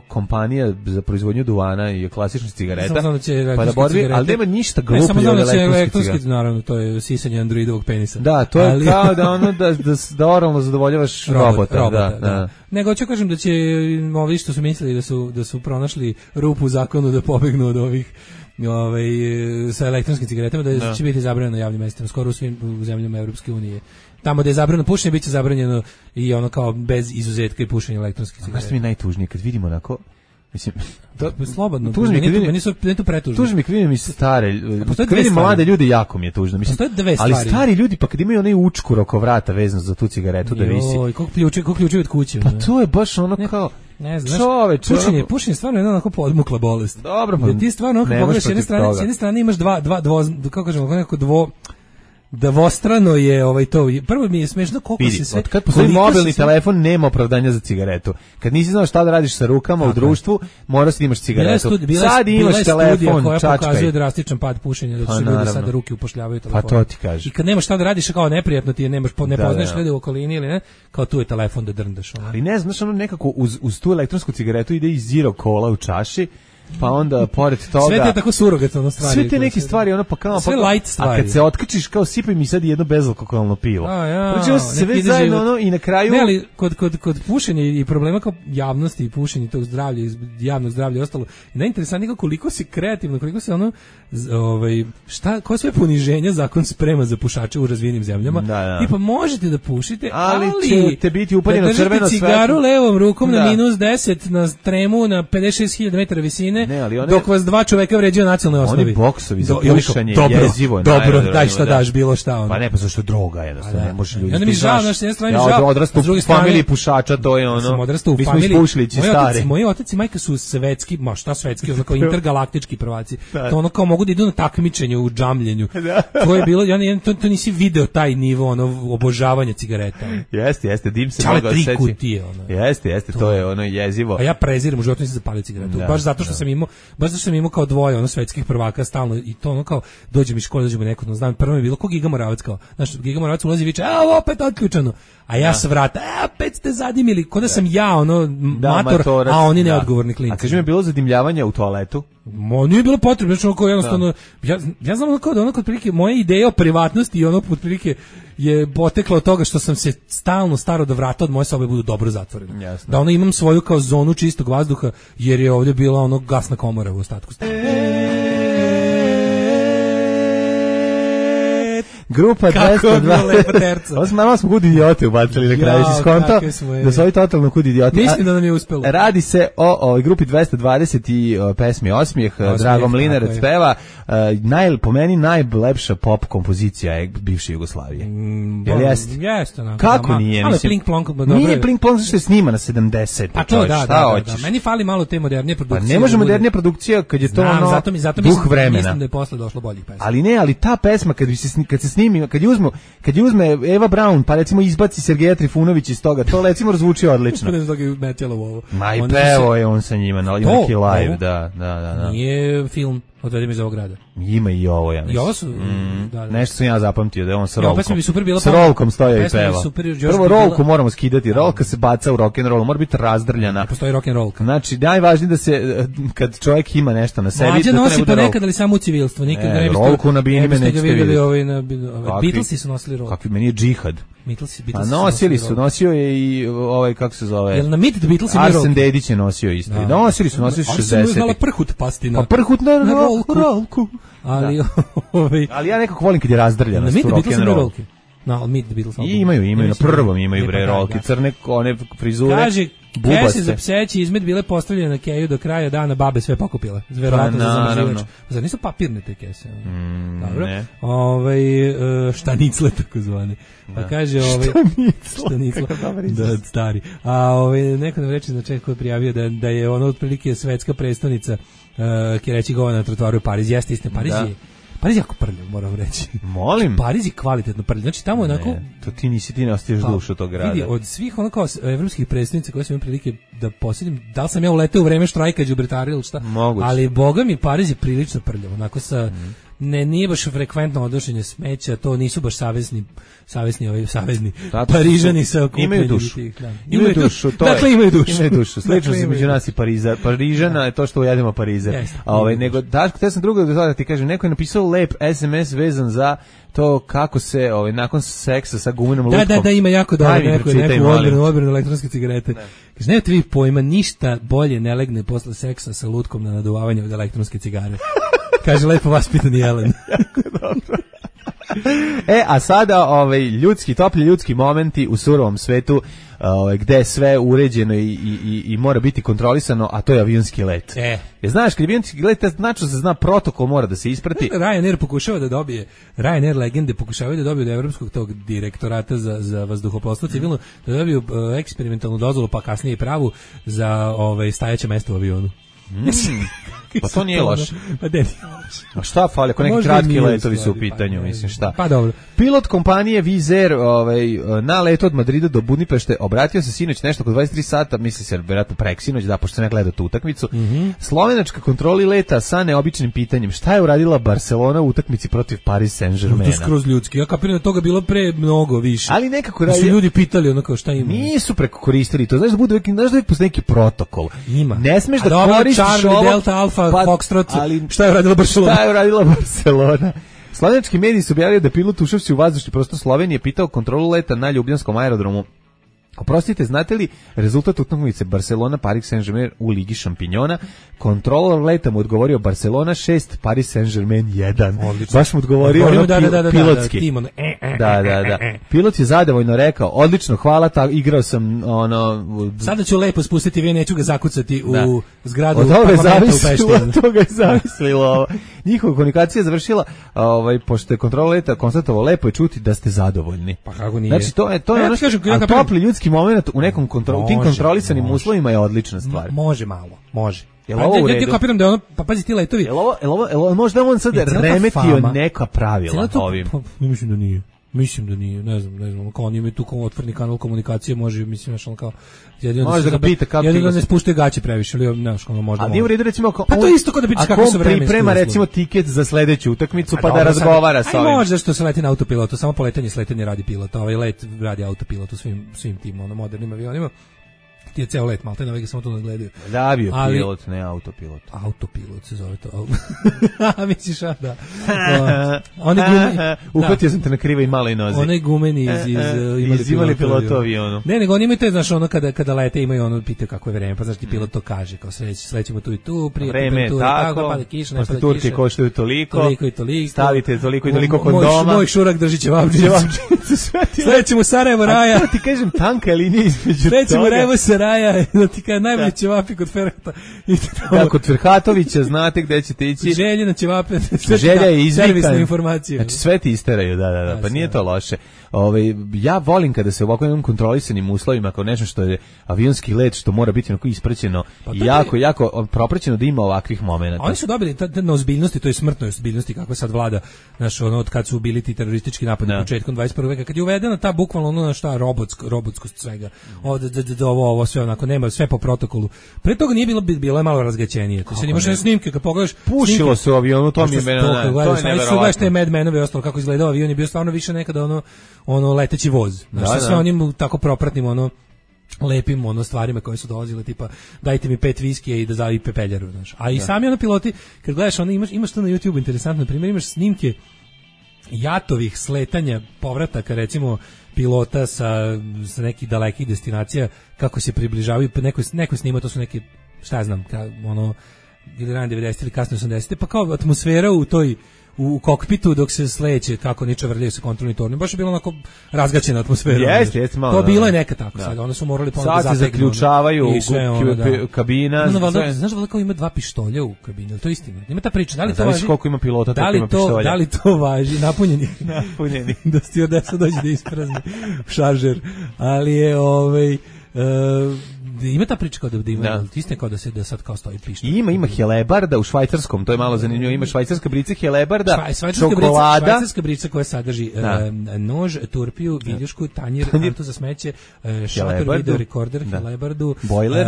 kompanija za proizvodnju duvana i klasičnih cigareta, pa da borbi, ali nema ništa gluplje od elektronske cigarete. Naravno, to je sisanje androidovog penisa. Da, to je kao da da oralno zadovoljavaš robota. Da. Nego ću kažem da će ovi što su mislili da su pronašli rupu u zakonu da pobegnu od ovih sa elektronskim cigaretama, da će biti zabranjeno na javnim mestima, skoro u svim zemljama Evropske unije. Tamo da je zabranjeno pušenje, bit će zabranjeno i ono kao bez izuzetka i pušenje elektronskih cigareta. Znaš mi najtužnije, kad vidimo onako, mislim, slobodno, meni to pretužno. Tužno mi kad vidim i stare, kad vidim mlade ljude, jako mi je tužno. Mislim, ali stari ljudi, pa kad imaju onaj učkur oko vrata vezano za tu cigaretu da visi. Joj, koliko ključevi od kuće. Pa to je baš ono kao, ne znam, pušenje je stvarno jedna onako podmukla bolest. Dobro, pa ti stvarno onako pogledaš s jedne strane imaš kako kažemo, neko Davostrano je to. Prvo mi je smešno koliko se sve... Kad postoji mobilni telefon, nema opravdanja za cigaretu. Kad nisi znao šta da radiš sa rukama u društvu, moraš da imaš cigaretu. Sad imaš telefon, koja čačkaj. Pokazuje drastičan pad pušenja, da su ljudi sada ruke upošljavaju telefon. Pa to ti kaže. I kad nemaš šta da radiš, kao neprijatno ti je, ne poznaješ ljude u okolini ili ne, kao tu je telefon da drndaš. Ali ne znaš, nekako uz tu elektronsku cigaretu ide i zero kola u čaši, pa onda pored toga sve te tako surogatno stvari. Sve te neke stvari pa kao sve light stvari. A kad se otkačiš kao sipaj mi sad jedno bezalkoholno pivo. Znači se već zajedno i na kraju. Ne, ali kod pušenja i problema kao javnosti i pušenja tog zdravlja, javnog zdravlja i ostalo. Najinteresantnije koliko se kreativno, koliko se koje sve poniženja zakon sprema za pušače u razvijenim zemljama. I pa možete da pušite, ali ćete biti upaljeno crveno svetlo. Cigaru levom rukom na -10 na tremu na 56.000 metara visine. Dok vas dva čoveka vređaju na nacionalnoj osnovi. Oni boksovi za pušenje jezivo. Dobro, daj šta daš, bilo šta. Pa ne, pa zašto droga jednostavno, ne može ljudi. Onda mi žao, na jedne strane mi žao. Ja odrastu u familiji pušača, to je ono. Mi smo ispušlići stari. Moji otac i majka su svetski, šta svetski, ono kao intergalaktički prvaci. To ono kao mogu da idu na takmičenje u džamljenju. To je bilo, to nisi video taj nivo obožavanja cigareta. Jeste, dim se mogao seći. Jeste, to je ono jezivo. A ja prezirem, u životu nisam zapalio cigaretu. Baš zato što sam imao kao dvoje svetskih prvaka stalno i to ono kao dođem iz škole, dođemo neko, znam, prvo je bilo ko Giga Moravac kao, znaš, Giga Moravac ulazi i viče, opet otključano, a ja sa vrata, opet ste zadimili, ko da sam ja, mator, a oni neodgovorni klinci. A kaži mi, je bilo zadimljavanje u toaletu? Nije bilo potrebno, znači ono jednostavno, ja znam kao da ono kod prilike, moja ideja o privatnosti i ono kod prilike je potekla od toga što sam se stalno staro da vrata od moje sobe budu dobro zatvorene. Da ono imam svoju kao zonu čistog vazduha, jer je ovdje bila ono gasna komora u ostatku. Grupa 220. Malo smo kud idiote ubacili na kraju, si skonto da su ovi totalno kud idiote. Mislim da nam je uspelo. Radi se o grupi 220 i pesmi Osmijeh, Drago Mlinarac peva. Po meni najlepša pop kompozicija je bivše Jugoslavije. Jel jeste? Jeste. Kako nije? Ali Plink Plonk. Nije Plink Plonk što je snima na 70. A to da. Meni fali malo te modernije produkcije. Pa ne može modernija produkcija kad je to ono duh vremena. Mislim da je posle došlo boljih pesma. Ali ta pesma kad se snimi, kad je uzme Eva Braun, pa recimo izbaci Sergeja Trifunović iz toga, to recimo razvuči odlično. Ma i pevo je on sa njima, ima neki live, da. Nije film Odvedi me iz ovog grada. Ima i ovo, ja mislim. I ovo su... Nešto sam ja zapamtio, da je on sa rolkom. Pesma bi super bila... S rolkom stoja i peva. Prvo rolku moramo skidati, rolka se baca u rock'n'roll, mora biti razdrljana. Ne postoji rock'n'rollka. Znači, najvažnije da se, kad čovjek ima nešto na sebi... Mlađe nosi ponekad, ali samo u civilstvo. Rolku na bini me nećete vidjeti. Beatlesi su nosili rolku. Kakvi, meni je džihad. A nosio je i kako se zove? Jel na Meet the Beatles imaju Arsen Dedić je nosio isto. Nosili su 60. Ali su znala prhut pasti na... Pa prhut na rolku. Ali ja nekako volim kad je razdrljano. Na Meet the Beatles imaju rolke. Na Meet the Beatles. Imaju, na prvom imaju bre rolke. Crne, one frizure. Kaže, kese za pseći izmet bile postavljene na keju do kraja dana, babe sve pokupile. Verovatno za zamrzivač. Zar nisu papirne te kese? Dobro. Štanicle tako zvane. Pa kaže štanicle. Da, stari. A neko nam reče znači ko je prijavio da je ono otprilike svetska predstavnica Kereći govana na trotoaru u Pariz. Jeste istina, Pariz je jako prljav, moram reći. Molim. Pariz je kvalitetno prljav. Znači tamo onako... To ti ne ostaviš dušu tog grada. Vidi, od svih ono kao evropskih predstavnica koje sam imao prilike da posjedim, da li sam ja uleteo u vreme štrajka đubretara ili šta, moguće. Ali boga mi Pariz je prilično prljav, onako sa... nije baš frekventno odnošenje smeća, to nisu baš savezni Parižani sa okupljenim. Imaju dušu. Dakle, imaju dušu. Slično se među nas i Parižana je to što ujedemo Parizer. Nego, Daško, te sam drugo da ti kažem, neko je napisao lep SMS vezan za to kako se nakon seksa sa gumenom lutkom. Da, ima jako dobro neku odbranu elektronske cigarete. Kaže, nemate vi pojma, ništa bolje ne legne posle seksa sa lutkom na naduvavanje od elektronske cigare. Kaže, lepo vaspitani Jelen. Jako dobro. A sada toplji ljudski momenti u surovom svetu, gde je sve uređeno i mora biti kontrolisano, a to je avionski let. Znaš, kad je avionski let, znači se zna protokol, mora da se isprati. Ryanair pokušava da dobije, Ryanair legende pokušavaju da dobiju od evropskog tog direktorata za vazduhoplovstvo civilno, da dobiju eksperimentalnu dozvolu, pa kasnije i pravu za stajaće mesto u avionu. Pa to nije loše. Pa de nije loše. A šta fali, ako neki kratki letovi su u pitanju, mislim šta. Pa dobro. Pilot kompanije Wizz Air na letu od Madrida do Budimpešte obratio se sinoć nešto oko 23 sata, misli se vjerojatno preksinoć, da, pošto se ne gleda tu utakmicu. Slovenačka kontroli leta sa neobičnim pitanjem. Šta je uradila Barcelona u utakmici protiv Paris Saint-Germaina? To je skroz ljudski. Ja kapiram da toga bilo pre mnogo više. Ali nekako su ljudi pitali ono kao šta ima. Nisu preko koristili to. Znaš da bude uvijek postoji neki protokol. Ima. Ne smeš da koristiš Charlie, Delta, Alfa, Foxtrot. Ali šta je uradila Barcelona? Šta je uradila Barcelona? Slovenački mediji su objavili da pilot ušavši u vazdušni prostor Slovenije pitao kontrolu leta na Ljubljanskom aerodromu. Oprostite, znate li rezultat utakmice Barcelona Paris Saint-Germain u Ligi šampinjona? Kontrolor leta mu odgovorio Barcelona 6, Paris Saint-Germain 1. Odlično. Baš mu odgovorio pilotski. Da. Pilot je zadovoljno rekao, odlično, hvala, igrao sam Sada ću lepo spustiti, vi neću ga zakucati u zgradu od parlamenta u Pešti. Od toga je zamislilo ovo. Njihova komunikacija je završila, pošto je kontrola leta konstatovao, lepo je čuti da ste zadovoljni. Pa kako nije? Znači, to je ono topli ljudski moment u nekom tim kontrolisanim uslovima je odlična stvar. Može malo, može. Jel ovo u redu? Ja kapiram da ono, pa pazi ti letovi. Jel ovo možda on sad remetio neka pravila ovim? Mislim da nije, ne znam, kao on ima tu otvorni kanal komunikacije, može, mislim, znaš, on kao, može da ga pita kako jedino da ne spuštaju gaće previše, ali, znaš, ono možda može. A nije u redu, recimo, pa to isto kao da pitaš kako su vremenski uslovi. Priprema, recimo, tiket za sledeću utakmicu, pa da razgovara sa ovim. Aj, može što se leti na autopilotu, samo poletanje sletanje radi pilot, ovaj let radi autopilot u svim tim modernim avionima. Ti je ceo let, malo te navege samo to nadgledaju. Da, bio pilot, ne autopilot. Autopilot se zove to. Misliš, da. Uhvatio sam te na krivoj maloj nozi. Onaj gumeni iz imali pilotu avionu. Ne, nego oni imaju to, znaš, ono kada lete imaju ono, pitaju kako je vreme, pa znaš ti pilot to kaže, kao slećemo tu i tu, prije temperature, tako, pada kiša, ne pada kiša. Turke koštaju toliko i toliko. Stavite toliko i toliko kondoma. Moj šurak drži ćevapčicu. Slećemo Sarajevo Raja. Ti kažem, tanka je linija između toga. Da ti kada najbolji ćevapi kod Ferhata. Da, kod Ferhatovića znate gde ćete ići. Želje na ćevape. Želja je izvikan. Servisne informacije. Znači sve ti isteraju, da. Pa nije to loše. Ja volim kada se u ovako jednom kontrolisanim uslovima, kao nešto što je avionski let, što mora biti onako ispraćeno i jako propraćeno da ima ovakvih momenata. Oni su dobili na ozbiljnosti, to je smrtnoj ozbiljnosti kako sad vlada, znaš, ono od kad su bili ti teroristički napadi početkom 21. veka, kad je uvedena ta bukvalno ono šta robotskost svega. Ovo sve onako nema sve po protokolu. Pre toga nije bilo je malo razgaćenije. To se imaš snimke kad pogledaš. Pušilo se u avionu, to mi je neverovatno. Te Mad Menove ostalo kako izgledao avion je bio stvarno više nekada ono leteći voz. Znači sve onim tako propratnim lepim stvarima koje su dolazile, tipa dajte mi 5 viskija i da zavi pepeljaru, znaš. A i sami piloti, kad gledaš imaš to na YouTube interesantno, na primjer imaš snimke jatovih sletanja, povrataka recimo pilota sa nekih dalekih destinacija, kako se približavaju, neko snima, to su neke, šta ja znam, ili rane 90 ili kasno 80, pa kao atmosfera u kokpitu dok se sleće, kako niče vrljaju sa kontrolni tornjom, baš je bilo onako razgaćena atmosfera. Jeste, malo. To bilo je neka tako, sad, onda su morali ponovno da zategnu. Sad se zaključavaju kabina. Znaš da kao ima 2 pištolja u kabini, to je istina. Ima ta priča, da li to važi? Koliko ima pilota, toliko ima pištolja. Da li to važi? Napunjeni. Da stewardesa dođe da isprazni šaržer. Ali je ima ta priča kao da ima, istina kao da sad kao stoji pištolj. Ima helebarda u švajcarskom, to je malo zanimljivo, ima švajcarska brica helebarda, čokolada. Švajcarska brica koja sadrži nož, turpiju, viljušku, tanjir, kantu za smeće, šator, video rekorder, helebardu,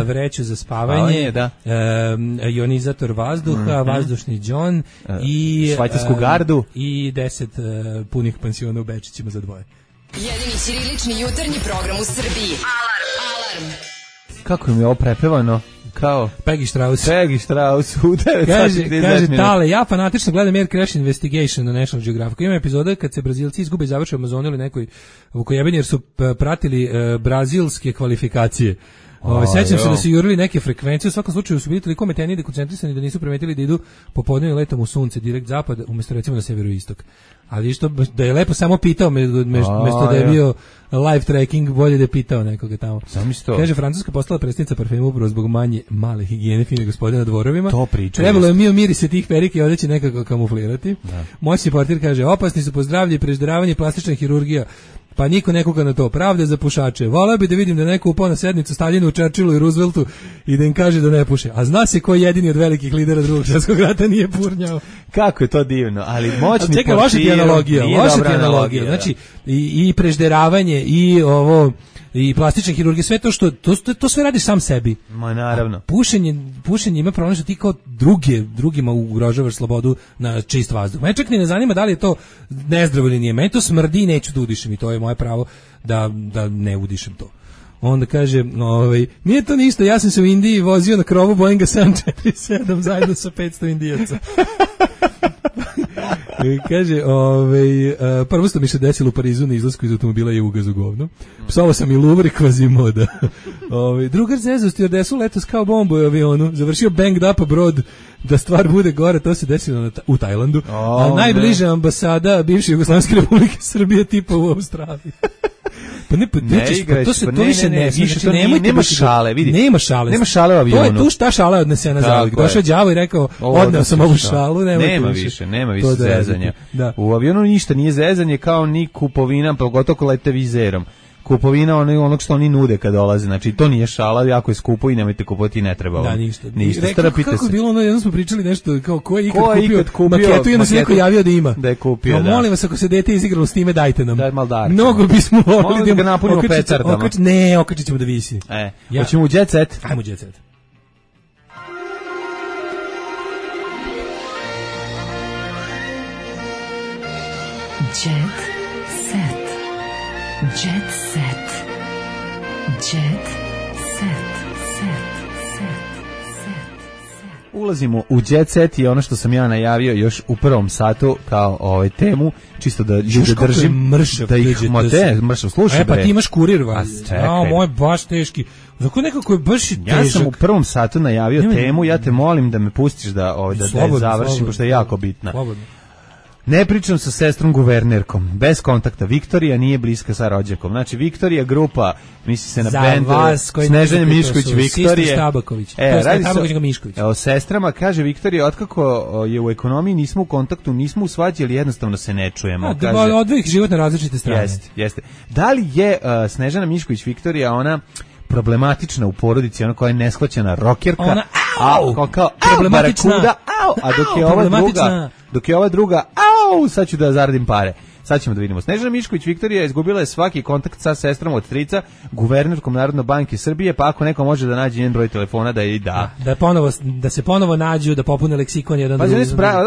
vreću za spavanje, ionizator vazduha, vazdušni džon i švajcarsku gardu i 10 punih pansiona u Bečićima za 2. Jedini ćirilični jutarnji program u Srbiji. Alarm. Kako im je ovo prepevano? Kao Peggy Strauss u 9 kaže Tale, ja fanatično gledam Air Crash Investigation na National Geographic. Ima epizoda kad se Brazilci izgube i završe u Amazonu ili nekoj vukojebeni jer su pratili brazilske kvalifikacije. Sećam se da su jurili neke frekvencije, u svakom slučaju su bili toliko meteni da koncentrisani da nisu primetili da idu popodnevnim letom u sunce, direkt zapad, umjesto recimo na severoistok. Ali što da je lepo samo pitao mesto da je bio live tracking, bolje da je pitao nekoga tamo. Kaže, Francuska postala predsjednica parfema upravo zbog male higijene fine gospodina na dvorovima. To priča. Trebalo je mirise tih perike i odeće nekako kamuflirati. Moćni portir kaže, opasni su po zdravlje i prežderavanje, plastična hirurgija. pa niko ne kuka na to. Pravda za pušače. Voleo bi da vidim da neko upao na sednicu Staljinu, Churchillu i Rooseveltu i da im kaže da ne puše. A zna se ko jedini od velikih lidera Drugog svjetskog rata nije purnjao. Kako je to divno, ali moćni čekaj, loša ti analogija. Znači, i prežderavanje, i ovo, i plastična hirurgija, sve to što to sve radiš sam sebi. Ma naravno. Pušenje ima problem što ti kao drugima ugrožavaš slobodu na čist vazduh. Mene čak ni ne zanima da li je to nezdravo ili nije. Meni to smrdi i neću da udišem i to je moje pravo da ne udišem to. Onda kaže, nije to ništa, ja sam se u Indiji vozio na krovu Boeinga 747 zajedno sa 500 Indijaca. Kaže, prvo što mi se desilo u Parizu na izlasku iz automobila je ugaz u govno. Psovao sam i Louvre Quasimoda. Drugar zezao stjuardesu letos kao bombu u avionu. Završio banged up brod da stvar bude gore, to se desilo u Tajlandu. A najbliža ambasada bivše Jugoslavijske Republike Srbije tipa u Australiji. Nema šale, vidi. Nema šale. Nema šale u avionu. To je tu šta šala odnesena za. Došao đavo i rekao, odneo sam ovu šalu, nema više zezanja. U avionu ništa nije zezanje, kao ni kupovina, pogotovo ko lete vizerom. Kupovina onog što oni nude kad dolaze, znači to nije šala, jako je skupo i nemojte kupovati, ne treba. Da, ništa. Kako je bilo jednom smo pričali nešto, kao ko je ikad kupio maketu i onda se neko javio da ima. Da je kupio, da. Molim vas, ako se dete izigralo s time, dajte nam. Daj maldarče. Mnogo bismo volili da ga napunimo petardama. Ne, okačit ćemo da visi. Hoćemo u Jet Set? Ajmo u Jet Set. Jet Set. Jet Set. Jet Set. Ulazimo u Jet Set i ono što sam ja najavio još u prvom satu kao temu, čisto da ljude držim. Mršav, da ih mršav, slušaj. Pa ti imaš kurir, moj baš teški. Zato nekako je baš težak. Ja sam u prvom satu najavio temu, ja te molim da me pustiš da završim, pošto je jako bitna. Slobodno. Ne pričam sa sestrom guvernerkom, bez kontakta. Viktorija nije bliska sa rođakom. Znači, Viktorija grupa, misli se na bend Snežana Mišković, Viktorije. Sister Stabaković. O sestrama, kaže Viktorija, otkako je u ekonomiji nismo u kontaktu, nismo u svađi, ali jednostavno se ne čujemo. Odvojih život na različite strane. Jeste. Da li je Snežana Mišković, Viktorija, ona problematična u porodici, ona koja je neshvaćena rokerka, ona kao problematična, a dok je ova druga, sad ću da zaradim pare. Sad ćemo da vidimo. Snežana Mišković Viktorija izgubila je svaki kontakt sa sestrom od strica, guvernerkom Narodne banke Srbije, pa ako neko može da nađe njen broj telefona da je da. Da se ponovo nađu, da popune leksikon jedan drugi.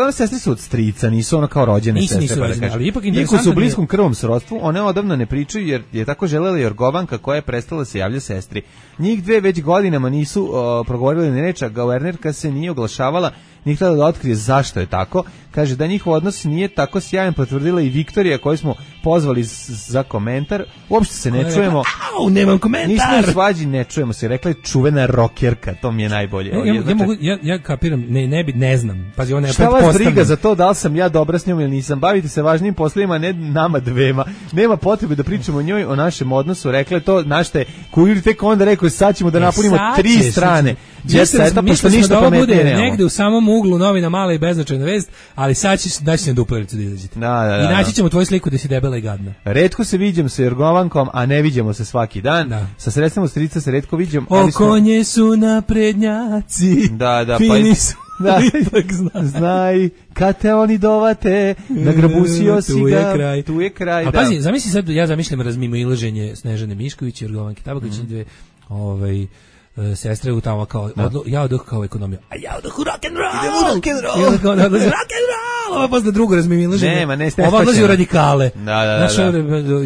One sestre su od strica, nisu ono kao rođene sestre. Ali ipak iako su u bliskom krvnom srodstvu, one odavno ne pričaju jer je tako želela Jorgovanka koja je prestala se javlja sestri. Njih dve već godinama nisu progovorili ni reč, a guvernerka se nije oglašavala, nije htjela da otkrije zašto je tako. Kaže da njihov odnos nije tako sjajan, potvrdila i Viktorija koju smo pozvali za komentar. Uopšte se ne čujemo. Nemam komentar. Nismo u svađi, ne čujemo se. Rekla je čuvena rokerka, to mi je najbolje. Ja kapiram, ne znam. Pazi, ona je šta vas briga za to da li sam ja dobra s njom ili nisam? Bavite se važnim poslovima, ne nama dvema. Nema potrebe da pričamo o njoj, o našem odnosu. Rekla je to, našte, kurir tek onda rekao, sad ćemo da napunimo 3 strane. Mislim da ovo bude negde u samom uglu novina mala i beznačajna vest, ali sad će na duplericu da izađete. I naći ćemo tvoju sliku da si debela i gadna. Retko se viđam sa Jorgovankom, a ne viđamo se svaki dan. Sa sredstvima strica se retko viđam. Konje su naprednjaci. Fini su. Znaj, kad te oni dovate, nagrabusio si ga, tu je kraj. A pazi, zamisli sad, ja zamišljam razmimoilaženje Snežane Mišković i Jorgovanke Tabaković, dve sestre u tamo kao ja odoh kao ekonomija, a ja odoh u rock and roll. Ovo je posle drugo razmimoilaženje. Ova odlazi u radikale.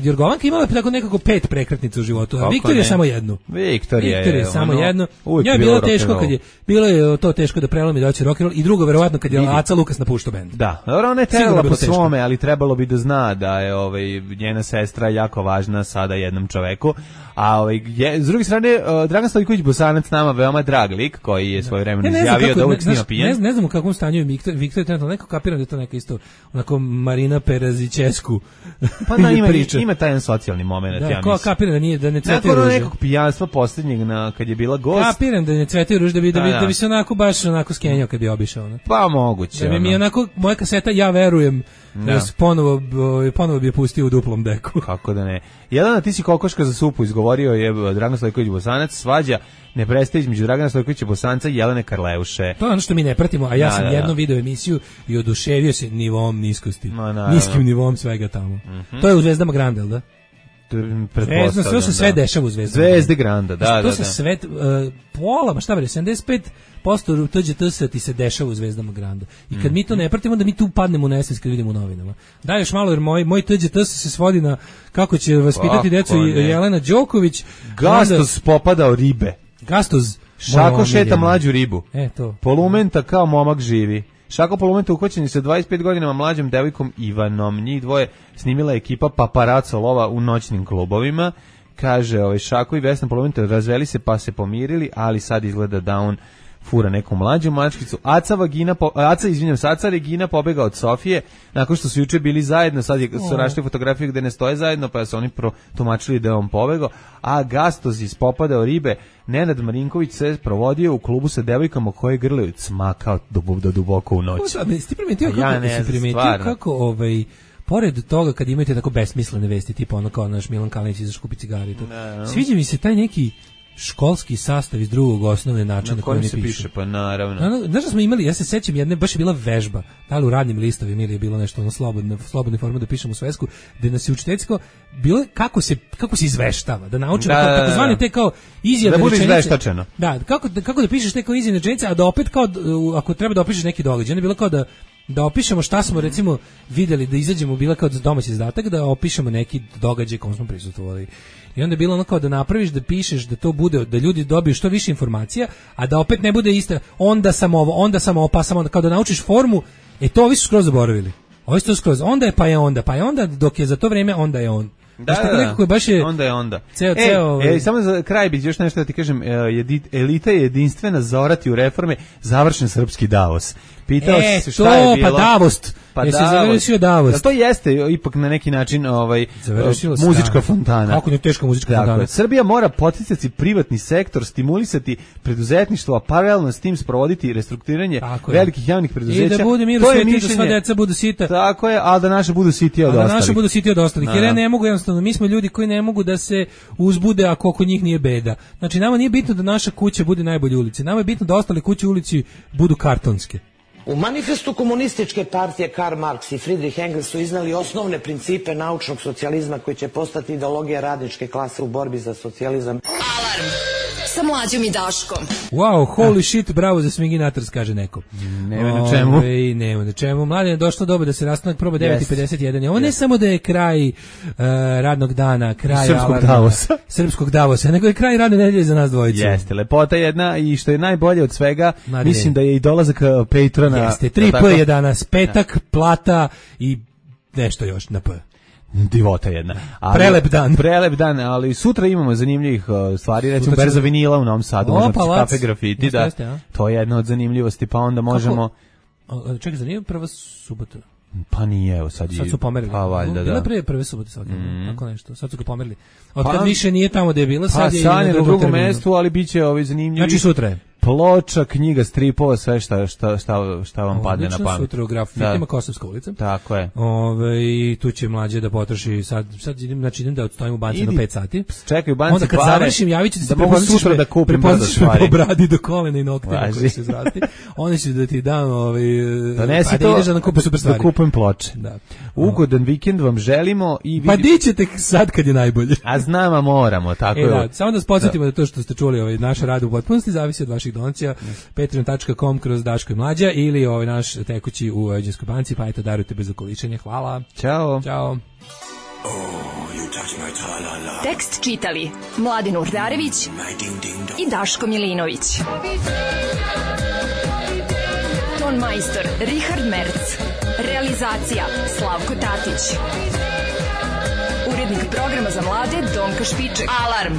Jorgovanka imala tako nekako 5 prekretnica u životu, a Viktorija samo jednu. Viktorija samo jednu. Ja je bilo teško kad je bilo je to teško da prelomi da hoće rock and roll i drugo verovatno kad je Aca Lukas napuštao bend. Da, ona je trebala po svome, ali trebalo bi da zna da je njena sestra jako važna sada jednom čoveku. A s druge strane, Dragan Stojković Bosanac nama veoma drag lik koji je svojevremeno izjavio da uvijek snima pijan. Ne znam u kakvom stanju je Viktor trenutno, neko kapiram da je to neka isto onako Marina Perazićesku Pa da, priča. ima taj jedan socijalni moment, Da, ja ko mislim. kapiram da ne cvetaju Nakon ruže. nekog pijanstva posljednjeg kad je bila gost. Kapiram da ne cvetaju ruže, da bi se onako baš onako skenjao kad bi obišao. Ne? Pa moguće. Da bi mi onako, moja kaseta, ja verujem, ponovo bi je pustio u duplom deku. Kako da ne. Jelena, ti si kokoška za supu, izgovorio je Dragan Stojković Bosanac, svađa ne prestaje između Dragana Stojkovića Bosanca i Jelene Karleuše. To je ono što mi ne pratimo, a ja sam jednom video emisiju i oduševio se nivom niskosti. Niskim nivom svega tamo. To je u Zvezdama Grande, da? To se sve dešava u Zvezdama. Zvezde Granda, da. To se sve, pola, šta bere, 75% TGT ti se dešava u Zvezdama Granda. I kad mi to ne pratimo, onda mi tu padnemo u nesvest kad vidimo u novinama. Daj još malo, jer moj TGT se svodi na kako će vaspitati decu Jelena Đoković. Gastos popadao ribe. Gastos. Šako šeta mlađu ribu. To. Polumenta kao momak živi. Šako Polumenta uhvaćen sa 25 godinama mlađom devojkom Ivanom. Njih dvoje snimila ekipa paparaco lova u noćnim klubovima. Kaže, Šako i Vesna Polumenta razveli se pa se pomirili, ali sad izgleda da on fura neku mlađu mačkicu. Aca Regina pobega od Sofije, nakon što su juče bili zajedno, sad su našli fotografiju gde ne stoje zajedno, pa su oni protumačili da je on pobegao, a Gastos ispopadao ribe. Nenad Marinković se provodio u klubu sa devojkama koje grlaju cmakao do duboko u noć. Ti primetio kako pored toga kad imate tako besmislene vesti, tipa ono kao naš Milan Kalinić izašao kupi cigare i to. Sviđa mi se taj neki školski sastav iz drugog osnovne načina na kojem se piše. Pa naravno. Znaš da smo imali, ja se sećam jedne, baš je bila vežba, da li u radnim listovima ili je bilo nešto ono slobodne forme da pišemo u svesku, gde nas je učiteljsko bilo kako se izveštava, da naučimo takozvane te kao izjavne rečenice. Da bude izveštačeno. Da, kako da pišeš te kao izjavne rečenice, a da opet kao, ako treba da opišeš neki događaj, onda je bilo kao da opišemo šta smo recimo videli, da izađemo, bila kao domaći zadatak, da opišemo neki događaj kom smo prisustvovali. I onda je bilo ono kao da napraviš, da pišeš, da to bude, da ljudi dobiju što više informacija, a da opet ne bude ista, onda sam ovo, pa sam onda, kao da naučiš formu, to ovi su skroz zaboravili. Ovi su to skroz, onda je onda, dok je za to vreme, onda je on. Onda je onda. Ceo. Samo za kraj bih još nešto da ti kažem, elita je jedinstvena, zaorati u reforme, završen srpski Davos. Pitao se šta je bilo. Pa Davos. Jesi završio Davos? To jeste ipak na neki način muzička fontana. Kako ne teška muzička fontana? Srbija mora poticati privatni sektor, stimulisati preduzetništvo, a paralelno s tim sprovoditi restrukturiranje velikih javnih preduzeća. I da bude mir u svijetu, da sva deca budu sita. Tako je, ali da naše budu sitije od ostalih. Jer ja ne mogu, jednostavno, mi smo ljudi koji ne mogu da se uzbude ako oko njih nije beda. Znači, nama nije bitno da naša kuća bude najbolje ulici. Nama je bitno da ostale kuće u ulici budu kartonske. U manifestu komunističke partije Karl Marx i Friedrich Engels su iznali osnovne principe naučnog socijalizma koji će postati ideologija radničke klase u borbi za socijalizam. Alarm sa Mlađom i Daškom. Wow, holy shit, bravo za Swinginators, kaže neko. Nema na čemu. Nema na čemu. Mladen, je došlo doba da se rastanak proba 9:51. Ovo ne samo da je kraj radnog dana, kraj srpskog Davosa, nego je kraj radne nedelje za nas dvojicu. Jeste, lepota jedna i što je najbolje od svega, mislim da je i dolazak Patrona. Jeste, 3P je danas, petak, plata i nešto još na P. Divota jedna. Prelep dan, ali sutra imamo zanimljivih stvari, recimo berza vinila u Novom Sadu, kafe grafiti, da. To je jedna od zanimljivosti, pa onda možemo... Čekaj, zanimljivo prva subota? Pa nije, evo sad su pomerili. Pa valjda, da. Bila prve subote svake, tako nešto. Sad su ga pomerili. Od kad više nije tamo gde je bila, sad je na drugom mestu, ali bit će zanimljivi. Znači sutra je. Ploča, knjiga, stripova, sve šta vam padne na pamet. Sutra u grafitima Kosovska ulica. Tako je. I tu će Mlađe da potroši, sad idem da odstojim u banci na 5 sati. Čekaj u banci onda kad završim, javit ću ti se sutra da kupim brzo stvari. Po bradi do kolena i noktima koji se izrasti. Onda ću da ti dam donesi to da kupim ploče. Ugodan vikend vam želimo. Pa di ćete sad kad je najbolje? A znam, a moramo, tako je. Samo da podsjetimo da to što ste čuli, naš rad u potpunosti zavisi od vaših donacija, patreon.com kroz Daško i Mlađa ili naš tekući u Vojvođanskoj banci, pa darujte bez okoličenja. Hvala. Ćao. Tekst čitali Mladin Urdarević i Daško Milinović. Ton majstor Richard Merc. Realizacija Slavko Tatić. Urednik programa za mlade Donka Špiček. Alarm!